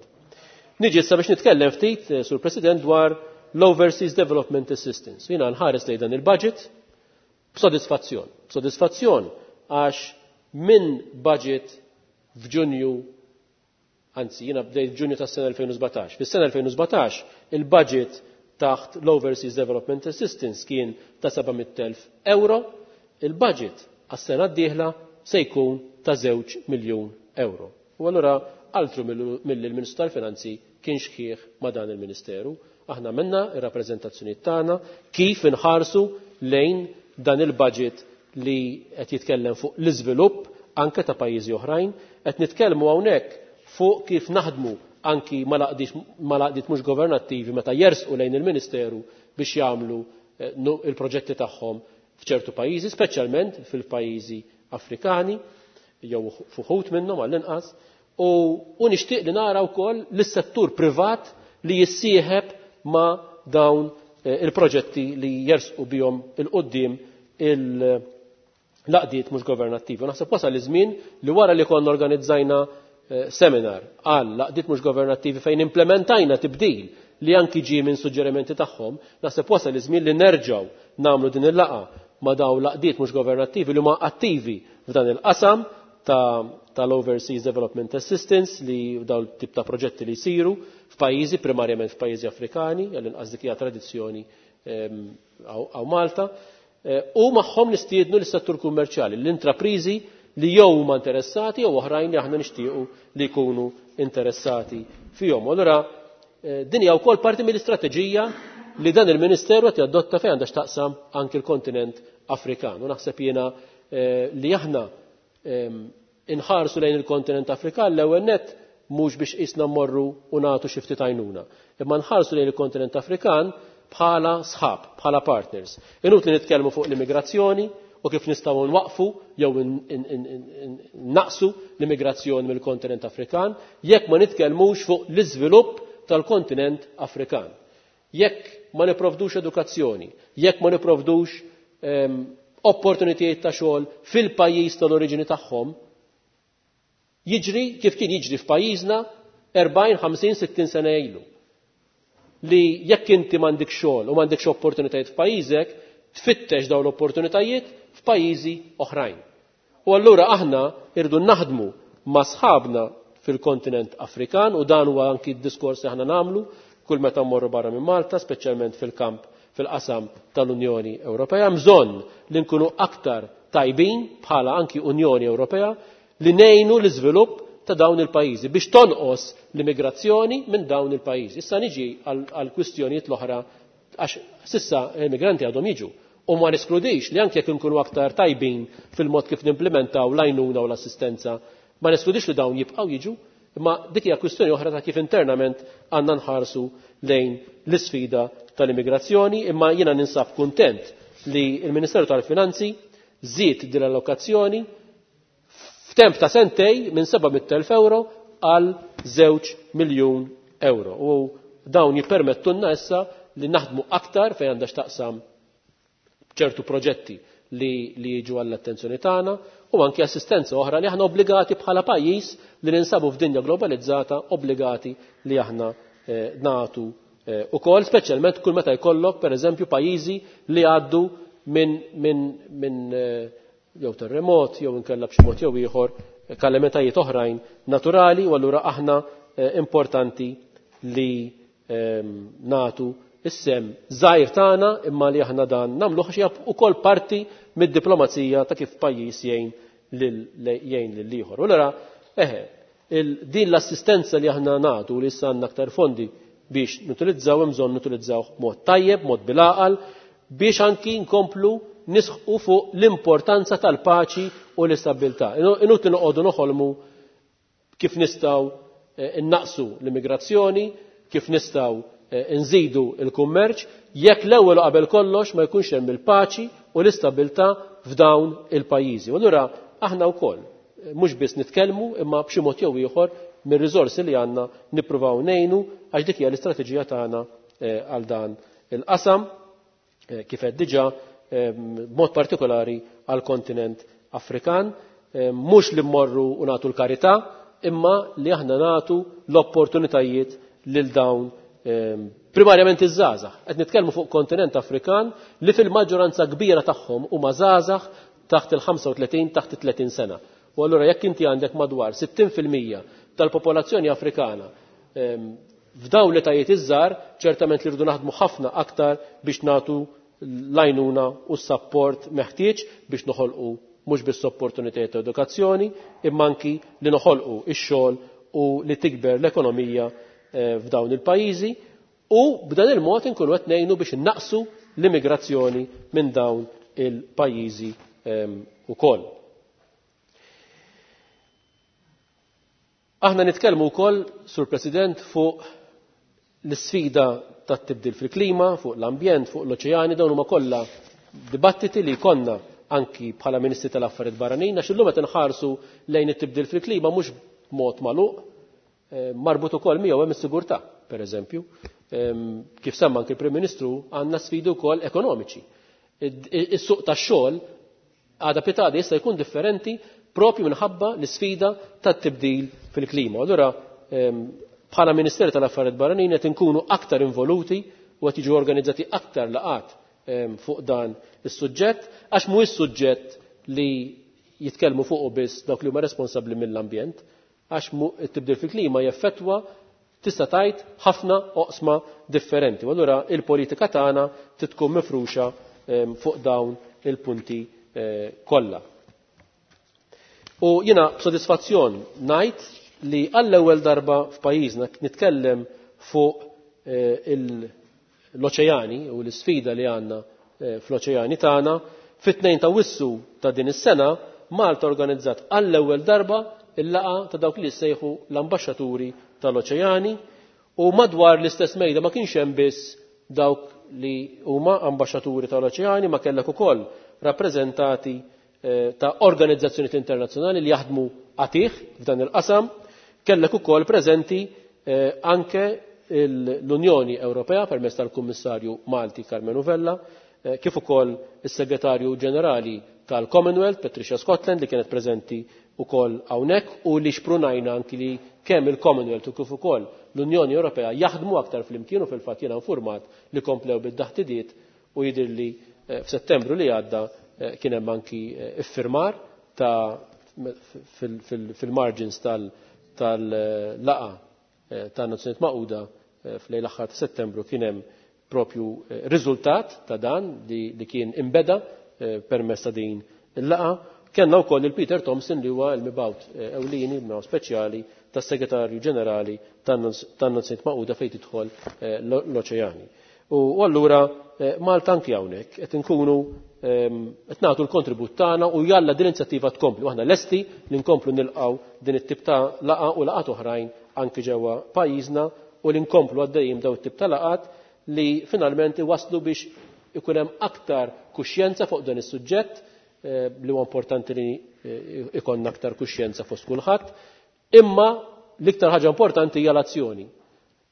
Niġi issa biex nitkellem ftit, Sur President, dwar l-Overseas Development Assistance. Jiena nħares lejn dan il-budget b'sodisfazzjon. B'sodisfazzjon għax minn budget f'Ġunju, anzi jiena bdejt f'Ġunju tas-sena 2017. Fis-sena 2017 il-budget taħt l-Overseas Development Assistance kien ta' 700,000 euro, il-budget għas-sena d-dieħla se jkun ta' 2 miljun euro. U allura altru milli l-Ministru tal-Finanzi kien xħieħ ma' dan il-Ministeru. Aħna minna ir-rappreżentazzjoni tagħna kif inħarsu lejn dan il-budget li qed jitkellem fuq l-iżvilupp anke ta' pajjiżi oħrajn, qed nitkellmu hawnhekk fuq kif naħdmu anki mal-għaqdiet mhux governattivi meta jersqu lejn il-Ministeru biex jagħmlu il-proġetti tagħhom f'ċertu pajjiżi, speċjalment fil-pajjiżi Afrikani jew fuħut minnhom għall-inqas, u nixtieq li nara wkoll lis-settur privat li jissieħeb ma' dawn il-proġetti li jersqu bihom il-qudiem il-laqdiet mhux governattivi. Naħseb wasal iż-żmien li wara li konna organizzajna seminar għal laqdiet mhux governattivi fejn implementajna tibdil li anki ġie minn suġġerimenti tagħhom, naħseb wasal iż-żmien li nerġgħu nagħmlu din il-laqgħa ma' dawn laqdiet mhux governattivi li huma attivi f'dan il-qasam tal-Overseas Development Assistance li dawn tip ta' proġetti li jsiru f'pajjiżi, primarjament f'pajjiżi Afrikani, għall-inqas dik hija tradizzjoni għaw Malta, u magħhom nistiednu lis-settur kummerċjali, l-intrapriżi li jew huma interessati jew oħrajn li aħna nixtiequ li jkunu interessati fihom. Allura din hija wkoll parti mill-istrateġija li dan il-Ministeru qed jadotta fejn għandha x'taqsam anki l-kontinent Afrikan. U naħseb jiena li aħna inħarsu lejn il-kontinent Afrikan l-ewwel nett mhux biex qisna mmorru u nagħtu xi ftit għajnuna, imma nħarsu lejn il-kontinent Afrikan bħala sħab, bħala partners. Inutli nitkellmu fuq l-immigrazzjoni u kif nistgħu nwaqfu jew naqsu l-immigrazzjoni mill-kontinent Afrikan jekk ma nitkellmux fuq l-iżvilupp tal-kontinent Afrikan. Jekk ma nipprovdux edukazzjoni, jekk ma nipprovdux opportunitajiet ta' xogħol fil-pajjiż tal-oriġini tagħhom, jiġri kif kien jiġri f'pajjiżna 40, 50, 60 sena ilu. Li jekk inti m'għandek xogħol u m'għandekx opportunitajiet f'pajjiżek, tfittex dawn l-opportunitajiet f'pajjiżi oħrajn. U allura aħna irdu naħdmu ma' sħabna fil-kontinent Afrikan, u dan huwa anki d-diskors li aħna nagħmlu kull meta mmorru barra minn Malta, speċjalment fil-kamp fil-qasam tal-Unjoni Ewropea. Bżonn li nkunu aktar tajbin bħala anki Unjoni Ewropea li ngħinu l-iżvilupp ta' dawn il-pajjiżi biex tonqos l-immigrazzjoni minn dawn il-pajjiżi. Issa niġi għal kwistjonijiet l-oħra Għax sissa l-immigranti għadhom jiġu. U ma neskludix li anke jekk inkunu aktar tajbin fil-mod kif nimplementaw l-għajnuna u l-assistenza, ma neskludix li dawn jibqgħu jiġu, imma dik hija kwistjoni oħra ta' kif internament għandna nħarsu lejn l-isfida tal-immigrazzjoni, imma jiena ninsab kuntent li l-Ministeru tal-Finanzi żied din l-allokazzjoni f'temp ta' sentej minn 700,000 euro għal 2 miljun euro. U dawn jippermettunna issa li naħdmu aktar fejn għandha x'taqsam ċertu proġetti li jiġu għall-attenzjoni tagħna u anki assistenza oħra li aħna obbligati bħala pajjiż li ninsabu f'dinja globalizzata obbligati li aħna nagħtu ukoll, speċjalment kull meta jkollok pereżempju pajjiżi li għaddu minn jew terremot jew inkella b'xi mod jew ieħor kalamitajiet oħrajn naturali, u allura aħna importanti li nagħtu is-sem żgħir tagħna imma li aħna dan nagħmluh għax hija wkoll parti mid-diplomazija ta' kif pajjiż jgħin lil ieħor. U allura din l-assistenza li aħna nagħtu li issa għandna aktar fondi biex nutilizzaw, hemm bżonn nutilizzaw b'mod tajjeb, mod bil-għaqal, biex anki nkomplu nisħqu fuq l-importanza tal-paċi u l-istabilità. Inutli noqogħdu noħolmu kif nistgħu innaqsu l-immigrazzjoni, kif nistgħu nżidu l-kummerċ, jekk l-ewwel u qabel kollox ma jkunx hemm il-paċi u l-istabilità f'dawn il-pajjiżi. U allura aħna wkoll mhux biss nitkellmu imma b'xi mod jew ieħor mir-riżorsi li għandna nippruvaw ngħinu, għax dik hija l-istrateġija tagħna għal dan il-qasam, kif qed diġà b'mod partikolari għall kontinent Afrikan, mhux li mmorru u nagħtu l-karità, imma li aħna nagħtu l-opportunitajiet lil dawn primarjament iż-żgħażagħ. Qed nitkellmu fuq kontinent Afrikan li fil-maġġoranza kbira tagħhom huma żgħażagħ taħt il-35, taħt it-30 sena. U allura jekk inti għandek madwar 60% tal-popolazzjoni Afrikana f'dawn l-etajiet iż-żgħar, ċertament li rridu naħdmu ħafna aktar biex nagħtu l-għajnuna u s-sapport meħtieġ biex noħolqu mhux biss opportunitajiet ta' edukazzjoni, imma anki li noħolqu x-xogħol u li tikber l-ekonomija f'dawn il-pajjiżi, u b'dan il-mod inkunu qed ngħinu biex innaqsu l-immigrazzjoni minn dawn il-pajjiżi ukoll. Aħna nitkellmu wkoll, Sur President, fuq l-isfida tat-tibdil fil-klima, fuq l-ambjent, fuq l-oċeani, dawn huma kollha dibattiti li jkollna anki bħala Ministri tal-Affarijiet Barranin, għax illum qed inħarsu lejn it-tibdil fil-klima mhux b'mod magħluq, marbut ukoll miegħu hemm is-sigurtà, pereżempju. Kif semma anki il-Prim Ministru, għandna sfidi wkoll ekonomiċi. Is-suq tax-xogħol għada pitada jista' jkun differenti propju minħabba l-isfida tat-tibdil fil-klima. Allura bħala Ministeru tal-Affarijiet Barranin qed inkunu aktar involuti u qed jiġu organizzati aktar laqat fuq dan is-suġġett, għax mhuwiex suġġett li jitkellmu fuqu biss dawk li huma responsabbli mill-ambjent, għax it-tibdil fil-klima jeffettwa tista' tgħid ħafna oqsma differenti. U allura il-politika tagħna tkun mifruxa fuq dawn il-punti kollha. U jiena b'sodisfazzjon ngħid li għall-ewwel darba f'pajjiżna nitkellem fuq l-oċeani u l-isfida li għandna fl-oċeani tagħna. Fit-2 ta' Wissu ta' din is-sena Malta organizzat għall-ewwel darba il-laqgħa ta' dawk li jsejħu l-ambaxxaturi tal-oċeani, u madwar l-istess mejda ma kienx hemm biss dawk li huma ambaxxaturi tal-oċeani, ma kellek ukoll rappreżentati ta' organizzazzjonijiet internazzjonali li jaħdmu għatih f'dan il-qasam, kellek ukoll preżenti anke l-Unjoni Ewropea permezz tal-Kummissarju Malti Karmenu Vella, kif ukoll is-Segretarju Ġenerali tal-Commonwealth Patricia Scotland li kienet preżenti ukoll hawnhekk, u li xprunajna anki li kemm il-Commonwealth u kif ukoll l-Unjoni Ewropea jaħdmu aktar flimkien, u fil-fatt jiena informat li komplew bid-daħtidiet u jidhirli f'Settembru li għadda kien hemm anki iffirmar ta' fil-margins tal-laqa tan-Nazzjonijiet Magħquda f'lejl aħħar ta' Settembru kien hemm propju riżultat ta' dan li kien imbeda permezz ta' din il-laqa. Kellna wkoll il-Peter Thompson li huwa l-mibgħut ewlieni, mibgħut speċjali tas-Segretarju Ġenerali tan-Nazzjonijiet Magħquda fejn tidħol l-oċeani. U allura Malta anki hawnhekk qed inkunu qed nagħtu l-kontribut tagħna u jalla din l-inizjattiva tkompli. U aħna lesti li nkomplu nilqgħu din it-tip ta' laqgħa u laqgħat oħrajn anki ġewwa pajjiżna u li nkomplu għaddejjin daw it-tip ta' laqgħat li finalment iwasslu biex ikun hemm aktar kuxjenza fuq dan is-suġġett li huwa importanti li ikollna aktar kuxjenza fost kulħadd. Imma l-iktar ħaġa importanti hija l-azzjoni.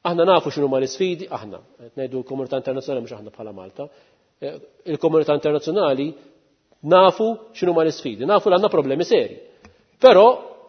Aħna nafu x'inhuma l-isfidi, aħna, qed ngħidu l-komunità internazzjonali mhux aħna bħala Malta. Il-komunità internazzjonali nafu x'inhuma l-isfidi, nafu li għandna problemi seri. Però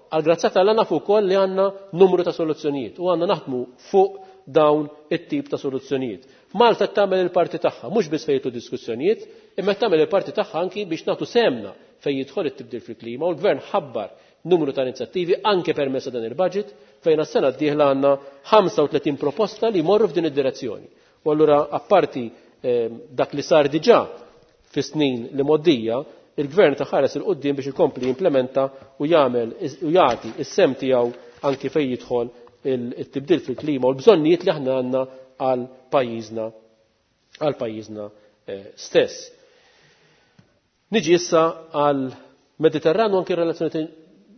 għal grazzja t'Alla nafu wkoll li għandna numru ta' soluzzjonijiet u għandna naħdmu fuq dawn it-tip ta' soluzzjonijiet. Malta tagħmel il-parti tagħha, mhux biss fejn diskussjonijiet, imma tagħmel il-parti tagħha anki biex nagħtu sehemna fejn jidħol it-tibdil fil-klima u l-gvern ħabbar numru ta' inizjattivi anke permezz ta' dan il-budget fejn għas-sena d-dieħla għandna 35 proposta li jmorru f'din id-direzzjoni. U allura apparti dak li sar diġà fis-snin li moddija, il-gvern ta' ħares 'il quddiem biex ikompli jimplementa u jagħmel u jagħti is-sehem tiegħu anki fejn jidħol il-tibdil fil-klima u l-bżonnijiet li aħna għandna għal pajjiżna stess. Niġi issa għal Mediterranu, anki relazzjoni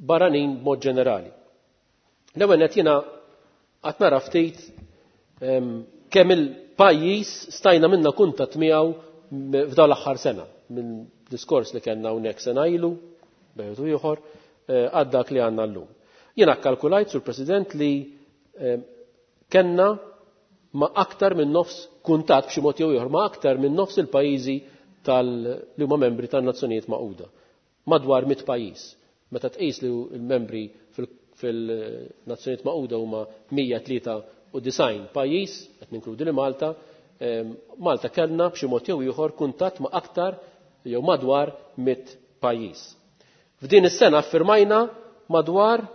barranin b'mod ġenerali. L-ewwel qed jiena qatt nara ftit kemm il-pajjiż stajna minna kuntatt miegħu f'dawn l-aħħar sena, minn diskors li kellna hawnhekk sena ilu, bejn ieħor, għad dak li għandna llum. Jiena kkalkulajt, Sur President, li kellna ma' aktar minn nofs kuntatt b'xi mod jew ieħor ma' aktar minn nofs il-pajjiżi tal li huma membri tan-Nazzjonijiet Magħquda. Madwar 100 pajjiż. Meta tqis li l-membri fil-Nazzjonijiet Magħquda huma 193 pajjiż, qed ninkludi li Malta, Malta kellna b'xi mod jew ieħor kuntatt ma' aktar jew madwar 100 pajjiż. F'din is-sena firmajna madwar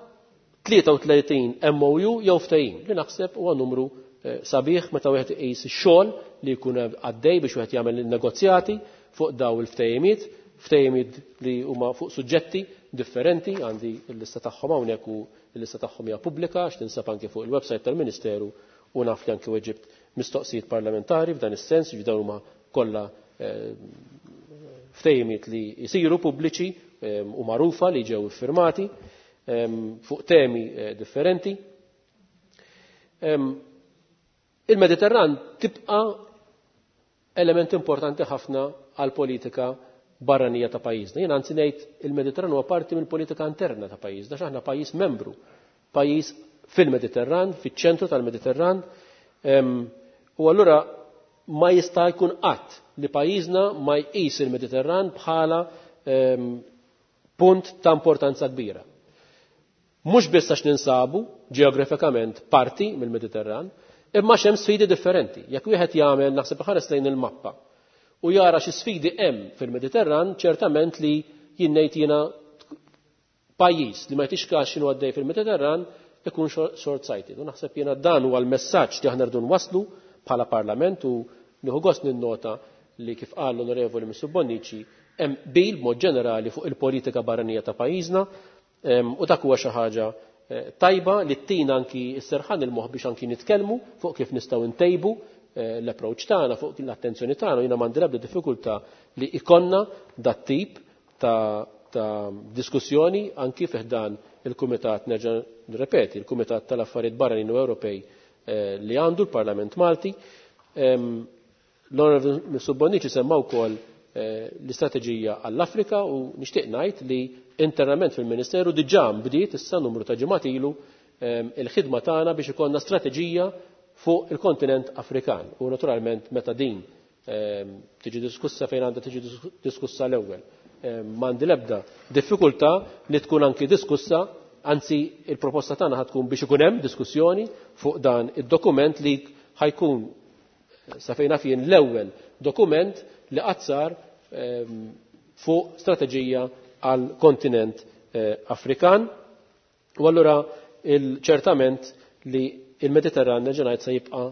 33 MOU jew ftehim li naħseb huwa numru sabiħ meta wieħed iqis ix-xogħol li jkun għaddej biex wieħed jagħmel negozjati fuq daw il-ftehimiet, ftehimiet li huma fuq suġġetti differenti, għandi l-lista tagħhom hawnhekk u l-lista tagħhom hija pubblika għax tinsab anke fuq il-website tal-Ministeru u naf li anke weġibt mistoqsijiet parlamentari f'dan is-sens, ġifieri dawn huma kollha ftehimiet li jsiru pubbliċi u magħrufa li ġew iffirmati fuq temi differenti. Il-Mediterran tibqa element importanti ħafna għal politika barranija ta' pajjiżna. Jien anzi ngħid il-Mediterran huwa parti mill-politika interna ta' pajjiżna, x'aħna pajjiż membru, pajjiż fil-Mediterran, fiċ-ċentru tal-Mediterran. U allura ma jista' jkun qatt li pajjiżna ma jqis il-Mediterran bħala punt ta' importanza kbira. Mhux biss għax ninsabu ġeografikament parti mill-Mediterran, imma hemm sfidi differenti. Jekk wieħed jagħmel, naħseb, ħares lejn il-mappa u jara xi sfidi hemm fil-Mediterran, ċertament li jien ngħid jiena pajjiż li ma jtix kax x'inhu għaddej fil-Mediterran ikun short sighted. U naħseb jiena dan huwa l-messaġġ li aħna rridu nwasslu bħala Parlament u nieħu gost ninnota li, kif qal l-Onorevoli Mifsud Bonnici, hemm qbil b'mod ġenerali fuq il-politika barranija ta' pajjiżna u dak huwa xi ħaġa tajba li ttina anki s-serħan il-moħ biex anki nitkellmu fuq kif nistgħu ntejbu l-approach tagħna fuq l-attenzjoni tagħna. Jiena m'għandi l-ebda diffikultà li ikonna dat tip ta' diskussjoni anki fi ħdan il-Kumitat, nerġa' nirrepeti, il-Kumitat tal-Affarijiet Barranin u Ewropej li għandu l-Parlament Malti. L-Onorevoli Mifsud Bonnici semma wkoll l-istrateġija għall-Afrika u nixtieq ngħid li internament fil-Ministeru diġà bdiet issa numru ta' ġimgħat ilu il-ħidma tagħna biex ikollna strateġija fuq il-kontinent Afrikan. U naturalment meta din tiġi diskussa fejn għandha tiġi diskussa l-ewwel, m'għandi l-ebda diffikultà li tkun anki diskussa, anzi il-proposta tagħna ħa tkun biex ikun hemm diskussjoni fuq dan id-dokument li ħa jkun, sa fejn naf jien, l-ewwel dokument li qatt sar fuq strateġija għal kontinent Afrikan. U allura ċertament li il-Mediterran, nerġa' ngħid, se jibqa'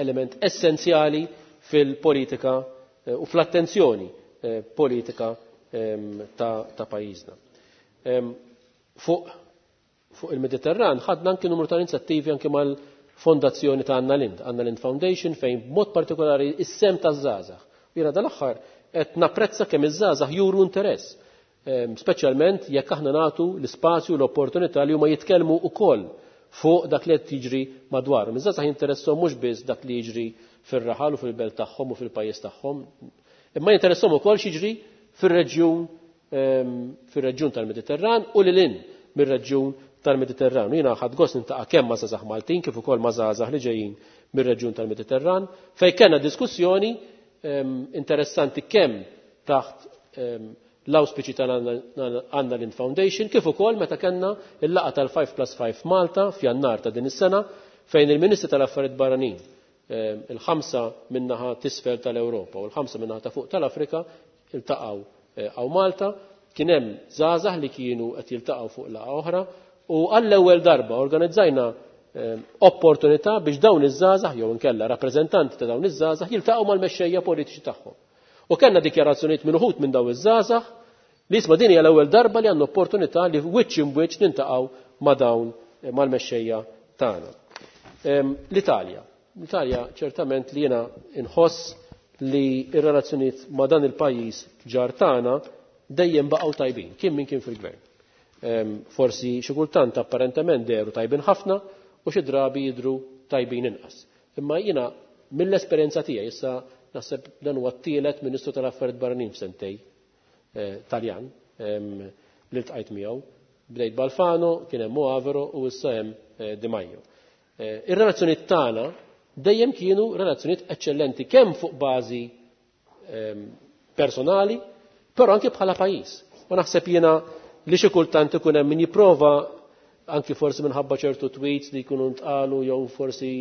element essenzjali fil-politika u fl-attenzjoni politika ta' pajjiżna. Fuq il-Mediterran ħadna anki numru ta' inizjattivi anki mal fondazzjoni ta' Anna Lind, Anna Lind Foundation, fejn b'mod partikolari is-sem taż-żgħażagħ. Jiena dal-aħħar qed napprezza kemm iż-żgħażagħ juru interess, speċjalment jekk aħna nagħtu l-ispazju l-opportunità li huma jitkellmu wkoll fuq dak li qed jiġri madwarhom. Iż-żgħażagħ jinteressahom mhux biss dak li jiġri fir-raħal u fil-belt tagħhom u fil-pajjiż tagħhom, imma jinteressahom ukoll x'jiġri fir-reġjun fir-reġjun tal-Mediterran u lil hinn mir-reġjun tal-Mediterran. Jiena ħadt gost nintaqa' kemm ma' żgħażagħ Maltin kif ukoll ma' żgħażagħ li ġejjin mir-reġjun tal-Mediterran fejn kellna diskussjoni interessanti kemm taħt l-auspiċi tal-Anna Lind Foundation kif ukoll meta kellna il-laqgħa tal-5 plus 5 Malta f'Jannar ta' din is-sena fejn il-Ministri tal-Affarijiet Barranin il-ħamsa min-naħa t'isfel tal-Ewropa u l-ħamsa min-naħa ta' fuq tal-Afrika iltaqgħu hawn Malta. Kien hemm żgħażagħ li kienu qed jiltaqgħu fuq laqgħa oħra u għall-ewwel darba organizzajna opportunità biex dawn iż-żgħażagħ jew inkella rappreżentanti ta' dawn iż-żgħażagħ jiltaqgħu mal-mexxejja politiċi tagħhom. U kellna dikjarazzjonijiet minn uħud minn dawn iż-żgħażagħ li isma' din hija l-ewwel darba li għandna opportunità li wiċċ imwiċċ nintaqgħu ma' dawn mal-mexxejja tagħna. L-Italja. L-Italja ċertament li jiena inħoss li r-relazzjonijiet ma' dan il-pajjiż ġar tagħna dejjem baqgħu tajbin, kien min kien fil-gvern. Forsi xi kultant apparentement dehru tajbin ħafna u xi drabi jidhru tajbin inqas. Imma jiena mill-esperjenza tiegħi issa naħseb dan huwa t-tielet Ministru tal-Affarijiet Barranin f'sentej Taljan li ltqajt miegħu. Bdejt b'Alfano, kien hemm Moavero u issa hemm Di Maio. Ir-relazzjonijiet tagħna dejjem kienu relazzjonijiet eċċellenti kemm fuq bażi personali, però anke bħala pajjiż. U naħseb jiena li xi kultant ikun hemm min jipprova anki forsi minħabba ċertu tweets li jkunu ntqalu jew forsi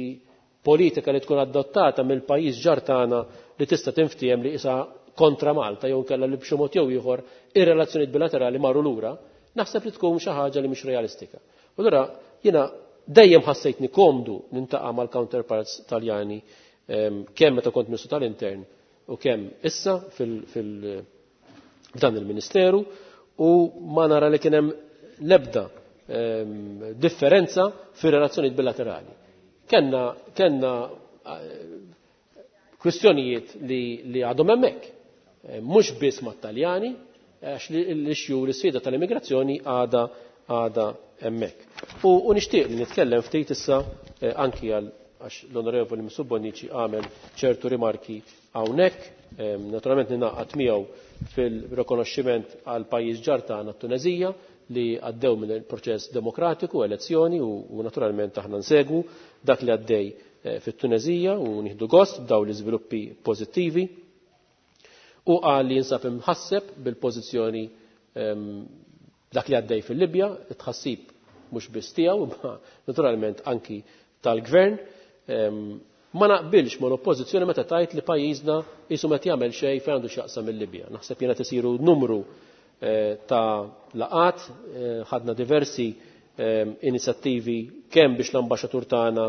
politika li tkun adottata mill-pajjiż ġar tagħna li tista' tinftiehem li isa kontra Malta jew inkella li b'xi mod jew ieħor ir-relazzjonijiet bilaterali marru lura, naħseb li tkun xi ħaġa li mhix realistika. U allura jiena dejjem ħassejtni komdu nintaqa' mal-counterparts Taljani kemm meta kont Ministru tal-Intern u kemm issa f'dan il-Ministeru u ma nara li kien hemm l-ebda differenza fir-relazzjonijiet bilaterali. Kenna kwistjonijiet li għadhom hemmhekk, mhux biss mat-Taljani, għax l-issue l-isfida tal-immigrazzjoni għadha hemmhekk. U nixtieq li nitkellem ftit issa anki għal għax l-Onorevoli Mifsud Bonnici għamel ċertu rimarki hawnhekk, naturalment ninaqgħad miegħu fil-rikonoxximent għal pajjiż ġar tagħna t-Tunezija li għaddew minn il-proċess demokratiku, elezzjoni u naturalment aħna nsegwu dak li għaddej fit-Tunezija u nieħdu gost b'daw l-iżviluppi pożittivi. U qal li jinsab imħasseb bil-pożizzjoni dak li għaddej fil-Libja, it-tħassib mhux biss tiegħu, imma naturalment anki tal-gvern. Ma naqbilx ma l-oppożizzjoni meta tajt li pajjiżna qisu meta jagħmel xejn fejn għandu x'jaqsam il-Libja. Naħseb jiena tisiru numru ta' laqat, ħadna diversi inizjattivi kemm biex l-ambaxxatur tagħna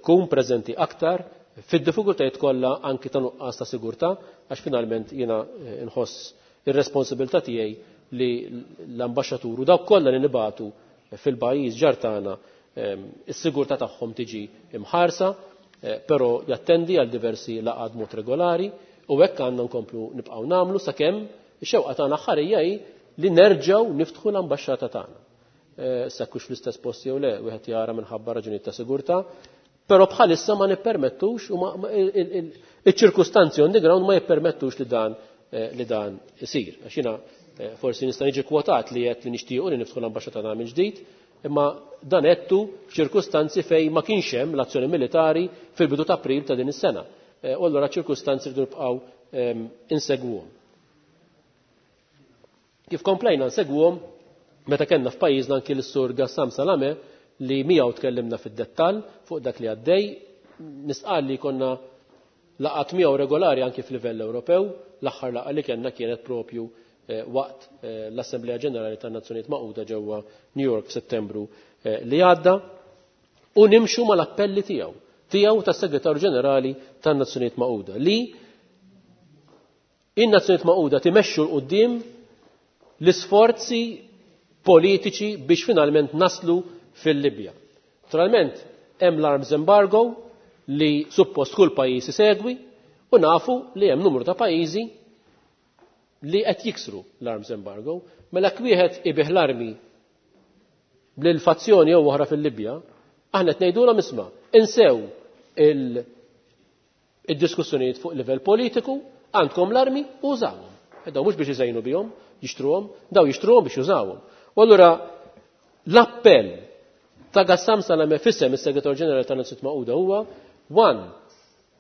ikun preżenti aktar fid-diffikultajiet kollha anki ta' nuqqas ta' sigurtà, għax finalment jiena nħoss ir-responsabilità tiegħi li l-ambaxxatur u dawk kollha li nibatu fil-pajjiż ġar tagħna is-sigurtà tagħhom tiġi imħarsa, però jattendi għal diversi laqgħat mod regolari u hekk għandna nkomplu nibqgħu nagħmlu sakemm ix-xewqa tagħna ħarija hi li nerġgħu niftħu l-ambaxxata tagħna. Sa kux fl-istess post jew le, wieħed jara minħabba raġunijiet ta' sigurtà, però bħalissa ma nippermettux u iċ-ċirkustanzi on the ground ma jippermettux li dan isir. Għax jiena forsi nista' niġi kwotat li qed li nixtiequ li niftħu l-ambaxxata tagħna minn ġdid, imma dan għedtu f'ċirkustanzi fejn ma kienx hemm l-azzjoni militari fil-bidu ta' April ta' din is-sena. U allura ċirkustanzi rridu nibqgħu insegwuhom. Kif komplejna nsegwuhom meta kellna f'pajjiżna anki l-Sur Gassam Salame li miegħu tkellimna fid-dettall fuq dak li għaddej, nisqal li konna laqat miegħu regolari anki f'livell Ewropew, l-aħħar laqgħa li kellna kienet propju waqt l-Assemblea Ġenerali tan-Nazzjonijiet Magħquda ġewwa New York f'Settembru li għadda, u nimxu mal-appelli tiegħu tas-Segretarju Ġenerali tan-Nazzjonijiet Magħquda li in-Nazzjonijiet Magħquda timexxu 'l quddiem l-isforzi politiċi biex finalment naslu fil-Libja. Naturalment, Hemm l-arms embargo li suppost kull pajjiż isegwi u nafu li hemm numru ta' pajjiżi li qed jiksru l-arms embargo. Mela wieħed ibih l-armi lil fazzjoni jew oħra fil-Libja, aħna qed ngħidulhom isma' insew id-diskussjonijiet fuq livell politiku, għandkom l-armi u użawhom. Daw mhux biex iżejnu bihom, jixtruhom, daw jixtruhom biex jużawhom. U allura l-appell ta' Gassam Salame f'isem is-Segretarju Ġenerali tan-Nazzjonijiet Magħquda huwa one,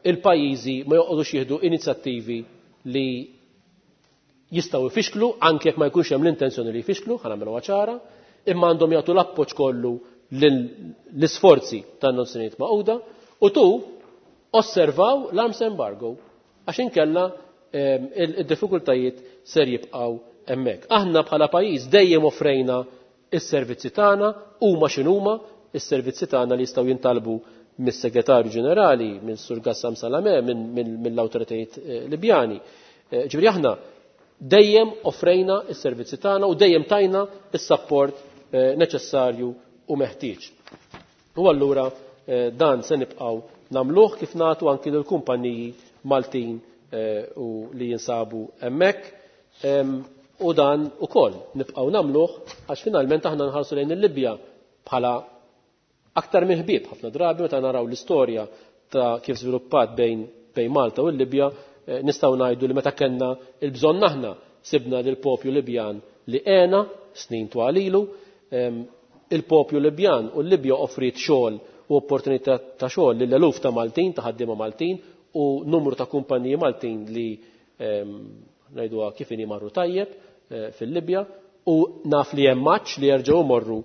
il-pajjiżi ma joqogħdux jieħdu inizjattivi li jistgħu jfixklu anke jekk ma jkunx hemm l-intenzjoni li jfixklu, ħa nagħmluha ċara, imma għandhom jagħtu l-appoġġ kollu l-isforzi tan-Nazzjonijiet Magħquda u tu osservaw l-arms embargo għax inkella id-diffikultajiet ser jibqgħu hemmhekk. Aħna bħala pajjiż dejjem offrejna is-servizzi tagħna huma x'inhuma is-servizzi tagħna li jistgħu jintalbu mis-Segretarju Ġenerali, minn Sur Gassam Salame, mill-awtoritajiet Libjani. Ġifieri aħna dejjem offrejna is-servizzi tagħna u dejjem tajna is-sapport neċessarju u meħtieġ. U allura dan se nibqgħu nagħmluh kif nagħtu anki lill-kumpaniji Maltin u li jinsabu hemmhekk. U dan ukoll nibqgħu nagħmluh għax finalment aħna nħarsu lejn il-Libja bħala aktar minn ħbieb ħafna drabi meta naraw l-istorja ta' kif żviluppat bejn Malta u l-Libja, nistgħu ngħidu li meta kellna l-bżonn aħna sibna lil poplu Libjan li għena snin twal ilu, il-poplu Libjan u l-Libja offriet xogħol u opportunità ta' xogħol lil eluf ta' Maltin, ta' ħaddiema Maltin u numru ta' kumpaniji Maltin li ngħiduha kif inhi marru tajjeb fil-Libja u naf li hemm maċ li jerġgħu morru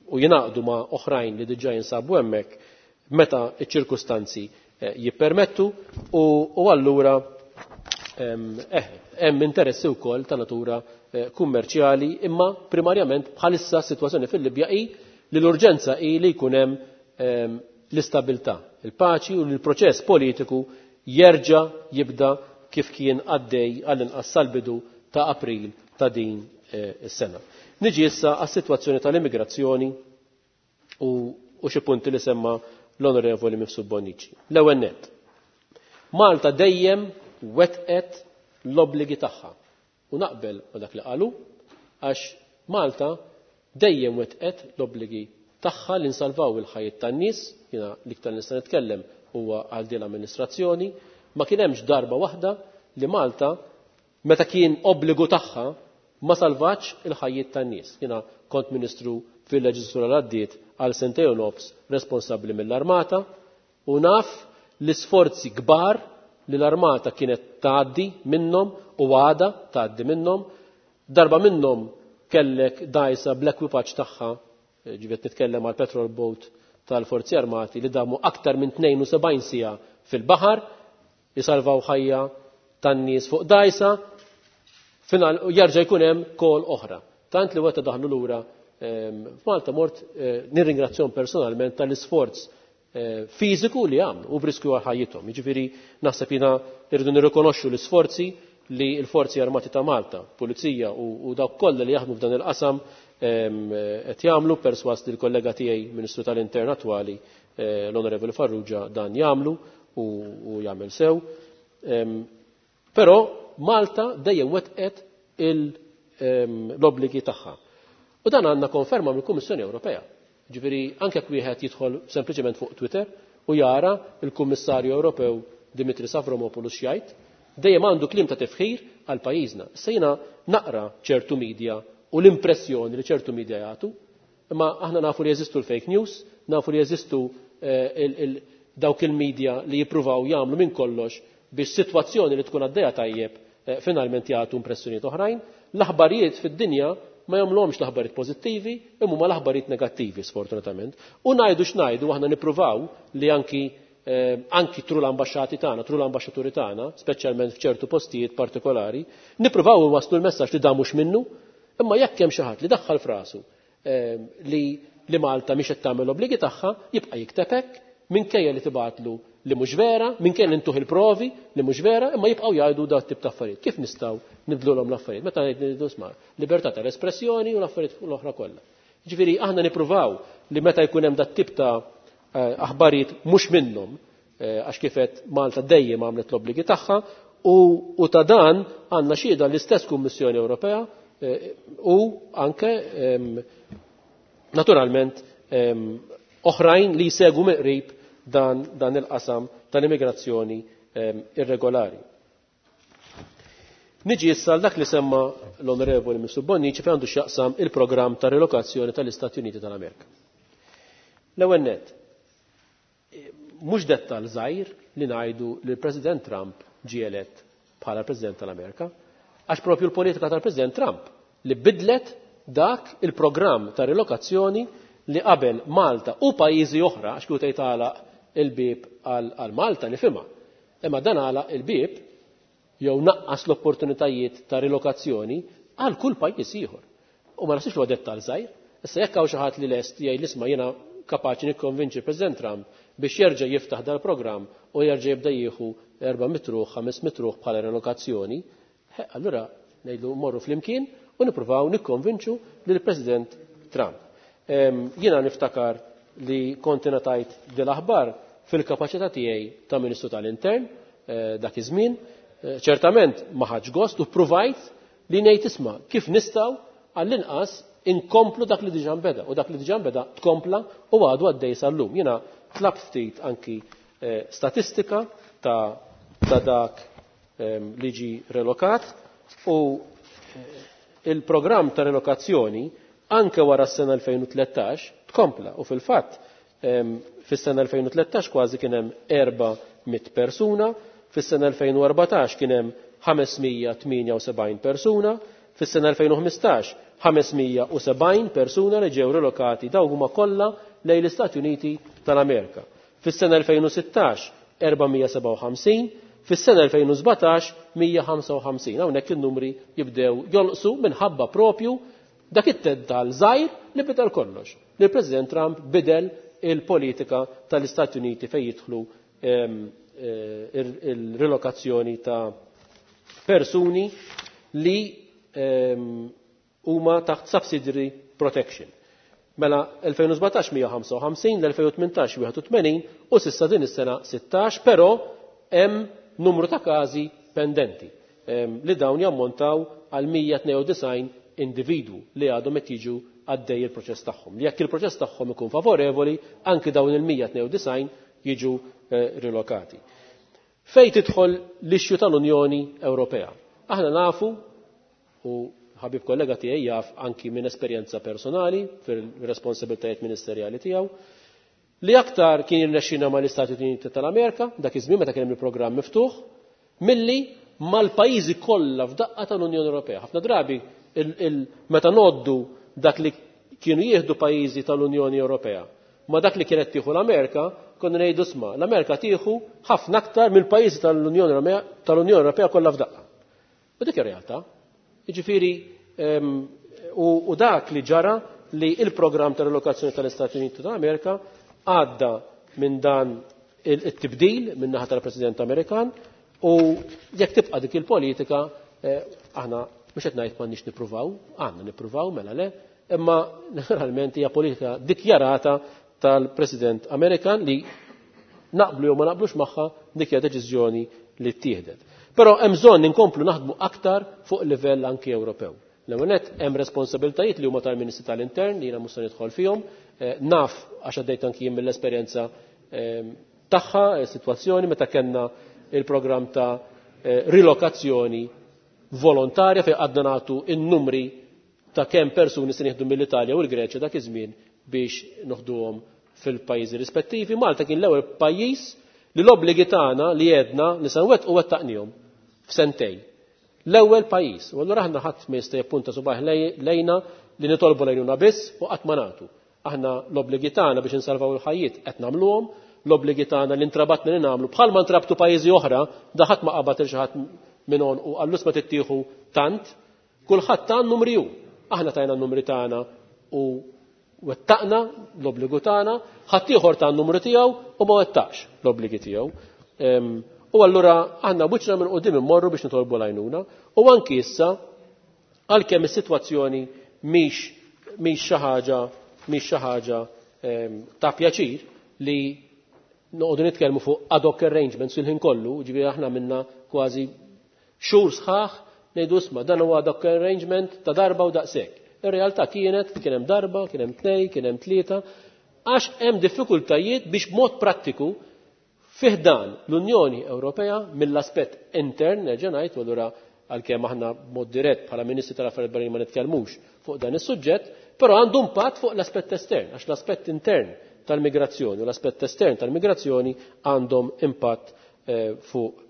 u jingħaqdu ma' oħrajn li diġà jinsabu hemmhekk meta ċ-ċirkustanzi jippermettu u allura hemm interessi wkoll ta' natura kummerċjali imma primarjament bħalissa s-sitwazzjoni fil-Libja hi li l-urġenza hi li jkun hemm l-istabilità, il-paċi u li l-proċess politiku jerġa' jibda kif kien għaddej għall-inqas sal-bidu ta' April ta' din is-sena. Niġi issa għas-sitwazzjoni tal-immigrazzjoni u xi punti li semma l-Onorevoli Mifsud Bonnici. L-ewwel nett. Malta dejjem wetqet l-obbligi tagħha. U naqbel ma dak li qalu għax Malta dejjem wetqet l-obbligi tagħha li nsalvaw il-ħajjiet tan-nies, jiena l-iktar nista' nitkellem huwa għal din l-amministrazzjoni, ma kien hemmx darba waħda li Malta meta kien obbligu tagħha ma salvax il-ħajjiet tan-nies. Jiena kont ministru fil-leġislatura l-għaddiet għal sentejn u nofs responsabbli mill-armata u naf l-isforzi kbar li l-armata kienet tgħaddi minnhom u għada tgħaddi minnhom. Darba minnhom kellek dgħajsa bl-ekwipaġġ tagħha, ġifiet nitkellem għal petrol boat tal-Forzi Armati li damu aktar minn 72 siegħa fil-baħar, jisalvaw ħajja tan-nies fuq dgħajsa, final jerġa' jkun hemm kol oħra. Tant li weta daħlu lura f'Malta mort nirringrazzjahom personalment tal-isforz fiżiku li għamlu u b'riskju għal ħajjithom. Jiġifieri naħseb jiena irridu nirrikonoxxu l-isforzi li l-Forzi Armati ta' Malta, Pulizija u dawk kollha li jaħdmu f'dan il-qasam qed jagħmlu, perswas li l-kollega tiegħi Ministru tal-Intern attwali l-Onorevoli Farrugia dan jagħmlu u jagħmel sew. Però Malta dejjem wetqet l-obbligi tagħha. U dan għandna konferma mill-Kummissjoni Ewropea. Ġifieri anke jekk wieħed jidħol sempliċement fuq Twitter u jara il-Kummissarju Ewropew Dimitris Avramopoulos jgħid, dejjem għandu kliem ta' tifħir għal pajjiżna. Issa jiena naqra ċertu media u l-impressjoni li ċertu media jagħtu, imma aħna nafu li jeżistu l-fake news, nafu li jeżistu dawk il-media li jippruvaw jagħmlu minn kollox biex sitwazzjoni li tkun għaddejja tajjeb finalment jagħtu impressjonijiet oħrajn. L-aħbarijiet fid-dinja ma jagħmluhomx l-aħbarijiet pożittivi, imma huma l-aħbarijiet negattivi sfortunatament. U ngħidu x'ngħidu aħna nippruvaw li anki tru l-ambaxxati tagħna, tru l-ambaxxaturi tagħna, speċjalment f'ċertu postijiet partikolari, nippruvaw inwasslu l-messaġġ li dan mhux minnu, imma jekk hemm xi ħadd li daħħal frasu li Malta mhix qed tagħmel l-obbligi tagħha, jibqa' jikteb hekk minkejja li tibgħatlu li mhux vera, minkejja li ntuh il-provi li mhux vera, imma jibqgħu jgħidu dat tip ta' affarijiet. Kif nistgħu nibdlulhom l-affarijiet? Meta ngħidu isma' libertà tal-espressjoni u l-affarijiet l-oħra kollha. Ġifieri aħna nippruvaw li meta jkun hemm dat tip ta' aħbarijiet mhux minnhom, għax kifet Malta dejjem għamlet l-obbligi tagħha u ta' dan għandna xhieda l-istess Kummissjoni Ewropea u anke naturalment oħrajn li jsegwu mill-qrib dan il-qasam tal-immigrazzjoni irregolari. Niġi issa dak li semma l-Onorevoli Mr. Bonnici fejn għandu x'jaqsam il-programm ta' relokazzjoni tal-Istati Uniti tal-Amerika. L-ewwel nett, mhux dettal żgħir li ngħidu li l-President Trump ġie elett bħala President tal-Amerika, għax propju l-politika tal-President Trump li bidlet dak il-programm ta' relokazzjoni li qabel Malta u pajjiżi oħra, għax kieku tgħid għalaq il-bieb għal Malta nifhimha. Imma dan għalaq il-bieb jew naqqas l-opportunitajiet ta' relokazzjoni għal kull pajjiż ieħor. U ma naħsibx huwa dettal żgħir. Issa jekk hawn xi ħadd li lest jgħid isma' jiena kapaċi nikkonvinċi President Trump biex jerġa' jiftaħ dal-programm u jerġa' jibda jieħu 400 ruħ, 500 ruħ bħala relokazzjoni, allura ngħidlu morru flimkien u nippruvaw nikkonvinċu lill-President Trump. Jiena niftakar li kont ingħatajt dil-aħbar fil-kapaċità tiegħi ta' Ministru tal-Intern dak iż-żmien. Ċertament ma ħadx gost u ppruvajt li ngħid isma' kif nistgħu għall-inqas inkomplu dak li diġà nbeda u dak li diġà nbeda tkompla u għadu għaddej sal-lum. Jiena tlabt ftit anki statistika ta' dak li ġie relokat u il-programm ta' relokazzjoni anke wara s-sena 2013 tkompla u fil-fatt fis-sena 2013 kważi kien hemm 400 persuna, fis-sena 2014 kien hemm 578 persuna, fis-sena 2015 570 persuna li ġew relokati dawn huma kollha lejn l-Istati Uniti tal-Amerika. Fis-sena 2016 457, fis-sena 2017 155. Hawnhekk in-numri jibdew jonqsu minħabba propju dak it-teddal żgħir li bidel kollox. Li l-President Trump bidel il-politika tal-Istati Uniti fejn jidħlu il-relokazzjoni ta' persuni li huma taħt subsidiary protection. Mela 2017 155, l-2018 81 u s'issa din is-sena 16, però hemm numru ta' każi pendenti li dawn jammontaw għal 192 individwu li għadhom qed jiġu għaddej il-proċess tagħhom. Li jekk il-proċess tagħhom ikun favorevoli, anki dawn il-192 jiġu rilokati. Fejn tidħol l-issue tal-Unjoni Ewropea? Aħna nafu, u ħabib kollega tiegħi jaf anki minn esperjenza personali fil-responsabilitajiet ministerjali tiegħu, li aktar kien jirnexxina mal-Istati Uniti tal-Amerika, dak iż-żmien meta kien hemm il-programm miftuħ, milli mal-pajjiżi kollha f'daqqa tal-Unjoni Ewropea. Ħafna drabi meta noddu dak li kienu jieħdu pajjiżi tal-Unjoni Ewropea ma dak li kienet tieħu l-Amerika, konna ngħidu sma, l-Amerika tieħu ħafna aktar mill-pajjiżi tal-Unjoni Ewropea kollha f'daqqa. U dik ir-realtà. Jiġifieri u dak li ġara li il-programm ta' relokazzjoni tal-Istati Uniti tal-Amerika għadda minn dan it-tibdil minn naħa tal-President Amerikan u jekk tibqa' dik il-politika aħna mhux qed ngħid m'għandniex nippruvaw, għandna nippruvaw mela le, imma naturalment hija politika dikjarata tal-President Amerikan li naqblu jew ma naqblux magħha dik hija deċiżjoni li ttieħdet. Però hemm bżonn inkomplu naħdmu aktar fuq livell anki Ewropew. L-ewwel nett hemm responsabiltajiet li huma tal-Ministri tal-Intern li jiena mhux se nidħol fihom, naf għax għaddejt anki jien mill-esperjenza tagħha, sitwazzjoni meta kellna il-programm ta' rilokazzjoni volontarja fejn għadna nagħtu n-numri ta' kemm persuni se nieħdu mill-Italja u l-Greċja dak iż-żmien biex noħduhom fil-pajjiżi rispettivi. Malta kien l-ewwel pajjiż li l-obbligi tagħna li għedna li se nwettqu wettaqnihom f'sentejn. L-ewwel pajjiż. U allura aħna ħadd ma jista' jippunta subgħajh lejna li nitolbu lejnuna biss u qatt ma nagħtu. Aħna l-obbligi tagħna biex insalvaw il-ħajjiet qed nagħmluhom, l-obbligi tagħna li ntrabatna li nagħmlu bħalma ntrabtu pajjiżi oħra, da ħadd ma qabad il xi ħadd minn u għallus ma tittieħu tant, kulħadd ta' numri hu. Aħna tajna n-numri tagħna u wettaqna l-obbligu tagħna, ħadd ieħor ta' n-numru tiegħu u ma wettaqx l-obbligi tiegħu. U allura aħna wiċċna minn quddiem immorru biex nitolbu l-għajnuna u anki issa għalkemm is-sitwazzjoni mhix Mhix xi ħaġa mhix xi ħaġa ta' pjaċir li noqogħdu nitkellmu fuq ad hoc arrangements il-ħin kollu, ġifieri aħna minna kważi xhur sħaħ ngħidu isma' dan huwa ad hoc arrangement ta' darba u daqshekk. Ir-realtà kienet kien hemm darba, kien hemm tnej, kien hemm tlieta, għax hemm diffikultajiet biex b'mod prattiku fih dan l-Unjoni Ewropea mill-aspett intern, nerġa' ngħid, u allura għalkemm aħna b'mod dirett bħala Ministri tal-Affarijiet Barranin ma nitkellmux fuq dan is-suġġett, però għandu impatt fuq l-aspett estern, għax l-aspett intern tal-migrazzjoni u l-aspett estern tal-migrazzjoni għandhom impatt fuq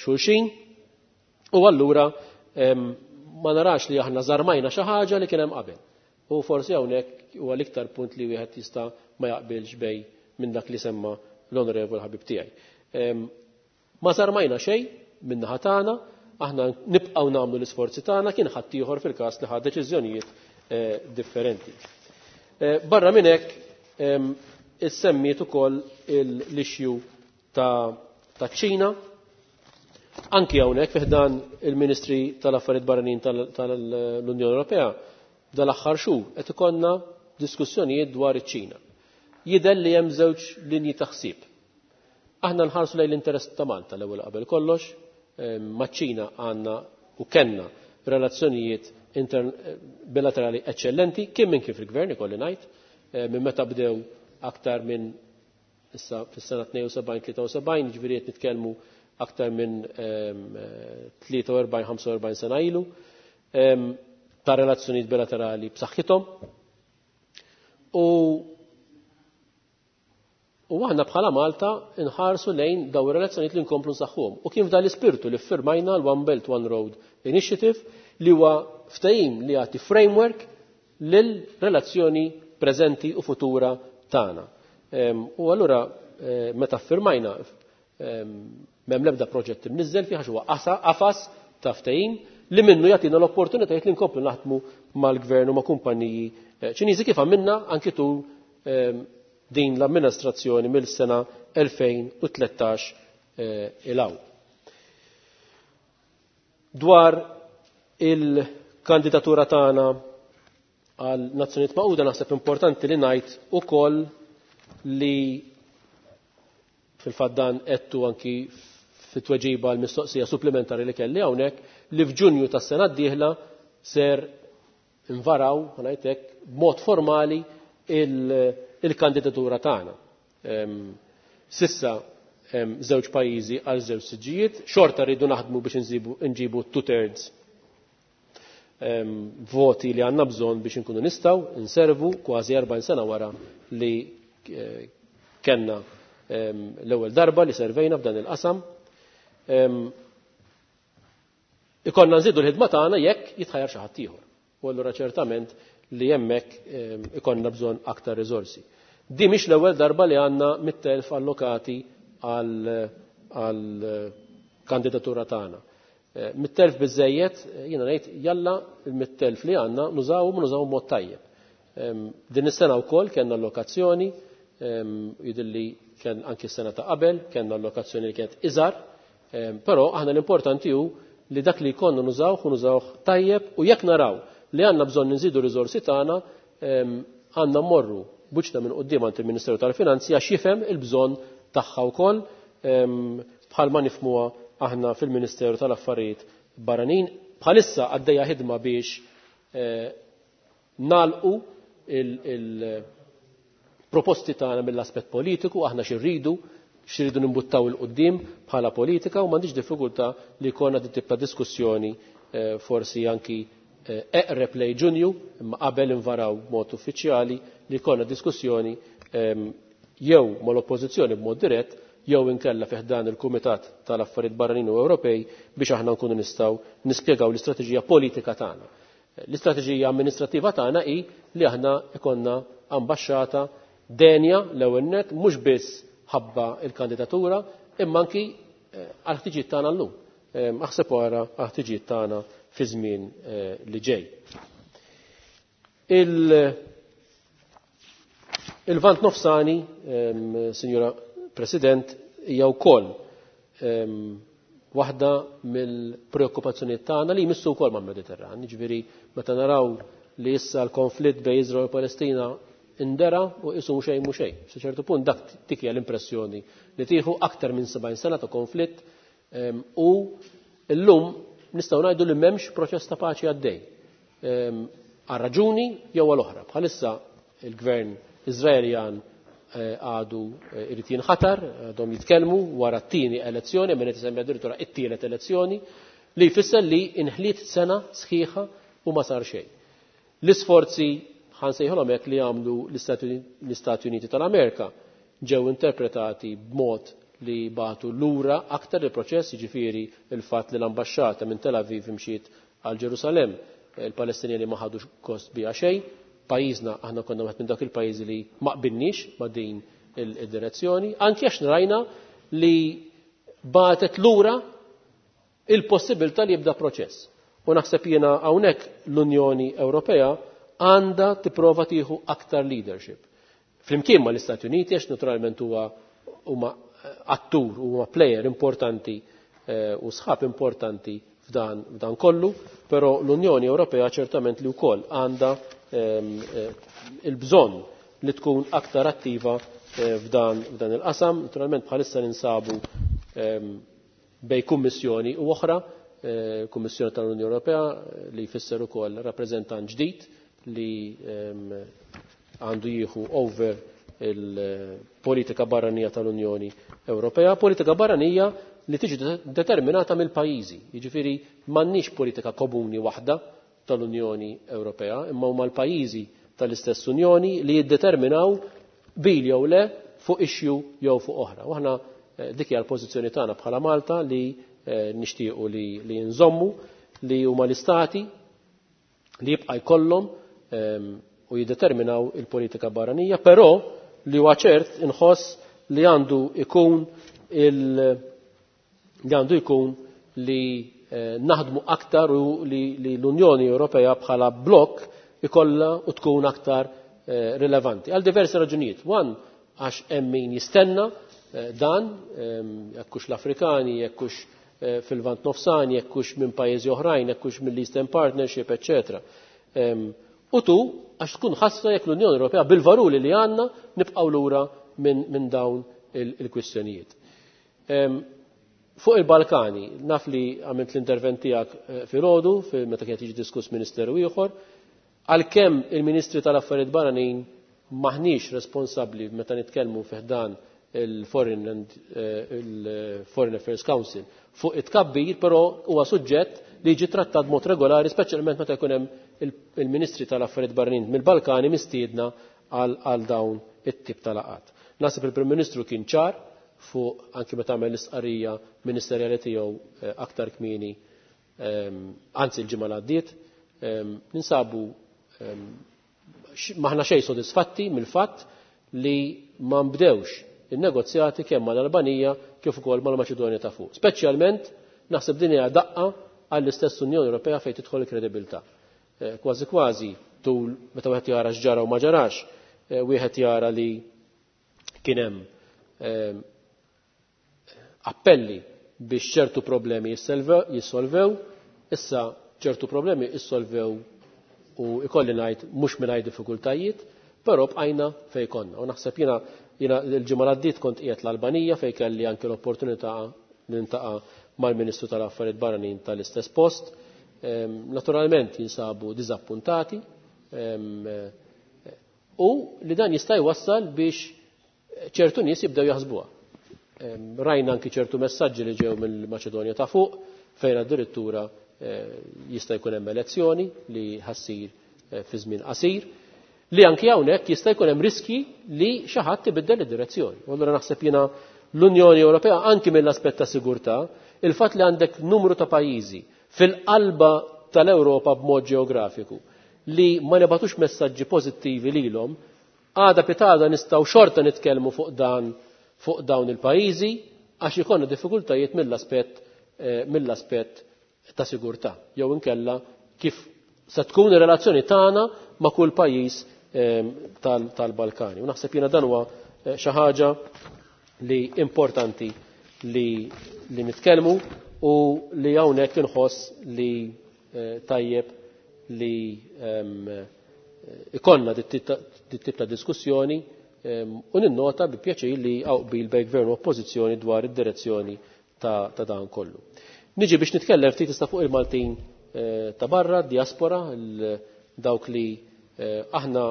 xulxin. U allura ma narax li aħna żarmajna xi ħaġa li kien hemm qabel. U forsi hawnhekk huwa l-iktar punt li wieħed jista' ma jaqbilx bej minn dak li semma l-onorevol ħabib tiegħi. Ma żarmajna xejn min-naħa tagħna, aħna nibqgħu nagħmlu l-isforzi tagħna, kien ħadd ieħor fil-każ li ħa deċiżjonijiet differenti. Barra minn hekk issemmiet ukoll l-issue ta' ċina. Anki hawnhekk fi ħdan il-Ministri tal-Affarijiet Barranin tal-Unjoni Ewropea dal-aħħar xhur qed ikollna diskussjonijiet dwar iċ-Ċina. Jidher li hemm żewġ linji ta' ħsieb. Aħna nħarsu lejn l-interess ta' Malta l-ewwel qabel kollox, maċ-Ċina għandna u kellna relazzjonijiet bilaterali eċċellenti, kien minn kif il-gvern ikolli ngħid, minn meta bdew aktar minn issa fis-sena 72-73, ġifieri qed nitkellmu aktar minn 43-45 sena ilu, ta' relazzjonijiet bilaterali b'saħħithom. U aħna bħala Malta nħarsu lejn daw ir-relazzjonijiet li nkomplu nsaħħuhom. U kien f'dan l-ispirtu li ffirmajna l-One Belt One Road Initiative, li huwa ftehim li jagħti framework lil relazzjoni preżenti u futura tagħna. U allura meta ffirmajna m'hemm l-ebda proġett imniżżel fih għax huwa qafas ta' ftehim li minnu jagħtina l-opportunitajiet li nkomplu naħdmu mal-gvern u ma' kumpaniji Ċiniżi kif għamilna anki tul din l-amministrazzjoni mill-sena 2013 ilaw. Dwar il-kandidatura tagħna għal Nazzjonijiet Magħquda naħseb importanti li ngħid ukoll li fil-fatt dan qedtu anki fit-tweġiba għal mistoqsija supplementari li kelli hawnhekk li f'Ġunju tas-sena d-dieħla ser invaraw, ngħidlek, b'mod formali il-kandidatura tagħna. Sissa żewġ pajjiżi għal żewġ siġġijiet, xorta rridu naħdmu biex nġibu two-thirds voti li għandna bżonn biex inkunu nistgħu nservu kważi 40 sena wara li kellna l-ewwel darba li servejna f'dan il-qasam. Ikollna nżidu l-ħidma tagħna jekk jitħajjar xi ħadd ieħor. U allura ċertament li hemmhekk ikollna bżonn aktar riżorsi. Di mhix l-ewwel darba li għandna 100,000 allokati għal kandidatura tagħna. 100,000 biżejjed, jiena ngħid jalla l-100,000 li għandna nużawhom u nużawhom mod tajjeb. Din is-sena wkoll kellna allokazzjoni, jidhirli kien anki s-sena ta' qabel, kellna allokazzjoni li kienet iżgħar, però aħna l-importanti hu li dak li jkollna nużawh u nużawh tajjeb u jekk naraw li għandna bżonn nżidu riżorsi tagħna, għandna mmorru buċna minn quddiem għand il-Ministeru tal-Finanzi għax jifhem il-bżonn tagħha wkoll, bħalma nifhmuha aħna fil-Ministeru tal-Affarijiet Barranin. Bħalissa għaddejja ħidma biex nagħlqu il-proposti tagħna mill-aspett politiku, aħna x'irridu nimbuttaw il-qudiem bħala politika u m'għandix diffikultà li jkollna din tip ta' diskussjoni forsi anki eqreb lej Ġunju, imma qabel invaraw b'mod uffiċjali li jkollna diskussjoni jew mal-oppożizzjoni b'mod dirett jew inkella fih dan il-Kumitat tal-Affarijiet Barranin u Ewropej biex aħna nkunu nistgħu nispjegaw l-istrateġija politika tagħna. L-istrateġija amministrattiva tagħna hi li aħna ikonna ambaxxata denja l-ewwel nett mhux biss ħabba il-kandidatura imma anki għal ħtiġijiet tagħna llum. Aħseb wara għal ħtiġijiet tagħna fi żmien li ġej. Il-Lvant Nofsani, Sinjura President, hija wkoll waħda mill-preokkupazzjonijiet tagħna li jmissu wkoll mal-Mediterran. Jiġifieri meta naraw li issa l-konflitt bejn Iżrael u Palestina indera u qisu xejn mhu xejn. Sa ċertu punt dak tik hija l-impressjoni li tieħu aktar minn 70 sena ta' konflitt u llum nistgħu ngħidu li m'hemmx proċess ta' paċi għaddej. Għal raġuni jew għal oħra. Bħalissa il-gvern Iżraeljan għadu irid jinħatar, għadhom jitkellmu wara t-tieni elezzjoni, minn qed isemmi addirittura it-tielet elezzjoni, li jfisser li inħliet sena sħiħa u ma sar xejn. L-isforzi ħa nsejħulhom hekk li għamlu l-Istati Uniti tal-Amerika ġew interpretati b'mod li bagħtu lura aktar il-proċess, jiġifieri il-fatt li l-ambaxxata minn Tel Aviv imxiet għal Ġerusalemm, il-Palestinjani ma ħadux gost biha xejn. Pajjiżna aħna konna wieħed minn dawk il-pajjiżi li ma qbilniex ma' din id-direzzjoni, anki għax rajna li bagħtet lura il-possibilità li jibda proċess. U naħseb jiena hawnhekk l-Unjoni Ewropea għandha tipprova tieħu aktar leadership. Flimkien ma l-Istati Uniti, għax naturalment huwa huma attur, huma player importanti u sħab importanti f'dan kollu, però l-Unjoni Ewropea ċertament li wkoll għandha il-bżonn li tkun aktar attiva f'dan il-qasam. Naturalment bħalissa ninsabu bej kummissjoni u oħra, Kummissjoni tal-Unjoni Ewropea li jfisser ukoll rappreżentant ġdid li għandu jieħu over il-politika barranija tal-Unjoni Ewropea, politika barranija li tiġi determinata mill-pajjiżi. Jiġifieri m'għandniex politika komuni waħda tal-Unjoni Ewropea, imma huma l-pajjiżi tal-istess Unjoni li jiddeterminaw bil jew le fuq issue jew fuq oħra. U aħna dik hija l-pożizzjoni tagħna bħala Malta li nixtiequ li nżommu li huma l-istati li jibqa' jkollhom u jiddeterminaw il-politika barranija, però li huwa ċert inħoss li għandu ikun li għandu jkun li naħdmu aktar u li l-Unjoni Ewropea bħala blok ikollha u tkun aktar rilevanti. Għal diversi raġunijiet. One, għax hemm min jistenna dan, jekk hux l-Afrikani, jekk hux fil-Lvant Nofsani, jekk hux minn pajjiżi oħrajn, jekk hux mill-Eastern Partnership, eccetera. U tu, għax tkun ħasra jekk l-Unjoni Ewropea bil-valuri li għandna nibqgħu lura minn dawn il-kwistjonijiet. Fuq il-Balkani, naf li għamilt l-intervent tiegħek filgħodu, meta kienet jiġi diskuss ministeru ieħor, għalkemm il-Ministri tal-Affarijiet Barranin maħniex responsabbli meta nitkellmu fi ħdan il-Foreign and il-Foreign Affairs Council fuq it-tkabbir, però huwa suġġett li jiġi trattat mod regolari, speċjalment meta jkun hemm il-Ministri tal-Affarijiet Barranin mill-Balkani mistiedna għal dawn it-tip ta' laqgħat. Naħseb il-Prim Ministru kien ċar fuq anki meta għamel l-istqarrija ministerjali tiegħu aktar kmieni, anzi l-ġimgħa li għaddiet, ninsabu maħna xejn sodisfatti mill-fatt li ma nbdewx in-negozjati kemm mal-Albanija kif ukoll mal-Maċedonja ta' fuq. Speċjalment naħseb din hija daqqa għall-istess Unjoni Ewropea fejn tidħol il-kredibilità. Kważi kważi tul meta wieħed jara x'ġara u ma ġarax, wieħed jara li kien hemm appelli biex ċertu problemi jissolvew, issa ċertu problemi jissolvew u ikolli ngħid mhux mingħajr diffikultajiet, però bqajna fejn konna. U naħseb jiena l-ġimgħa li għaddiet kont qiegħed l-Albanija fejn kelli anke l-opportunità nintaqa' mal-Ministru tal-Affarijiet Barranin tal-istess post. Naturalment jinsabu diżappuntati u li dan jista' jwassal biex ċertu nies jibdew jaħsbuha. Rajna anki ċertu messaġġi li ġew mill-Maċedonja ta' fuq fejn addirittura jista' jkun hemm elezzjoni li ħassir fi żmien qasir, li anki hawnhekk jista' jkun hemm riski li xi ħadd ibiddel id-direzzjoni. U allura naħseb jiena l-Unjoni Ewropea anki mill-aspett ta' sigurtà, il-fatt li għandek numru ta' pajjiżi fil-qalba tal-Ewropa b'mod ġeografiku li ma nebatux messaġġi pożittivi lilhom, għada pitada nistgħu xorta nitkellmu fuq dawn il-pajjiżi għax ikollna diffikultajiet mill-aspett ta' sigurtà jew inkella kif se tkun ir-relazzjoni tagħna ma' kull pajjiż tal-Balkani. U naħseb jiena dan huwa xi ħaġa li importanti li nitkellmu u li hawnhekk inħoss li tajjeb li ikollna dit-tip ta' diskussjoni u ninnota bi pjaċir li hawn qbil bejn gvern u oppożizzjoni dwar id-direzzjoni ta' dan kollu. Niġi biex nitkellem ftit issa fuq il-Maltin ta' barra, diaspora, dawk li aħna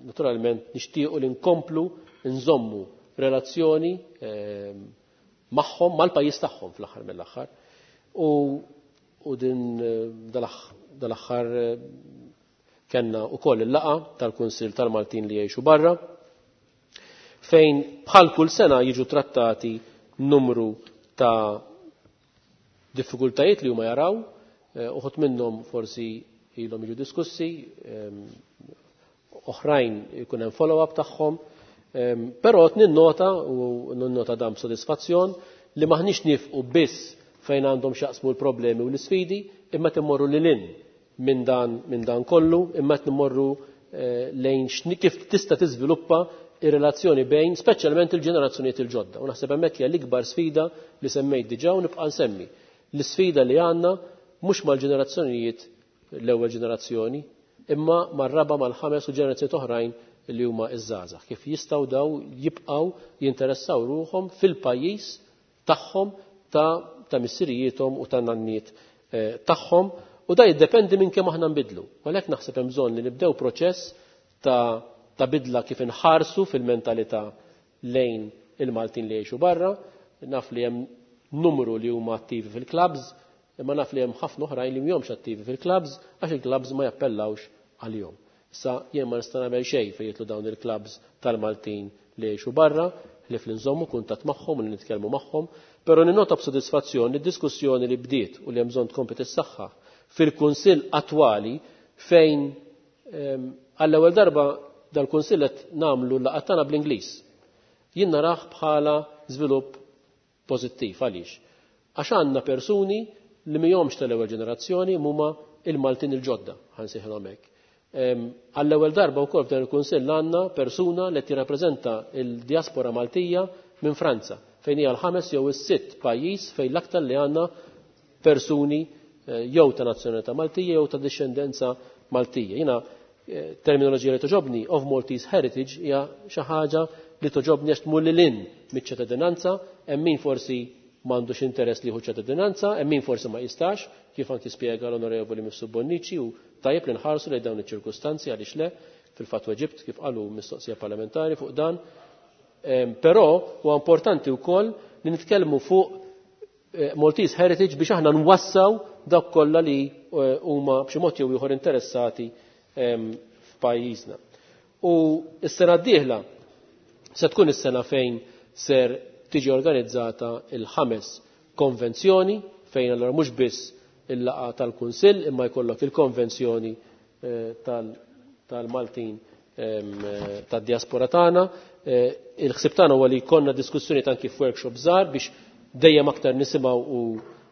naturalment nixtiequ li nkomplu nżommu relazzjoni magħhom, mal-pajjiż tagħhom fl-aħħar mill-aħħar. U din dal-aħħar kellna wkoll il-laqgħa tal-Kunsill tal-Maltin li jgħixu barra, fejn bħal kull sena jiġu trattati numru ta' diffikultajiet li huma jaraw, uħud minnhom forsi ilhom jiġu diskussi, oħrajn ikun hemm follow-up tagħhom, però ninnota u ninnota dan b'sodisfazzjon li maħniex nifqu biss fejn għandhom x'jaqsmu l-problemi u l-isfidi, imma timmorru lil hinn minn dan kollu, imma qed nimmorru lejn kif tista' tiżviluppa ir-relazzjoni bejn speċjalment il-ġenerazzjonijiet il-ġodda. U naħseb hemmhekk hija l-ikbar sfida li semmejt diġà u nibqa' nsemmi. L-isfida li għandna mhux mal-ġenerazzjonijiet, l-ewwel ġenerazzjoni, imma mar-raba', mal-ħames u ġenerazzjonijiet oħrajn li huma iż-żgħażagħ. Kif jistgħu daw jibqgħu jinteressaw ruħhom fil-pajjiż tagħhom ta' missirijiethom u ta' nanniet tagħhom, u da jiddependi minn kemm aħna nbidlu. Għalhekk naħseb hemm bżonn li nibdew proċess ta' bidla kif inħarsu fil-mentalità lejn il-Maltin li jgħixu barra. Naf li hemm numru li huma attivi fil-clubs, imma naf li hemm ħafna oħrajn li mhumiex attivi fil-clubs għax il-clubs ma jappellawx għalihom. Issa jien ma nista' nagħmel xejn fejn jidħlu dawn il-clubs tal-Maltin li jgħixu barra, li fl-inżommu kuntatt magħhom u li nitkellmu magħhom, però ninnota b'sodisfazzjon li d-diskussjoni li bdiet u li hemm bżonn tkompli tissaħħa fil-Kunsill attwali, fejn għall-ewwel darba dal-Kunsill qed nagħmlu l-laqgħat tagħna bl-Ingliż. Jien narah bħala żvilupp pożittiv. Għaliex? Għax għandna persuni li mhumiex tal-ewwel ġenerazzjoni, huma il-Maltin il-ġodda, ħa nsejħilhom hekk. Għall-ewwel darba wkoll f'dan il-Kunsill għandna persuna li tirrappreżenta il-diaspora Maltija minn Franza, fejn hija l-ħames jew is-sitt pajjiż fejn l-aktar li għandna persuni jew ta' nazzjonalità Maltija jew ta' discendenza Maltija. Jiena terminoloġija li togħġobni, of Maltese heritage, hija xi ħaġa li togħġobni għax tmur lil hinn miċ-ċittadinanza. Hemm min forsi m'għandux interess li jieħu ċittadinanza, hemm min forsi ma jistax, kif anki spjega l-Onorevoli Mifsud Bonnici, u tajjeb li nħarsu lejn dawn iċ-ċirkustanzi, għaliex le. Fil-fatt weġibt, kif qalu, mistoqsija parlamentari fuq dan. Però huwa importanti wkoll li nitkellmu fuq Maltese Heritage biex aħna nwassaw dak kollha li huma b'xi mod jew ieħor interessati f'pajjiżna. U s-sena d-dieħla se tkun is-sena fejn ser tiġi organizzata il-ħames konvenzjoni, fejn allura mhux biss il-laqgħa tal-Kunsill imma jkollok il-konvenzjoni tal-Maltin tad-diaspora tagħna. Il-ħsieb tagħna huwa li jkollna diskussjoni anki f'workshop żgħar biex dejjem aktar nisimgħu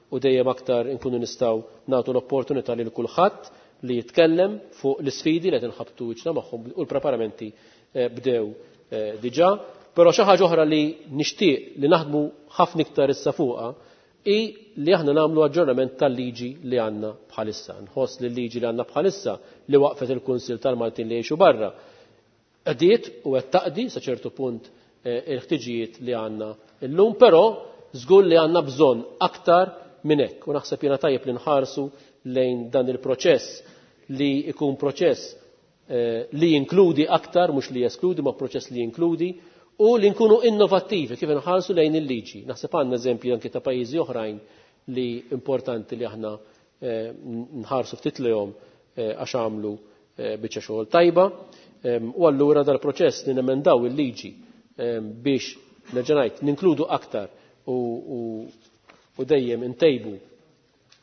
u dejjem aktar inkunu nistgħu nagħtu l-opportunità lil kulħadd li jitkellem fuq l-isfidi li qed inħabbtu wiċċna magħhom, u l-preparamenti bdew diġà. Però xi ħaġa oħra li nixtieq li naħdmu ħafna iktar issa fuqha i li aħna nagħmlu aġġornament tal-liġi li għandna bħalissa. Nħoss li l-liġi li għandna bħalissa li waqfet il-Kunsill tal-Maltin li jgħixu barra qdiet u qed taqdi sa ċertu punt il-ħtiġijiet li għandna illum, però żgur li għandna bżonn aktar minn hekk. U naħseb jiena tajjeb li nħarsu lejn dan il-proċess li ikun proċess li jinkludi aktar, mhux li jeskludi, ma proċess li jinkludi u li nkunu innovattivi kif nħarsu lejn il-liġi. Naħseb għandna eżempji anki ta' pajjiżi oħrajn li importanti li aħna nħarsu ftit lejhom għax għamlu biċċa xogħol tajba. U allura dal-proċess li nemendaw il-liġi biex, nerġa' ngħid, ninkludu aktar u dejjem intejbu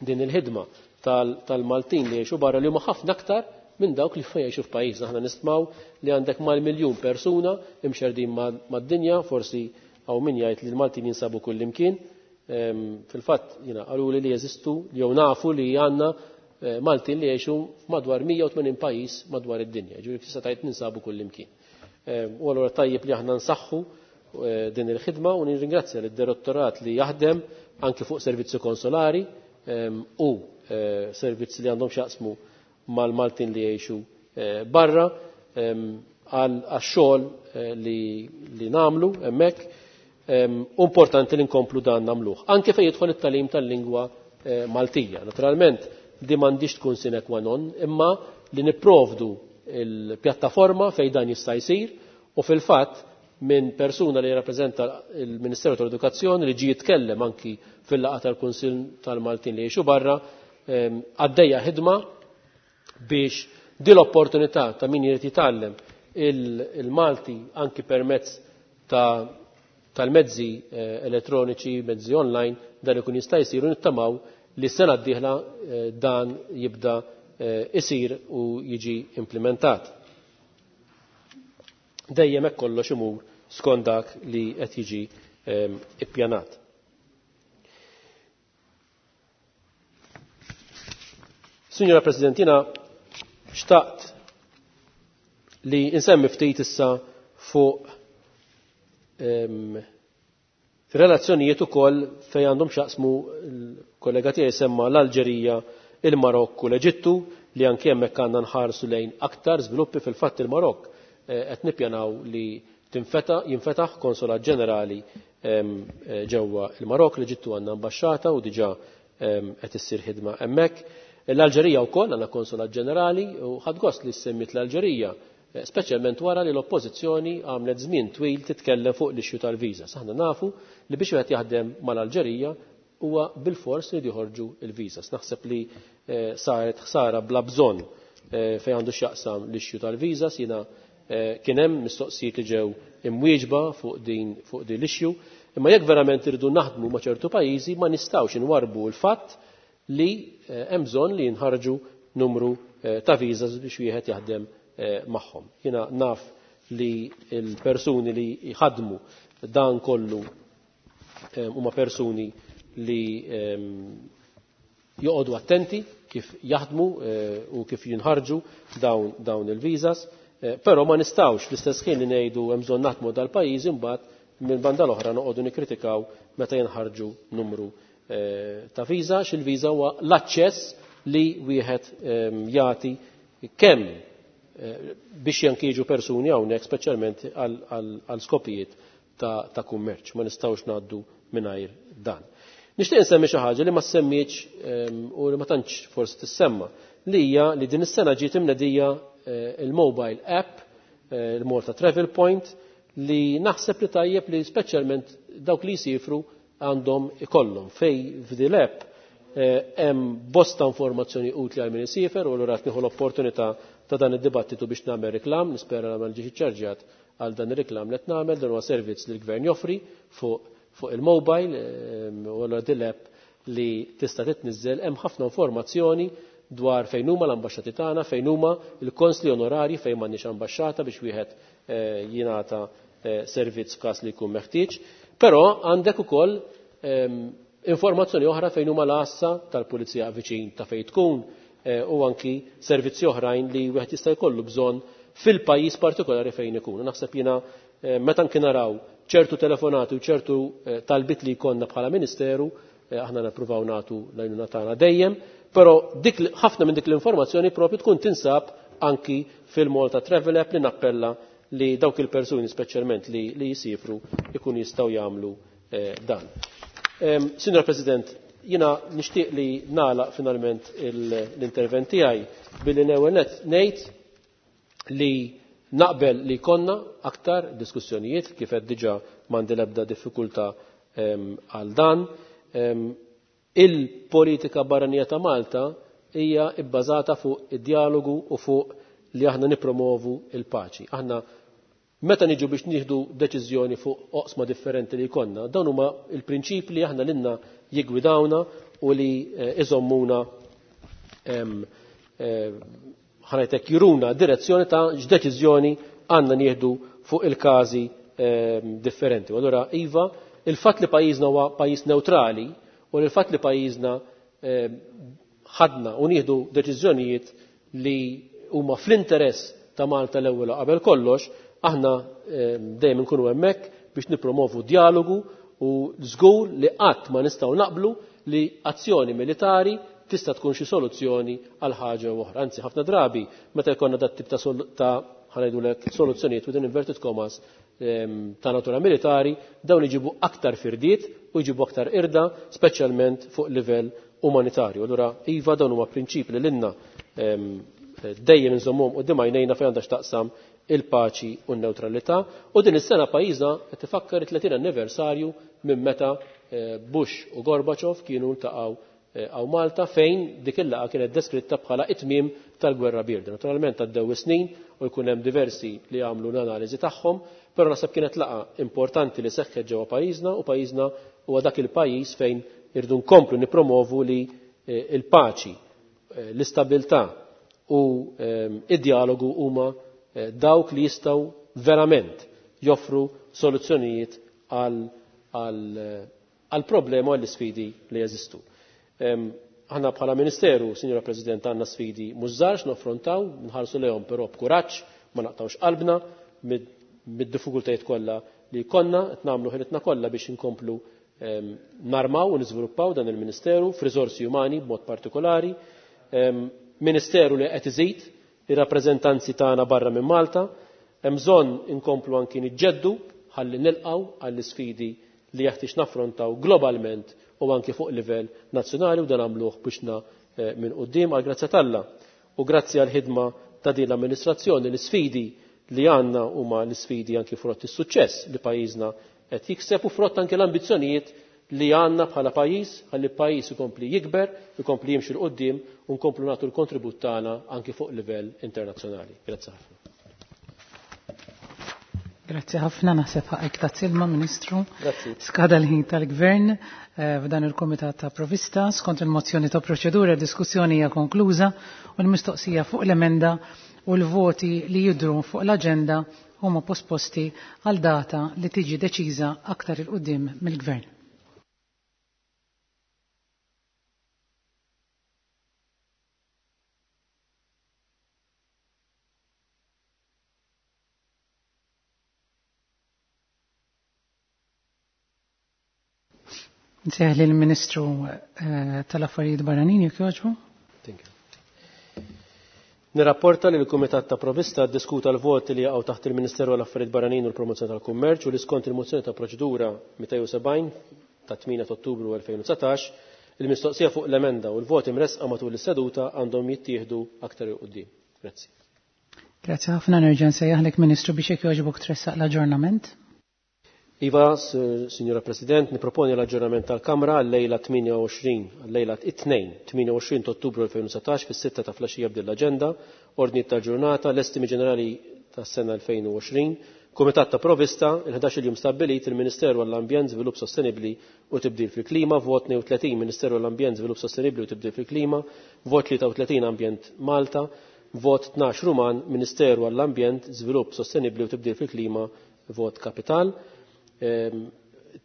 din il-ħidma tal-Maltin li jgħixu barra, li huma ħafna aktar minn dawk li jgħixu f'pajjiżna. Aħna nistmaw li għandek mal-miljun persuna imxerdin mad-dinja, forsi hawn min jgħid li l-Maltin jinsabu kull imkien. Fil-fatt jiena qalu li jeżistu jew nafu li għandna Maltin li jgħixu madwar 180 pajjiż madwar id-dinja. Ġifieri tista' tgħid ninsabu kull imkien. U allura tajjeb li aħna nsaħħu din il-ħidma u nirringrazzja lid-direttorat li jaħdem anke fuq servizzi konsolari u servizzi li għandhom x'jaqsmu. mal-Maltin li jgħixu barra għax-xogħol li nagħmlu hemmhekk. Importanti li nkomplu dan nagħmluh. Anke fejn jidħol it-tagħlim tal-lingwa Maltija. Naturalment, di m'għandix tkun sine qua non, imma li nipprovdu il-pjattaforma fejn dan jista' jsir u fil-fatt minn persuna li jirrappreżenta il-Ministeru tal-Edukazzjoni li ġie jitkellem anki fil-laqgħa tal-Kunsill tal-Maltin li jgħixu barra, għaddejja ħidma biex di l-opportunità ta' min jrid jitgħallem il-Malti anki permezz tal-mezzi elettroniċi, mezzi online, dan ikun jista' jsir u nittamaw li s-sena d-dieħla dan jibda isir u jiġi implementat. Dejjem hekk kollox imur skont dak li qed jiġi ippjanat. Signora President, jiena xtaqt li insemmi ftit issa fuq relazzjonijiet ukoll fejn għandhom x'jaqsmu l-kollega tiegħi semma l-Alġerija, il-Marokk u l-Eġittu li anke hemmhekk għandna nħarsu lejn aktar żviluppi. Fil-fatt il-Marokk qed nippjanaw li jinfetaħ konsolat ġenerali ġewwa il-Marokk, l-Eġittu għandna ambaxxata u diġà qed issir ħidma hemmhekk. L-Alġerija wkoll għandna konsolat ġenerali u ħadt gost li semmit l-Alġerija, speċjalment wara li l-oppożizzjoni għamlet żmien twil titkellem fuq l-issue tal-viża. Aħna nafu li biex wieħed jaħdem mal-Alġerija huwa bil-fors li joħorġu il-viżas. Naħseb li saret ħsara bla bżonn fejn għandu x'jaqsam l-issue tal-viżas. Jiena kien hemm mistoqsijiet li ġew imwieġba fuq din l-issue, imma jekk verament irridu naħdmu ma' ċertu pajjiżi ma nistgħux inwarbu l-fatt li hemm bżonn li jinħarġu numru ta' viżas biex wieħed jaħdem magħhom. Jiena naf li l-persuni li jħadmu dan kollu huma persuni li joqogħdu attenti kif jaħdmu u kif jinħarġu dawn il-viżas, però ma nistgħux fl-istess ħin li ngħidu hemm bżonn naħdmu dal-pajjiż imbagħad minn banda l-oħra noqogħdu nikkritikaw meta jinħarġu numru ta' viża, x'il-viża huwa l-aċċess li wieħed jagħti kemm biex janki jiġu persuni hawnhekk speċjalment għal skopijiet ta' kummerċ. Ma nistgħux ngħaddu mingħajr dan. Nixtieq insemmi xi ħaġa li ma semmietx u li ma tantx forsi tissemma, li hija li din is-sena ġiet imnedija il-mobile app, il-Malta Travel Point, li naħseb li tajjeb li speċjalment dawk li jsifru għandhom ikollhom fej f'din l-app hemm bosta informazzjoni utli għal min isifer u allura qed nieħu l-opportunità ta' dan id-dibattitu biex nagħmel reklam, nispera li ma nġiex iċċarġjat għal dan ir-reklam li qed nagħmel. Dan huwa servizz li l-gvern joffri fuq il-mobile, u allura din l-app li tista' titniżżel hemm ħafna informazzjoni dwar fejn huma l-ambaxxati tagħna, fejn huma l-konsli onorari fejn m'għandniex ambaxxata biex wieħed jingħata servizz f'każ li jkun meħtieġ. Però għandek ukoll informazzjoni oħra fejn huma l-għassa tal-pulizija viċin ta' fejn tkun, u anki servizzi oħrajn li wieħed jista' jkollu bżonn fil-pajjiż partikolari fejn ikun. Naħseb jiena meta anki naraw ċertu telefonati u ċertu talbit li jkollna bħala ministeru, aħna nippruvaw nagħtu l-għajnuna tagħna dejjem, però ħafna minn dik l-informazzjoni propju tkun tinsab anki fil-Malta Travel App li nappella li dawk il-persuni speċjalment li jisifru ikun jistgħu jagħmlu dan. Signor President, jiena nixtieq li nagħlaq finalment l-intervent tiegħi billi l-ewwel nett ngħid li naqbel li konna aktar diskussjonijiet kif qed diġà m'għandi l-ebda diffikultà għal dan. Il-politika barranija ta' Malta hija bbażata fuq id-dialogu u fuq li aħna nipromovu il-paċi. Aħna meta niġu biex nieħdu deċiżjoni fuq oqsma differenti li jkollna, dawn huma il-prinċipji li aħna lilna jiggwidawna u li iżommuna ħanajtek juruna direzzjoni ta' x'deċiżjoni għandna nieħdu fuq il-każi differenti. U allura iva, il-fatt li pajjiżna huwa pajjiż neutrali u l-fatt li pajjiżna ħadna u nieħdu deċiżjonijiet li huma fl-interess ta' Malta l-ewwel qabel kollox, aħna dejjem inkunu hemmhekk biex nippromovu dialogu u żgur li qatt ma nistgħu naqblu li azzjoni militari tista' tkun xi soluzzjoni għal ħaġa oħra. Anzi, ħafna drabi meta jkollna dat tip ta' ħa ngħidulek soluzzjonijiet within inverted commas ta' natura militari, dawn iġibu aktar firdiet u jġibu aktar irda, speċjalment fuq livell umanitarju. Allura, iva, dawn huma prinċipi li lilna dejjem inżommhom quddiem għajnejna fejn għandha x'taqsam il-paċi u n-neutralità. U din is-sena pajjiżna qed ifakkar it-30 anniversarju minn meta Bush u Gorbachev kienu ltaqgħu hawn Malta, fejn dik il-laqgħa kienet deskritta bħala it-tmiem tal-gwerra bierda. Naturalment għaddew is-snin u jkun hemm diversi li għamlu l-analiżi tagħhom, però naħseb kienet laqgħa importanti li seħħet ġewwa pajjiżna, u pajjiżna huwa dak il-pajjiż fejn irdu nkomplu nippromovu li il-paċi, l-istabilità u id-dialogu huma dawk li jistgħu verament joffru soluzzjonijiet għal problema u għall sfidi li jeżistu. Aħna bħala Ministeru, Sinjora President, għandna sfidi mhux żgħar naffrontaw, nħarsu lejhom però b'kuraġġ, ma naqtawx qalbna mid-diffikultajiet kollha li konna, qed nagħmlu ħilitna kollha biex inkomplu narmaw u niżviluppaw dan il-Ministeru f'riżorsi umani b'mod partikolari. Ministeru li qed iżid ir-rappreżentanzi tagħna barra minn Malta, hemm bżonn inkomplu anki niġġeddu ħalli nilqgħu għall-isfidi li jeħtieġ naffrontaw globalment u anki fuq livell nazzjonali, u dan għamluh biex minn quddiem għal grazzja t'Alla. U grazzi għal ħidma ta' din l-amministrazzjoni, l-isfidi li għandna huma l-isfidi anki frott is-suċċess li pajjiżna qed jikseb u frott anki l-ambizzjonijiet li għandna bħala pajjiż, ħalli pajjiż ikompli jikber, ikompli jimxi 'l quddiem u nkomplu nagħtu l-kontribut tagħna anki fuq livell internazzjonali. Grazzi ħafna. Grazzi ħafna, naħseb ħaqek ta' silma, Ministru. Grazzi. Skada l-ħin tal-Gvern f'dan il-Kumitat ta' Provista, skont il-mozzjoni ta' proċedura, diskussjoni hija konkluża u l-mistoqsija fuq l-emenda u l-voti li jidru fuq l-aġenda huma posposti għal data li tiġi deċiża aktar il-qudiem mill-Gvern. Nsejħ lill-Ministru tal-Affarijiet Barranin jekk jogħġbu. Thank you. Nirrapporta li l-Kumitat ta' Provista ddiskuta l-voti li jaqgħu taħt il-Ministeru għall-Affarijiet Barranin u l-Promozzjoni tal-Kummerċ u li skont il-mozzjoni ta' proċedura 270 ta' 8 Ottubru 2019, il-mistoqsija fuq l-emenda u l-voti mresqa matul is-seduta għandhom jittieħdu aktar 'il quddiem. Grazzi. Grazzi ħafna, nerġa' nsejjaħlek Ministru biex jekk jogħġbok tressaq l-aġġornament. Iva, Signora President, niproponi l-aġġornament tal-Kamra għal-lejla 28, għal-lejla 2, 28 Ottubru 2019 fis-6 ta' flaxija b'din l-aġenda, ordni tal-ġurnata, l-estimi ġenerali tas-sena 2020, Kumitat ta' Provista, il-11 jum stabbilit il-Ministeru għall-Ambjent, Żvilupp Sostenibbli u Tibdil fil-Klima, vot 32 Ministeru għall-Ambjent, Żvilupp Sostenibbli u Tibdil fil-Klima, vot 33 Ambjent Malta, vot 12 Ruman, Ministeru għall-Ambjent, Żvilupp Sostenibbli u Tibdil fil-Klima, vot Kapital.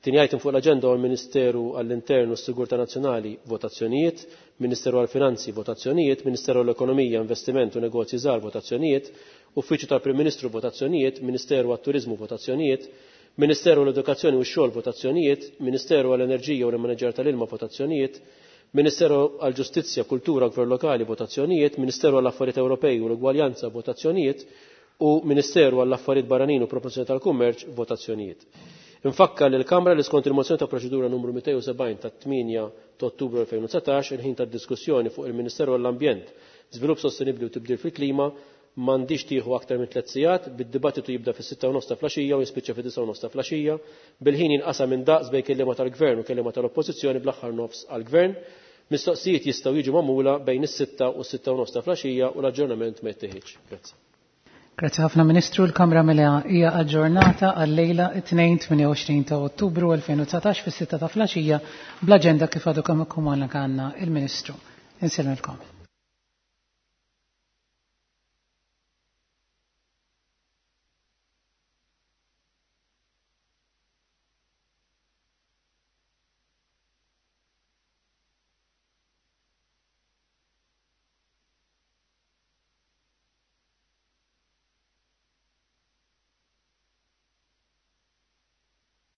Tieni item fuq l-aġenda huwa l-Ministeru għall-Intern u s-Sigurtà Nazzjonali, votazzjonijiet, Ministeru għall-Finanzi, votazzjonijiet, Ministeru għall-Ekonomija, Investiment u Negozji Żgħar, votazzjonijiet, Uffiċċju tal-Prim Ministru, votazzjonijiet, Ministeru għat-Turiżmu, votazzjonijiet, Ministeru għall-Edukazzjoni u x-Xogħol, votazzjonijiet, Ministeru għall-Enerġija u l-Immaniġġar tal-Ilma, votazzjonijiet, Ministeru għall-Ġustizzja, Kultura u Gvern Lokali, votazzjonijiet, Ministeru għall-Affarijiet Ewropej u l-Ugwaljanza, votazzjonijiet, u Ministeru għall-Affarijiet Barranin u Promozzjoni tal-Kummerċ, votazzjonijiet. Infakkar li l-Kamra li skont il-mozzjoni ta' proċedura numru 270 ta' 8 ta' Ottubru 2019, il-ħin ta' diskussjoni fuq il-Ministeru għall-Ambjent, Żvilupp Sostenibbli u Tibdil fil-Klima m'għandix tieħu aktar minn 3 sigħat, bid-dibattitu jibda fis-6 u nofs ta' flaxija u jispiċċa fid-9 u nofs ta' flaxija, bil-ħin jinqasam minn daqs bejn kelliema tal-Gvern u kelliema tal-Oppożizzjoni bl-aħħar nofs għall-Gvern. Mistoqsijiet jistgħu jiġu magħmula bejn is-6 u s-6 u nofs ta' flaxija u l-aġġornament ma jittieħidx. Grazzi. Grazzi ħafna Ministru, l-Kamra mela hija aġġornata għal-lejla 2-28 ta' Ottubru 2019 fis-6 ta' flaxija bl-aġenda kif għadu kemm ikkomunikana il-Ministru. Insellmilkom.